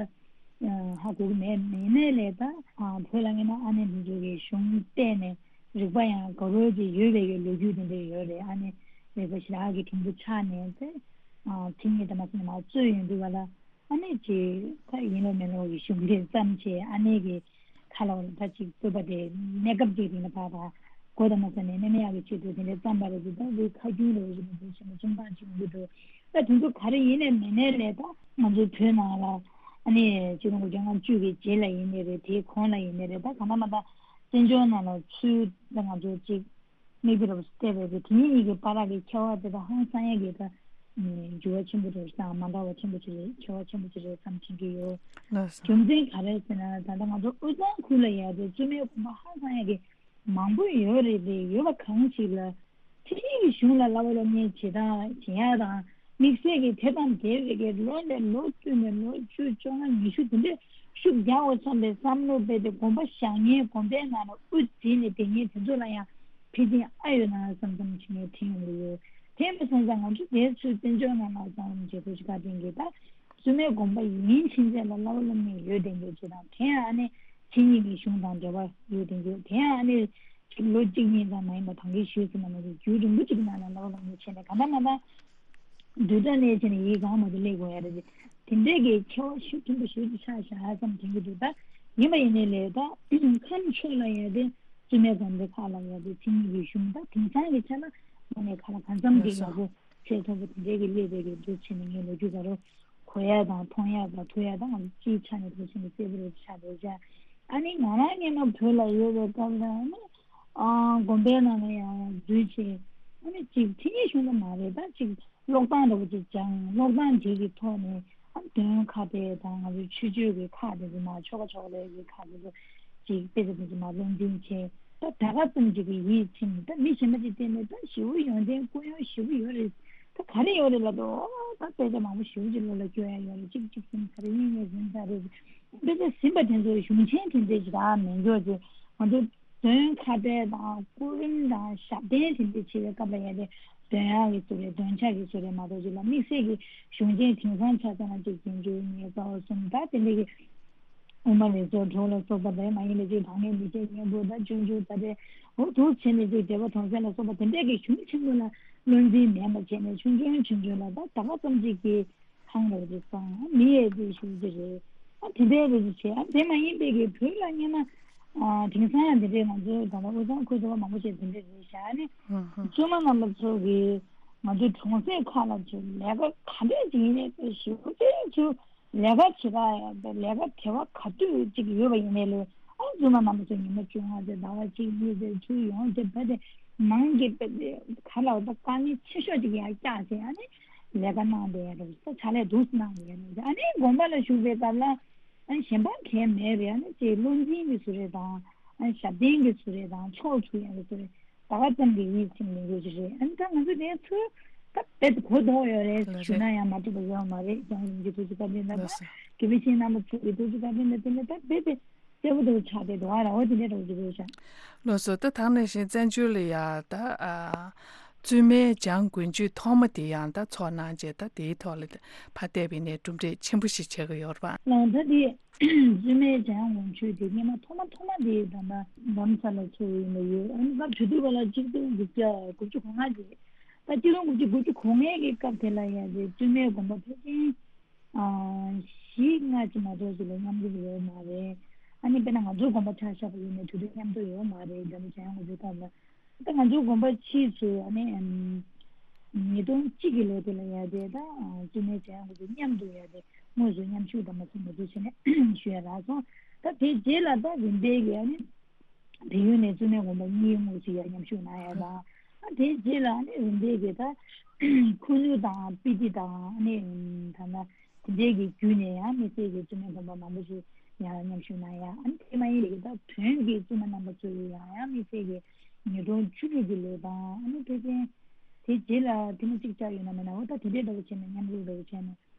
ཧ་གོ་གི་མེད། མེད་ནའི་ལས་ད་བོད་ལ་ངས་ན་ཨ་ནེ་མི་འཇུག་གི་གཞུང་བལྟས་ནས་རིག་པ་ཡང་དགའ་བོ་ཅིག་ཡོད་པའི་གི་ལོ་རྒྱུས་དེ་འདྲ་ཡོད་རེད། ཨ་ནེ་རིག་པ་ཞེ་དྲག་གི་དྲིན་པོ་ཆགས་ནས་དེ་མཚན་ཉིད་དང་མ་སོང་ནས་མར་རྩོད་ཡོང་དུས་ག་ལ། ཨ་ནེ་ཅིག་ད་ཡིན་ལོ་མིན་ལོ་གི་གཞུང་འབྲེལ་ཙམ་བྱས་ཨ་ནེ་གི་ཁ་ལ་ད་ཅིག་བསྟོད་པ་དེ་གནས་སྐབས་ཅིག་རིང་ལ་ཕར་ཕར་གོ་དང་མ་ཟ་ནས་གནས་མེད་ཡག་གི་ཆེད་དུ་དེ་འདྲའི་བརྩམས་པ་རེད་འདུག་ད་འདི་ཁ་རྒྱུན་རེ་བཞིན་དུ་འདུག་ཆེན་པོ་ཆུང་ཐང་ཅིག་འདུག་འདུག་ད་དེ་ཚོ་ག་རེ་ཡིན་ནས་མིན་ནས་ལས་ད་ང་ཚོའི་བོད་ནང་ལ་ཨ་ནེ་ཆིག་སྟོང་དགུ་བརྒྱ་ལྔ་བཅུ་གི་རྗེས་ལ་ཡིན་ནའི་རེད། དེའི་གོང་ལ་ཡིན་ནའི་རེད། ད་གང་ལྟར་མ་ད་བཙན་བྱོལ་ནང་ལ་ཚུར་ད་ང་ཚོ་ཅིག་མིག་དཔེ་རུ་བལྟས་པས་དེ་ཉིད་གཉིས་ཀྱི་བར་གྱི་ཁྱད་པར་དེ་དག་ཧང་སང་ཡ་གི་ད་འགྱུར་བ་ཆེན་པོ་རེད་བསམ། མ་འདྲ་བ་ཆེན་པོ་ཅིག་རེད། ཁྱད་པར་ཆེན་པོ་ཅིག་རེད་བསམ་དྲན་གྱི་ཡོད། ལགས་སོ། རྒྱུ་མཚན་ག་རེ་ཟེར་ན་ད་ལྟ་ང་ཚོ་དབུས་གཙང་ཁུལ་ལ་ཡ་དེ་བཙུན་མའི་དགོན་པ་ཧང་སང་ཡ་གི་མང་པོ་ཡོད་རེད་དེ་ཡོད་པ་གང་ཞིག་ལ་ཕྱི་རྒྱལ་གྱི་གཞུང་ལ་བསླབ་པ་སློབ་གཉེར་བྱེད་སྟངས་བྱེད་ཡ་དང་དམིགས་བསལ་གྱི་དེ་དང་འབྲེལ་བའི་གི་ལོ་ནས་ལོ་བསྟུད་ནས་ལོ་བཅུ་བཅོ་ལྔ་ཉི་ཤུ་དེ་འདྲས་ཤུགས་རྒྱག་འོ་བསམ་པའི་བསམ་བློ་སྤེལ་ཏེ་དགོན་པ་བཞག་མཁན་དགོན་པའི་ནང་ལ་དབུ་འཛིན་ནས་བསྡད་མཁན་དེ་ཚོ་ལ་ཡང་ཕལ་ཆེར་ཨ་ཡོད་ན་བསམ་བསམ་བྱེད་མཁན་དྲན་ཡོང་གི་ཡོད། དེ་མ་སོང་ཙང་ང་ཚོ་དེ་ཚོའི་བཙན་བྱོལ་ནང་ལ་བསམ་བློ་བྱེད་དགོས་ཤིག་ག་དྲན་གི་ད་བཙུན་མའི་དགོན་པ་ཡིན་ཕྱིན་ཆད་ལ་བསླབ་པ་སློབ་གཉེར་ཡོད་བསྡད་མཁན་ཅིག་དང་དེ་ཡང་ཨ་ནི་མཚན་ཉིད་ཀྱི་གཞུང་དང་འབྲེལ་བ་ཡོད་བསྡད་མཁན་དེ་ཡང་ཨ་ནི་ལོ་གཅིག་གཉིས་ཙམ་མ་ཡིན་པ་ད་གིན་ཞུས་ཟིན་པ་ནང་བཞིན་རྒྱུན་རིང་པོ་ཅིག་གི་ནང་ལ་བསླབ་པ་སློབ་གཉེར་བྱས་ནས་གང་ལྟར་ང་ད། བསྡུས་གྲྭ་ནས་བྱས་ནས་ཡིག་གང་མ་གཏོགས་སླེབས་དགོས་ཡ་རེད། དེ་འདྲས་ཀྱི་ཁྱད་པར་ཤུགས་ཆེན་པོ་ཞེ་པོ་ཅིག་ཆགས་བཞག་ཙམ་དྲན་གྱི་འདུག་ད་ཡིན་པ་ཡིན་ནའི་ལས་ད་ཁམས་ཕྱོགས་ལ་ཡ་དེ་བཙུན་མའི་དགོན་སྡེ་ཁག་ལ་ཡ་དེ་མཚན་ཉིད་ཀྱི་གཞུང་ད་དེང་སང་གི་ཆ་ལ་ང་ནས་ཁ་ལ་གང་འཚམ་གྱི་ཡག་པོ་ཚད་མཐོ་པོ་དེ་འདྲས་ཀྱི་སླེབས་པའི་གི་འདུག་བྱས་ནས་ངས་ལོ་རྒྱུས་ད་རུང་གོ་ཡ་དང་མཐོང་ཡ་དང་ཐོས་ཡ་དང་ང་ཚོ་སྤྱིའི་ཆ་ནས་ཕལ་ཆེར་གྱི་གསལ་པོ་རེད་ཆགས་འདུག་ཅག་ཨ་ནི་ང་རང་སྔོན་མ་བོད་ལ་ཡོད་པའི་སྐབས་ལ་ཨ་ནི་ཨ་དགོན་པའི་ནང་ལ་ཡང་འཛུལ་བྱས། ཨ་ནི་ཅིག་ཁྲིད་ཉན་ཞུ་ན་མ་རེད། ད་ཅིག་ཀློག་སྟངས་འདྲ་པོ་ཅིག་སྦྱངས། ཀློག་སྟངས་དེ་གི་ཐོག་ནས་ཨ་འདོན་ཁ་དཔེ་དང་ང་ཚོའི་ཆོས་སྤྱོད་ཀྱི་ཁག་དེ་ཚོ་མ་ཆོ་ག་ཆོ་ག་ལས་ཀྱི་ཁག་དེ་ཚོ་ཅིག་དཔེ་ཆ་དེ་ཚོ་མ་བློ་འཛིན་བྱས། ད་ད་ག་ཙམ་ཅིག་གི་ཡིད་ཚིམ། ད་མི་གཞན་པ་ཅིག་བལྟས་ནས་ད་ཞེ་པོ་ཡོན་ཏན་སྐུ་ཡོན་ཞེ་པོ་ཡོད་རེད། ད་ག་རེ་ཡོད་རེད་ལབ་དུས། ཨོ་ད་དཔེ་ཆ་མང་པོ་ཞེ་པོ་ཅིག་བློ་ལ་སྐྱོར་ཡ་ཡོད་རེད། གཅིག་གཅིག་ཟིན་ཚར་རེད། གཉིས་གཉིས་ཟིན་ཚར་རེད། དཔེ་ཆ་ཟིན་པ་དེ་ཚོ་གཞུང་ཆེན་དེ་འདྲས་ཅིག་ད་མེད་འགྱོ་ཅིག་ང་ཚོ་འདོན་ཁ་དཔེ་དང་སྐུ་རིམ་དང་ཞབས་བརྟན་དེ་འདྲས་བྱེད་པའི་སྐབས་ལ་ཡ་དེ་འདོན་ཡག་གི་བཟོ་རེད། འདོན་ཆ་གི་བཟོ་རེད་མ་གཏོགས་ཅིག་ལ་དམིགས་བསལ་གྱི་གཞུང་ཆེན་དེང་སང་ཆ་ཚང་ཅིག་རྗེས་འཇུག་ཉེར་ཚོགས་གསུམ་ད་དེ་འདྲས་ཀྱི་དབུ་མ་རིགས་ཚོགས་དྲུག་ལ་སོགས་པ་དེ་མ་ཡིན་པའི་ཅིག་བག་མེད་མི་བྱེད་སྙིང་པོ་དང་སྤྱོད་འཇུག་ད་དེ་འོ་འདུག་བྱས་ནས་ཅིག་འགྲེལ་པ་དོན་གསལ་ལ་སོགས་པ་དེ་འདྲས་ཀྱི་གཞུང་ཆེན་པོ་ལ་བློ་འཛིན་མེད་པ་བྱས་ནས་ཆུང་ཆུང་ཆུང་ཆུང་ལ་ད་ད་ག་ཙམ་ཅིག་གི་ཁང་རོགས་ཅིག་བསང་མི་ཡས་དེ་ཞུ་རྒྱུ་རེད། ཨ་དེ་འདྲའི་རེ་ཞིག་བྱས། ཨ་དེ་མ་ཡིན་པའི་གི་བོད་ལ་སྔོན་མ་ཨ་དེང་སང་ཡང་དེ་འདྲའི་ང་ཚོའི་ད་ལྟ་དབུས་གཙང་ཁུལ་དུ་མང་པོ་ཞིག་དེ་འདྲའི་རེད་བཞག་ནས། ཧུམ་ཧུམ། བཙུན་མ་རྣམ་པ་ཚོ་གིས་ང་ཚོའི་གྲོང་གསེབ་ཁག་ལ་ཚུར་ལས་ཀ་ག་འདྲས་ཅིག་ཡིན་ནའི་ཚུར་ཞེ་པོ་ཅིག་ཚུར་ལས་ཀ་བྱེད་ག་ཡ་ལས་ཀ་དེ་བ་ག་དུས་ཅིག་ཡོད་པ་ཡིན་ནའི་ལས། ཨ་བཙུན་མ་རྣམ་པ་ཚོ་ཉི་མ་བཅོ་ལྔ་ཚེ་ཟླ་བ་གཅིག་གཉིས་ཚེ་ཚུར་ཡོང་བྱས་བ་དེ་མང་གི་བ་དེ་ག་ལ་བ་དཀའ་ངལ་ཆེ་ཤོས་ཅིག་ཡང་བཀྱགས་བྱས། ཨ་ནི་ལས་ཀ་གནང་བསྡད་ཡ་རེད། ད་ཕྱག་ལས་འདུག་སེ་གནང་བསྡད་ཡ་རེད། ཨ་ནི་དགོན་པ་ལ་བཞུགས་པའི་སྐབས་ལ་ཨ་ནི་གཞན་པ་གང་མེད་པའི་ཨ་ནི་ཅིག་བློ་འཛིན་གྱི་བཟོ་རེད་དང་། ཨ་ནི་ཞབས་བརྟན་གྱི་བཟོ་རེད་དང་། ཕྱོགས་ཚུགས་ཡ་གི་བཟོ་རེད། ད་ག་ཙམ་གྱི་ཡིད་ཚིམ་ལས་ཡོད་ཀྱི་རེད། ཨ་ནི་ད་ང་ཚོ་དེ་ཚོ་ད་རྦད་དེ་གོ་ལྡོག་ཡོད་རེད། ལགས་ཞུ་རེད། ན་ཡང་མ་འགྲིག་པ་ཡོད་མ་རེད། རྒྱལ་བ་རིན་པོ་ཆེའི་ཐུགས་རྗེ་བཀའ་དྲིན་ལ། ལགས་སོ། དགེ་བའི་བཤེས་གཉེན་རྣམ་པ་ཚོ་གི་ཐུགས་རྗེ་བཀའ་དྲིན་ལ་བརྟེན་ནས་ད་རྦད་དེ་གསལ་པོ་དེ་ཆགས་བསྡད་འདུག་ཨ་ར། འོ་དེ་འདྲའི་འདྲ་བོ་ཅིག་རེད་ཤག་ལགས་སོ། ད་ད་ནང་བཞིན་བཙན་བྱོལ་ལ་ཡ་ད་ཨ་བཙུན་མའི་བྱམས་མགོན་ཆེད་ཐོག་མ་དེ་ཡང་ད་ཚོགས་གནང་རྗེས་ད་དེའི་ཐོག་ལ་ཕར་བལྟས་པ་ཡིན་ནའི་གྲུབ་འབྲས་ཆེན་པོ་ཞིག་ཆགས་ཀྱི་ཡོད་རེད་པ། ལགས། ད་དེ་བཙུན་མའི་བྱམས་མགོན་ཆེད་དེ་སྔོན་མ་ཐོག་མ་ཐོག་མ་དེ་ད་ལྟ་རྡ་རམ་ས་ལ་ཚོགས་ཡིན་པ་ཡོད། ཨ་ནི་སྐབས་དེ་དུས་བ་ལ་ཆིག་སྟོང་དགུ་བརྒྱ་དགུ་བཅུ་གོ་ལྔ་རེད། ད་ཆིག་སྟོང་དགུ་བརྒྱ་དགུ་བཅུ་གོ་ལྔའི་གི་སྐབས་དེ་ལ་ཡ་དེ་བཙུན་མའི་དགོན་པ་ཕལ་ཆེར་ཨ་བཞི་ལྔ་ཅིག་མ་གཏོགས་ཅིག་ལས་མཉམ་དུ་ཡོད་མ་རེད། ཨ་ནི་དཔེར་ན་ང་ཚོའི་དགོན་པ་ཆ་བཞག་པ་ཡིན་ན་དེ་དུས་མཉམ་དུ་ཡོད་མ་རེད། རྡ་རམ་ས་ལ་ཡང་ང་ཚོའི་སྐབས་ལ། ད་ང་ཚོའི་དགོན་པ་ཕྱིས་ཚུལ་ཨ་ནི་ཉིས་སྟོང་གཅིག་གི་ལོ་དེ་ལ་ཡ་དེ་ད་བཙུན་མའི་བྱམས་མགོན་ཆེད་མཉམ་དུ་ཡ་དེ་དངོས་སུ་མཉམ་ཞུགས་དང་མ་སོང་ང་ཚོ་བྱས་ནས་ཞུ་ཡ་རག་སོང་། ད་དེ་རྗེས་ལ་ད་རིམ་པས་ཀྱི་ཨ་ནི་བལ་ཡུལ་ནས་བཙུན་མའི་དགོན་པ་གཉིས་དངོས་སུ་ཡ་མཉམ་ཞུགས་གནང་ཡ་དང་། ཨ་དེ་རྗེས་ལ་ཨ་ནི་རིམ་པས་ཀྱི་ད་ཁུ་ནུ་དང་སྤི་ཏི་དང་ཨ་ནི་ད་ལྟ་དེ་འདྲའི་གི་བརྒྱུད་ནས་ཡང་དམིགས་བསལ་གྱི་བཙུན་མའི་དགོན་པ་མང་པོ་ཞིག་ཡང་མཉམ་ཞུགས་གནང་ཡ། ཨ་ནི་དེ་མ་ཡིན་པའི་གི་ད་བོན་གྱི་བཙུན་མ་རྣམ་པ་ཚོ་ཡི་ཡང་ཡང་དམིགས་བསལ་གྱི་ཉིས་སྟོང་བཅུ་དྲུག་གི་ལོ་དང་། ཨ་ནི་ཕལ་ཆེར་དེ་རྗེས་ལ་ཐེངས་མ་གཅིག་བཅར་ཡོད་ན་མེད་ན། འོ་ད་དེ་འདྲའི་འདྲ་བོ་བྱས་ནས་མཉམ་རུབ་འདྲ་བོ་བྱས་ནས།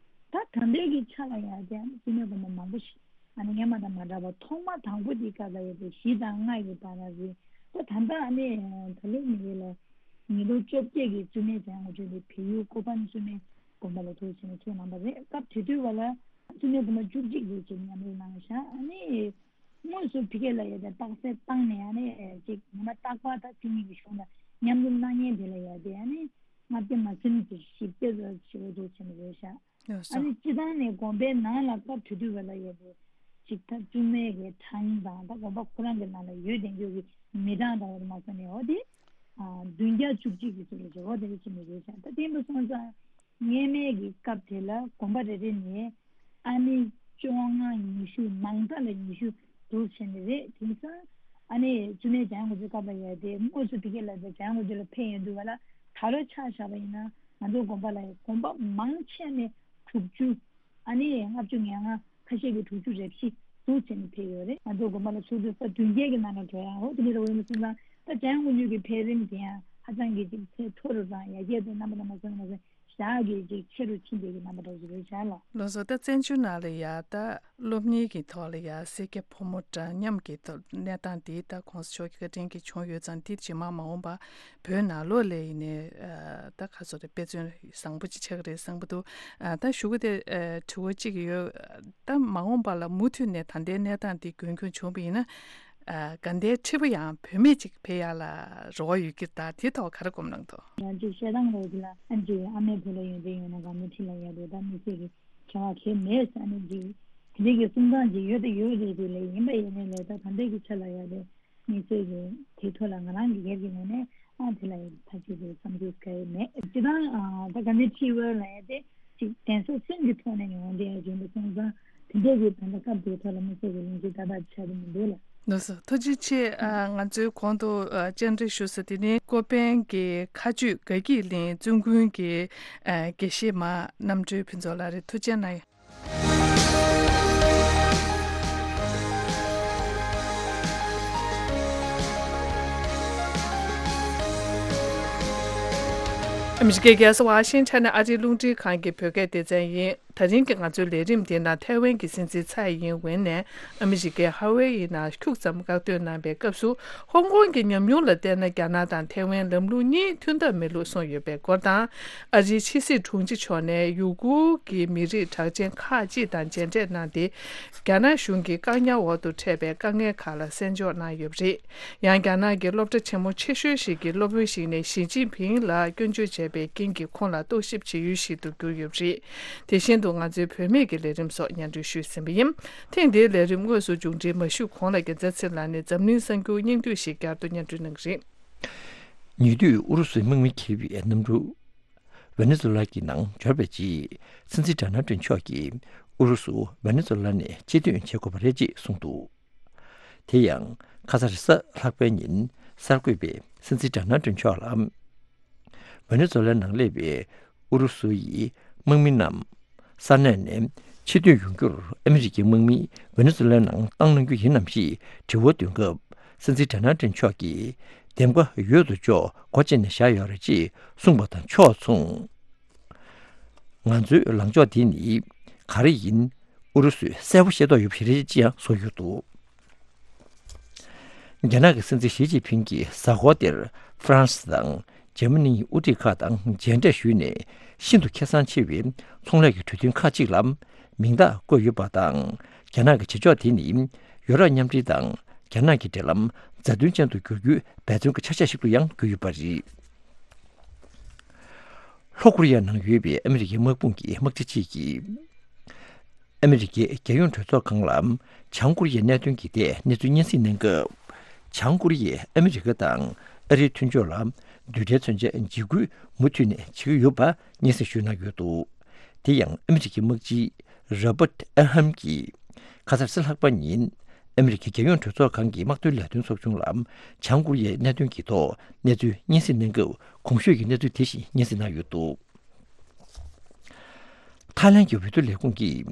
ད་ད་ལྟའི་གི་ཆ་ལ་ཡ་དེ་ཨ་ནི་བཙུན་མའི་དགོན་པ་མང་པོ་ཞིག་ཨ་ནི་སྔོན་མ་དང་མ་འདྲ་བ། ཐོག་མ་དང་པོ་དེའི་སྐབས་ལ་ཡ་དེ་བཞི་དང་ལྔ་ཡི་བར་ལ་རེད། ད་ད་ལྟ་ཨ་ནི་ད་ལོ་མི་ཡུལ་ལ་ཉིས་སྟོང་བཅོ་བརྒྱད་ཀྱི་བཙུན་མའི་བྱམས་མགོན་ཆེད་དེ་བལ་ཡུལ་ཀོ་པན་བཙུན་མའི་དགོན་པ་ལ་ཐུགས་ཆེན་ནས་ཚོགས་གནང་བ་རེད། སྐབས་དེ་དུས་བ་ལ་བཙུན་མའི་དགོན་པ་བཅུ་གཅིག་ལོ་ཅིག་མཉམ་རུབ་གནང་ཤག་ཨ་ནི་དངོས་སུ་ཕ་གི་ལ་ཡ་དེ་རྟགས་གསལ་བཏང་ནས་ཨ་ནི་ཅིག་ཉི་མ་རྟག་པར་ད་བཅུ་གཉིས་ཀྱི་གཞུང་ལ་མཉམ་རུབ་གནང་མཁན་དེ་ལ་ཡ་དེ་ཨ་ནི་ལྔ་བརྒྱ་མ་ཟིན་གྱི་བཞི་བརྒྱ་ཙམ་ཞེ་པོ་འདུག་བྱས་ནས་རེད་ཤག་ཡོད་ཨ་ནི་སོ། སྤྱིར་བཏང་ནས་དགོན་པའི་ནང་ལ་སྐབས་དེ་དུས་བ་ལ་ཡ་དེ་ཅིག་ད་བཙུན་མའི་གི་གྲངས་དང་ད་དགོན་པ་ཁོ་རང་གི་ནང་ལ་ཡོད་བསྡད་རྒྱུ་གི་མི་གྲངས་དང་བ་དེ་མ་ཟ་ནས་འོ་དེ་ཨ་བདུན་བརྒྱ་བཅུ་གཅིག་གི་ཚོད་ལ་བྱེད་འོ་དེ་རེ་བྱེད་མི་རེད་ཤག་ད་དེ་འདྲ་སོང་ཙང་། སྔོན་མའི་གི་སྐབས་དེ་ལ་དགོན་པ་རེ་རེ་ནས་ཨ་ནི་བཅོ་ལྔ་ཉི་ཤུ་མང་མཐའ་ལ་ཉི་ཤུ་འདུག་བྱས་ནས་རེད། དེང་སང་ཨ་ནི་བཙུན་མའི་བྱམས་མགོན་ཆེད་སྐབས་ལ་ཡ་དེ་དངོས་སུ་ཕ་གི་ལ་དེ་བྱམས་མགོན་ཆེད་ལ་ཕེབས་ཡོང་དུས་བ་ལ་ད་ལོ་ཆ་བཞག་པ་ཡིན་ན་ང་ཚོའི་དགོན་པ་ལ་དགོན་པ་མང་ཆེ་ནས་དྲུག་ཅུ། ཨ་ནི་ལྔ་བཅུ་ང་ལྔ། ཁ་ཤས་ཀྱིས་དྲུག་ཅུ་རེ་བཞི་འདུག་བྱས་ནས་ཕེབས་ཡོད་རེད། ང་ཚོ་དགོན་པ་ལ་ཚོགས་དུས་ས་བདུན་བརྒྱད་ཀྱི་ནང་ལ་འགྲོ་ཡ་འོ་དེ་འདྲ་འོས་མི་སོང་ཙང་ད་བྱམས་མགོན་ཆེད་ཀྱི་འཕེལ་རིམ་དེ་ཡང་ཧ་ཅང་གི་ཅིག་ཚད་མཐོ་རུ་དང་ཡར་རྒྱས་དང་རྣམ་པ་རྣམ་པ་སོང་ནས་ཞག་གི་ཅིག་ཆེ་རུ་ཕྱིན་པའི་གི་རྣམ་པ་འདྲ་བོ་ཞིག་རེད་ཤག་ལགས། ལགས་སོ། ད་བཙན་བྱོལ་ནང་ལ་ཡ་ད་སློབ་གཉེར་གྱི་ཐོག་ལ་ཡ་སེར་སྐྱ་ཕོ་མོ་འདྲ་མཉམ་གྱི་ཐོག་གནས་སྟངས་འདི་ད་གོང་ས་མཆོག་གི་བཀའ་དྲིན་གྱིས་བྱུང་ཡོད་ཙང་འདི་རྗེས་མ་མ་འོངས་པ་བོད་ནང་ལོགས་ལ་ཡིན་ནའི་ད་ག་ཚོད་རེད་དཔེ་མཚོན་བཟང་པོ་ཅིག་ཆགས་ཀྱི་རེད་བསམ་གྱི་འདུག་ད་ཞུ་གི་དེ་དྲི་བ་གཅིག་ཡོད། ད་མ་འོངས་པ་ལ་མུ་མཐུད་ནས་ད་ལྟའི་གནས་སྟངས་འདི་རྒྱུན་འཁྱོངས་བྱུང་བ་ཡིན་ན། ཨ་དགའ་ལྡན་ཁྲི་པ་ཡང་བུད་མེད་ཅིག་ཕེབས་ཡག་ལ་རེ་བ་ཡོད་ཀྱི་རེད། ད་དེ་ཐོག་ག་རེ་སྒོམ་གནང་འདུག་ང་ཚོས་བཤད་སྟངས་རེད་དེ་ལ་ཨ་ཅེ་ཨ་མའི་བུ་ལ་ཡོན་ཏན་ཡོད་ན་དགའ་ལྡན་ཁྲི་ལ་ཡོད་རེད། ད་དམིགས་བསལ་གྱི་བྱ་བ་གལ་མེད་ཟེར་ནས་ཅིག་དེ་འདྲའི་གི་གསུང་སྟངས་ཅིག་ཡོད་དེ་ཡོད་རེད་དེ་ལས་ཡིན་པ་ཡིན་ནའི་ལས་ད་ད་ལྟའི་གི་ཆ་ལ་ཡ་དེ་དམིགས་བསལ་གྱི་དེ་ཐོག་ལ་ང་རང་གི་སྒེར་གྱི་ངོས་ནས་ཨ་དེ་ལ་ཡ་ཐག་གཅོད་དེ་བསམ་ཚུལ་ག་ཡེ་མེད། སྤྱིར་བཏང་ཨ་ད་དགའ་ལྡན་ཁྲི་པ་ལ་ཡ་དེ་ཅིག་གདན་ས་གསུམ་གྱི་ཐོག་ནས་ཡོང་བསྡད་ཡ་ཡིན་པ་སོང་ཙང་། འདས་པའི་ད་ལྟ་སྐབས་དེའི་ཐོག་ལ་མི་ཚེ་གི་ལོ་རྒྱུས་ད་ལྟ་ཆགས་ཀྱི་མི་འདུག་ལ། ལགས་སོ། ཐུགས་རྗེ་ཆེ། ཨ། ང་ཚོའི་གོང་དུ་ཨ། བཅར་འདྲི་ཞུ་ས་དེ་ནི་ཀོ་པན་གྱི་ཁ་གཅོད་དགའ་སྐྱིད་གླིང་བཙུན་དགོན་གྱི་ཨ། དགེ་བཤེས་མ་རྣམ་གྲོལ་ཕུན་ཚོགས་ལགས་རེད། ཐུགས་རྗེ་གནང་། ཨ་མི་རི་ཀའི་རྒྱལ་ས་ཝ་ཤིང་ཊོན་ནས་ཨ་རིའི་རླུང་འཕྲིན་ཁང་གི་བོད་སྐད་སྡེ་ཚན་ཡིན། ད་རིང་གི་ང་ཚོའི་ལས་རིམ་འདི་ནང་ཐའེ་ཝན་གྱི་སྲིད་འཛིན་ཚའེ་ཡིན་ཝེན་ནས་ཨ་མི་རི་ཀའི་ཧ་ཝེ་ཡི་ནང་ཁྱུག་ཙམ་བཀག་སྡོད་གནང་བའི་སྐབས་སུ། ཧོང་ཀོང་གི་ཉམས་མྱོང་ལ་བལྟས་ན། རྒྱ་ནག་དང་ཐའེ་ཝན་ལམ་ལུགས་གཉིས་མཐུན་ཐབས་མེད་ལུགས་གསུངས་ཡོད་པའི་སྐོར་དང་། ཨ་རིའི་ཕྱི་སྲིད་དྲུང་ཆེ་མཆོག་ནས་ཡུ་གུར་གྱི་མི་རིགས་གྲགས་ཅན་ཁག་ཅིག་དང་མཇལ་འཕྲད་གནང་སྟེ། རྒྱ་ནག་གཞུང་གིས་བཀག་ཉར་འོག་ཏུ་འཕྲད་པའི་དཀའ་ངལ་ཁག་ལ་གསན་འཇོག་གནང་ཡོད་པ་རེད། ཡང་རྒྱ་ནག་གི་སློབ་གྲྭ་ཆེན་མོ་ཆེ་ཤོས་ཤིག་གི་སློབ་དཔོན་ཞིག་ནས་ཞི་ཅིན་ཕིང་ལ་སྐྱོན་བརྗོད་བྱས་པའི་རྐྱེན་གྱིས་ཁོང་ལ་རྟོག་ཞིབ་བྱེད་ཡུལ་ཞིག་ཏུ་གྱུར་ཡོད་པ་རེད། དེ་བཞིན་དུ་ང་ཚོའི་བུད་མེད་ཀྱི་ལས་རིམ་སོགས་སྙན་སྒྲོན་ཞུས་ཟིན་པ་ཡིན། ཐེངས་འདིའི་ལས་རིམ་དངོས་སུ་མཇུག་སྒྲིལ་མ་ཞུས་གོང་ལ། རྒྱལ་མཚན་ཚེ་ལགས་ནས་འཛམ་གླིང་གསར་འགྱུར་སྙིང་བསྡུས་ཤིག་བསྐྱར་དུ་སྙན་སྒྲོན་གནང་གི་རེད། ཉེ་དུས་ཨུ་རུ་སུའི་དམག་མི་འཁྱེར་བའི་གནམ་གྲུ་ཝེ་ནེ་ཛུ་ལ་གི་ནང་འབྱོར་བའི་རྗེས། སྲིད་འཛིན་ཌོ་ནལ་ཏྲམ་མཆོག་གིས་ཨུ་རུ་སུ་ཝེ་ནེ་ཛུ་ལ་ནས་ཕྱིར་འཐེན་བྱེད་དགོས་པ་རེད་ཅེས་གསུངས་འདུག་དེ་ཡང་ཁ་ས་རེས་གཟའ་ལྷག་པའི་ཉིན་གསར་འགོད་པས་སྲིད་འཛིན་ཌོ་ནལ་ཏྲམ་མཆོག་ལ། ཝེ་ནེ་ཛུ་ལའི་ནང་སླེབས་པའི་ཨུ་རུ་སུ་ཡི་དམག་མི་རྣམས་ས་གནས་ནས་ཕྱིར་འཐེན་ཡོང་རྒྱུར་ཨ་མི་རི་ཀའི་དམག་མི་ཝེ་ནེ་ཛུ་ལའི་ནང་བཏང་གནང་རྒྱུ་ཡིན་ནམ་ཞེས་དྲི་བ་འདོན་སྐབས། སྲིད་འཛིན་ཌོ་ནལ་ཏྲམ་མཆོག་གིས། འདེམས་ཀ་ཡོད་དོ་ཅོག་སྒོ་ཕྱེ་ནས་བཞག་ཡོད་རེད་ཅེས་གསུངས་པ་དང་ཕྱོགས་མཚུངས། ང་ཚོའི་ལངས་ཕྱོགས་འདི་ནི་ག་རེ་ཡིན། ཨུ་རུ་སུས་གསལ་པོ་ཤེས་རྟོགས་ཡོད་པ་ཞིག་རེད་ཅེས་ཡང་གསུངས་ཡོད་འདུག་རྒྱ་ནག་གི་སྲིད་འཛིན་ཞི་ཅིན་ཕིང་གིས་གཟའ་འཁོར་འདིར་ཧྥ་རན་སི་དང་འཇར་མ་ནིའི་དབུ་ཁྲིད་ཁག་དང་མཇལ་འཕྲད་ཞུས་ནས། ཤིན་ཏུ་ཁེ་བཟང་ཆེ་བའི་ཚོང་ལས་ཀྱི་གྲོས་མཐུན་ཁག་ཅིག་ལ་མིང་རྟགས་བཀོད་ཡོད་པ་དང་། རྒྱ་ནག་གི་བྱེད་ཕྱོགས་དེ་ནི་ཡུ་རོབ་མཉམ་འབྲེལ་དང་རྒྱ་ནག་གི་འབྲེལ་ལམ་རྩ་དོན་ཅན་དུ་འགྱུར་རྒྱུའི་འབད་བརྩོན་གྱི་ཆ་ཤས་ཤིག་ཏུ་ཡང་གྱུར་ཡོད་པ་རེད། ལྷོ་ཀོ་རི་ཡ་ནང་ཡོད་པའི་ཨ་མི་རི་ཀའི་དམག་དཔུང་གི་དམག་སྤྱི་གཅིག་གིས། ཨ་མི་རི་ཀའི་རྒྱལ་ཡོངས་གྲོས་ཚོགས་ཁང་ལ་བྱང་ཀོ་རི་ཡའི་གནད་དོན་གྱི་ཐད་གནས་ཚུལ་སྙན་སེང་གནང་སྐབས། བྱང་ཀོ་རི་ཡས་ཨ་མི་རི་ཀ་དང་ཨ་རིའི་མཐུན་ཕྱོགས་ལ་རྡུལ་ཕྲན་མཚོན་ཆའི་འཇིགས་སྐུལ་མུ་མཐུད་ནས་བྱེད་ཀྱི་ཡོད་པ་སྙན་སེང་ཞུས་གནང་ཡོད་འདུག་དེ་ཡང་ཨ་མི་རི་ཀའི་དམག་སྤྱི་རོ་པར་ཨེལ་ཧམ་གྱིས་ཁ་སང་རེས་གཟའ་ལྷག་པ་ཉིན་ཨ་མི་རི་ཀའི་རྒྱལ་ཡོངས་གྲོས་ཚོགས་ཁང་གི་དམག་དོན་ལས་དོན་ཚོགས་ཆུང་ལ་བྱང་ཀོ་རི་ཡའི་གནད་དོན་གྱི་ཐོག་གནས་ཚུལ་སྙན་སེང་གནང་སྐབས། གོང་ཞུས་ཀྱི་གནས་ཚུལ་དེ་བཞིན་སྙན་སེང་གནང་ཡོད་འདུག་ཐའི་ལན་གྱི་འོས་བསྡུ་ལས་ཁུངས་ཀྱིས་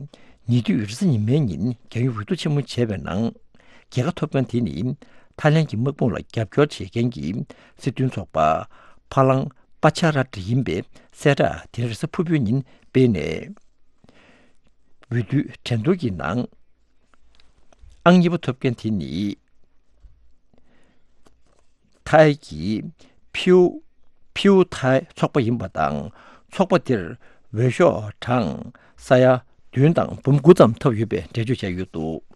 ཉེ་དུས་རེས་གཟའ་ཉི་མའི་ཉིན་རྒྱལ་ཡོངས་འོས་བསྡུ་ཆེན་མོ་བྱས་པའི་ནང་། རྒྱལ་ཁ་ཐོབ་མཁན་དེ་ནི་ཐའི་ལན་གྱི་དམག་དཔུང་ལ་རྒྱབ་སྐྱོར་བྱེད་མཁན་གྱི་སྲིད་དོན་ཚོགས་པ་ཕ་ལང་པ་ཆ་ར་ཏྲི་ཡིན་པའི་གསལ་བསྒྲགས་དེ་རེས་གཟའ་ཕུར་བུའི་ཉིན་སྤེལ་ནས། འོས་བསྡུའི་འགྲན་བསྡུར་གྱི་ནང་ཨང་གཉིས་པ་ཐོབ་མཁན་དེ་ནི། ཐའི་གི་ཕིའུ་ཕིའུ་ཐའི་ཚོགས་པ་ཡིན་པ་དང་། ཚོགས་པ་འདིར་འོས་ཤོག་གྲངས་ས་ཡ་བདུན་དང་འབུམ་དགུ་ཙམ་ཐོབ་ཡོད་པའི་འགྲེལ་བརྗོད་བྱས་ཡོད་འདུག་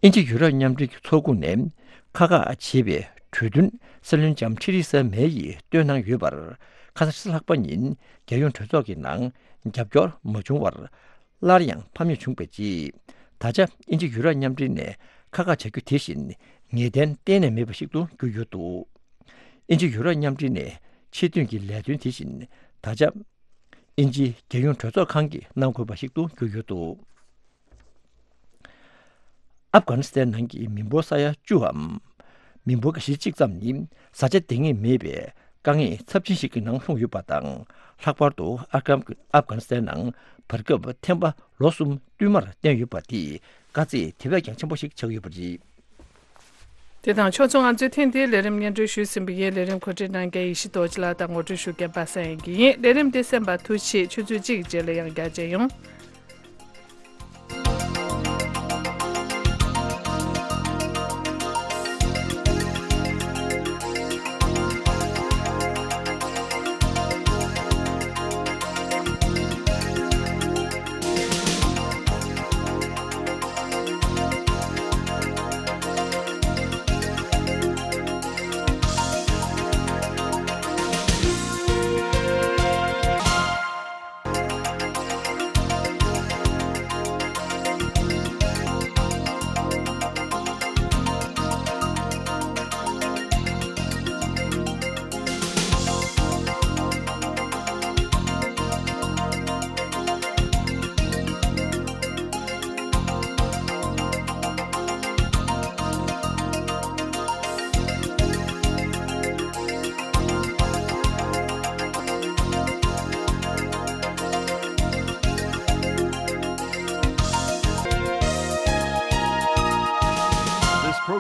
དབྱིན་ཇི་ཡུ་རོབ་མཉམ་འབྲེལ་གྱི་ཚོགས་ཁོངས་ནས་ཁག་ཁག་བྱེད་པའི་གྲོས་མཐུན་སྲིད་བློན་ལྕམ་ཐི་རི་ས་མེ་ཡིས་བཏོན་གནང་ཡོད་པར། ཁ་སང་རེས་གཟའ་ལྷག་པ་ཉིན་རྒྱལ་ཡོངས་གྲོས་ཚོགས་ཀྱི་ནང་རྒྱབ་སྐྱོར་མ་བྱུང་བར། སླར་ཡང་ཕམ་ཉེས་བྱུང་བའི་རྗེས། ད་ཆ་དབྱིན་ཇི་ཡུ་རོབ་མཉམ་འབྲེལ་ནས་ཁག་ཁག་བྱ་རྒྱུ་དེ་བཞིན་ངེས་གཏན་གཏན་ནས་མེད་པ་ཞིག་ཏུ་གྱུར་ཡོད་འདུག་དབྱིན་ཇི་ཡུ་རོབ་མཉམ་འབྲེལ་ནས་ཕྱིར་ཐོན་གྱི་ལས་དོན་དེ་བཞིན་ད་ཆ་དབྱིན་ཇིའི་རྒྱལ་ཡོངས་གྲོས་ཚོགས་ཁང་གིས་གནང་དགོས་པ་ཞིག་ཏུ་གྱུར་ཡོད་འདུག་ཨབ་གྷ་ནི་སི་ཐན་ནང་གི་མི་འབོར་ས་ཡ་བཅུའམ། མི་འབོར་གྱི་བཞི་གཅིག་ཙམ་ནི་བཟའ་བཅའ་འདང་ངེས་མེད་པའི་དཀའ་ངལ་ཚབས་ཆེན་ཞིག་གི་ནང་ལྷུང་ཡོད་པ་དང་། ལྷག་པར་དུ་ཨབ་གྷ་ཨབ་གྷ་ནི་སི་ཐན་ནང་བར་སྐབས་ཐན་པ་ལོ་གསུམ་བསྟུད་མར་བསྟན་ཡོད་པ་དེས་དཀའ་ཚེགས་དེ་བས་ཀྱང་ཆེན་པོ་ཞིག་ཆགས་ཡོད་པ་རེད། དེ་དང་ཕྱོགས་མཚུངས་ང་ཚོས་ཐེངས་འདིའི་ལས་རིམ་སྙན་སྒྲོན་ཞུས་ཟིན་པ་ཡིན། ལས་རིམ་གོ་སྒྲིག་གནང་མཁན་ཡེ་ཤེས་རྡོ་རྗེ་ལགས་དང་ངོ་སྤྲོད་ཞུ་མཁན་པ་སངས་དབྱངས་སྐྱིད་ཡིན། ལས་རིམ་འདི་གསན་པར་ཐུགས་རྗེ་ཆེ། ཆུ་ཚོད་གཅིག་རྗེས་ལ་ཡང་བསྐྱར་མཇལ་ཡོང་།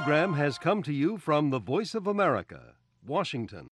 Program has come to you from the Voice of America, Washington.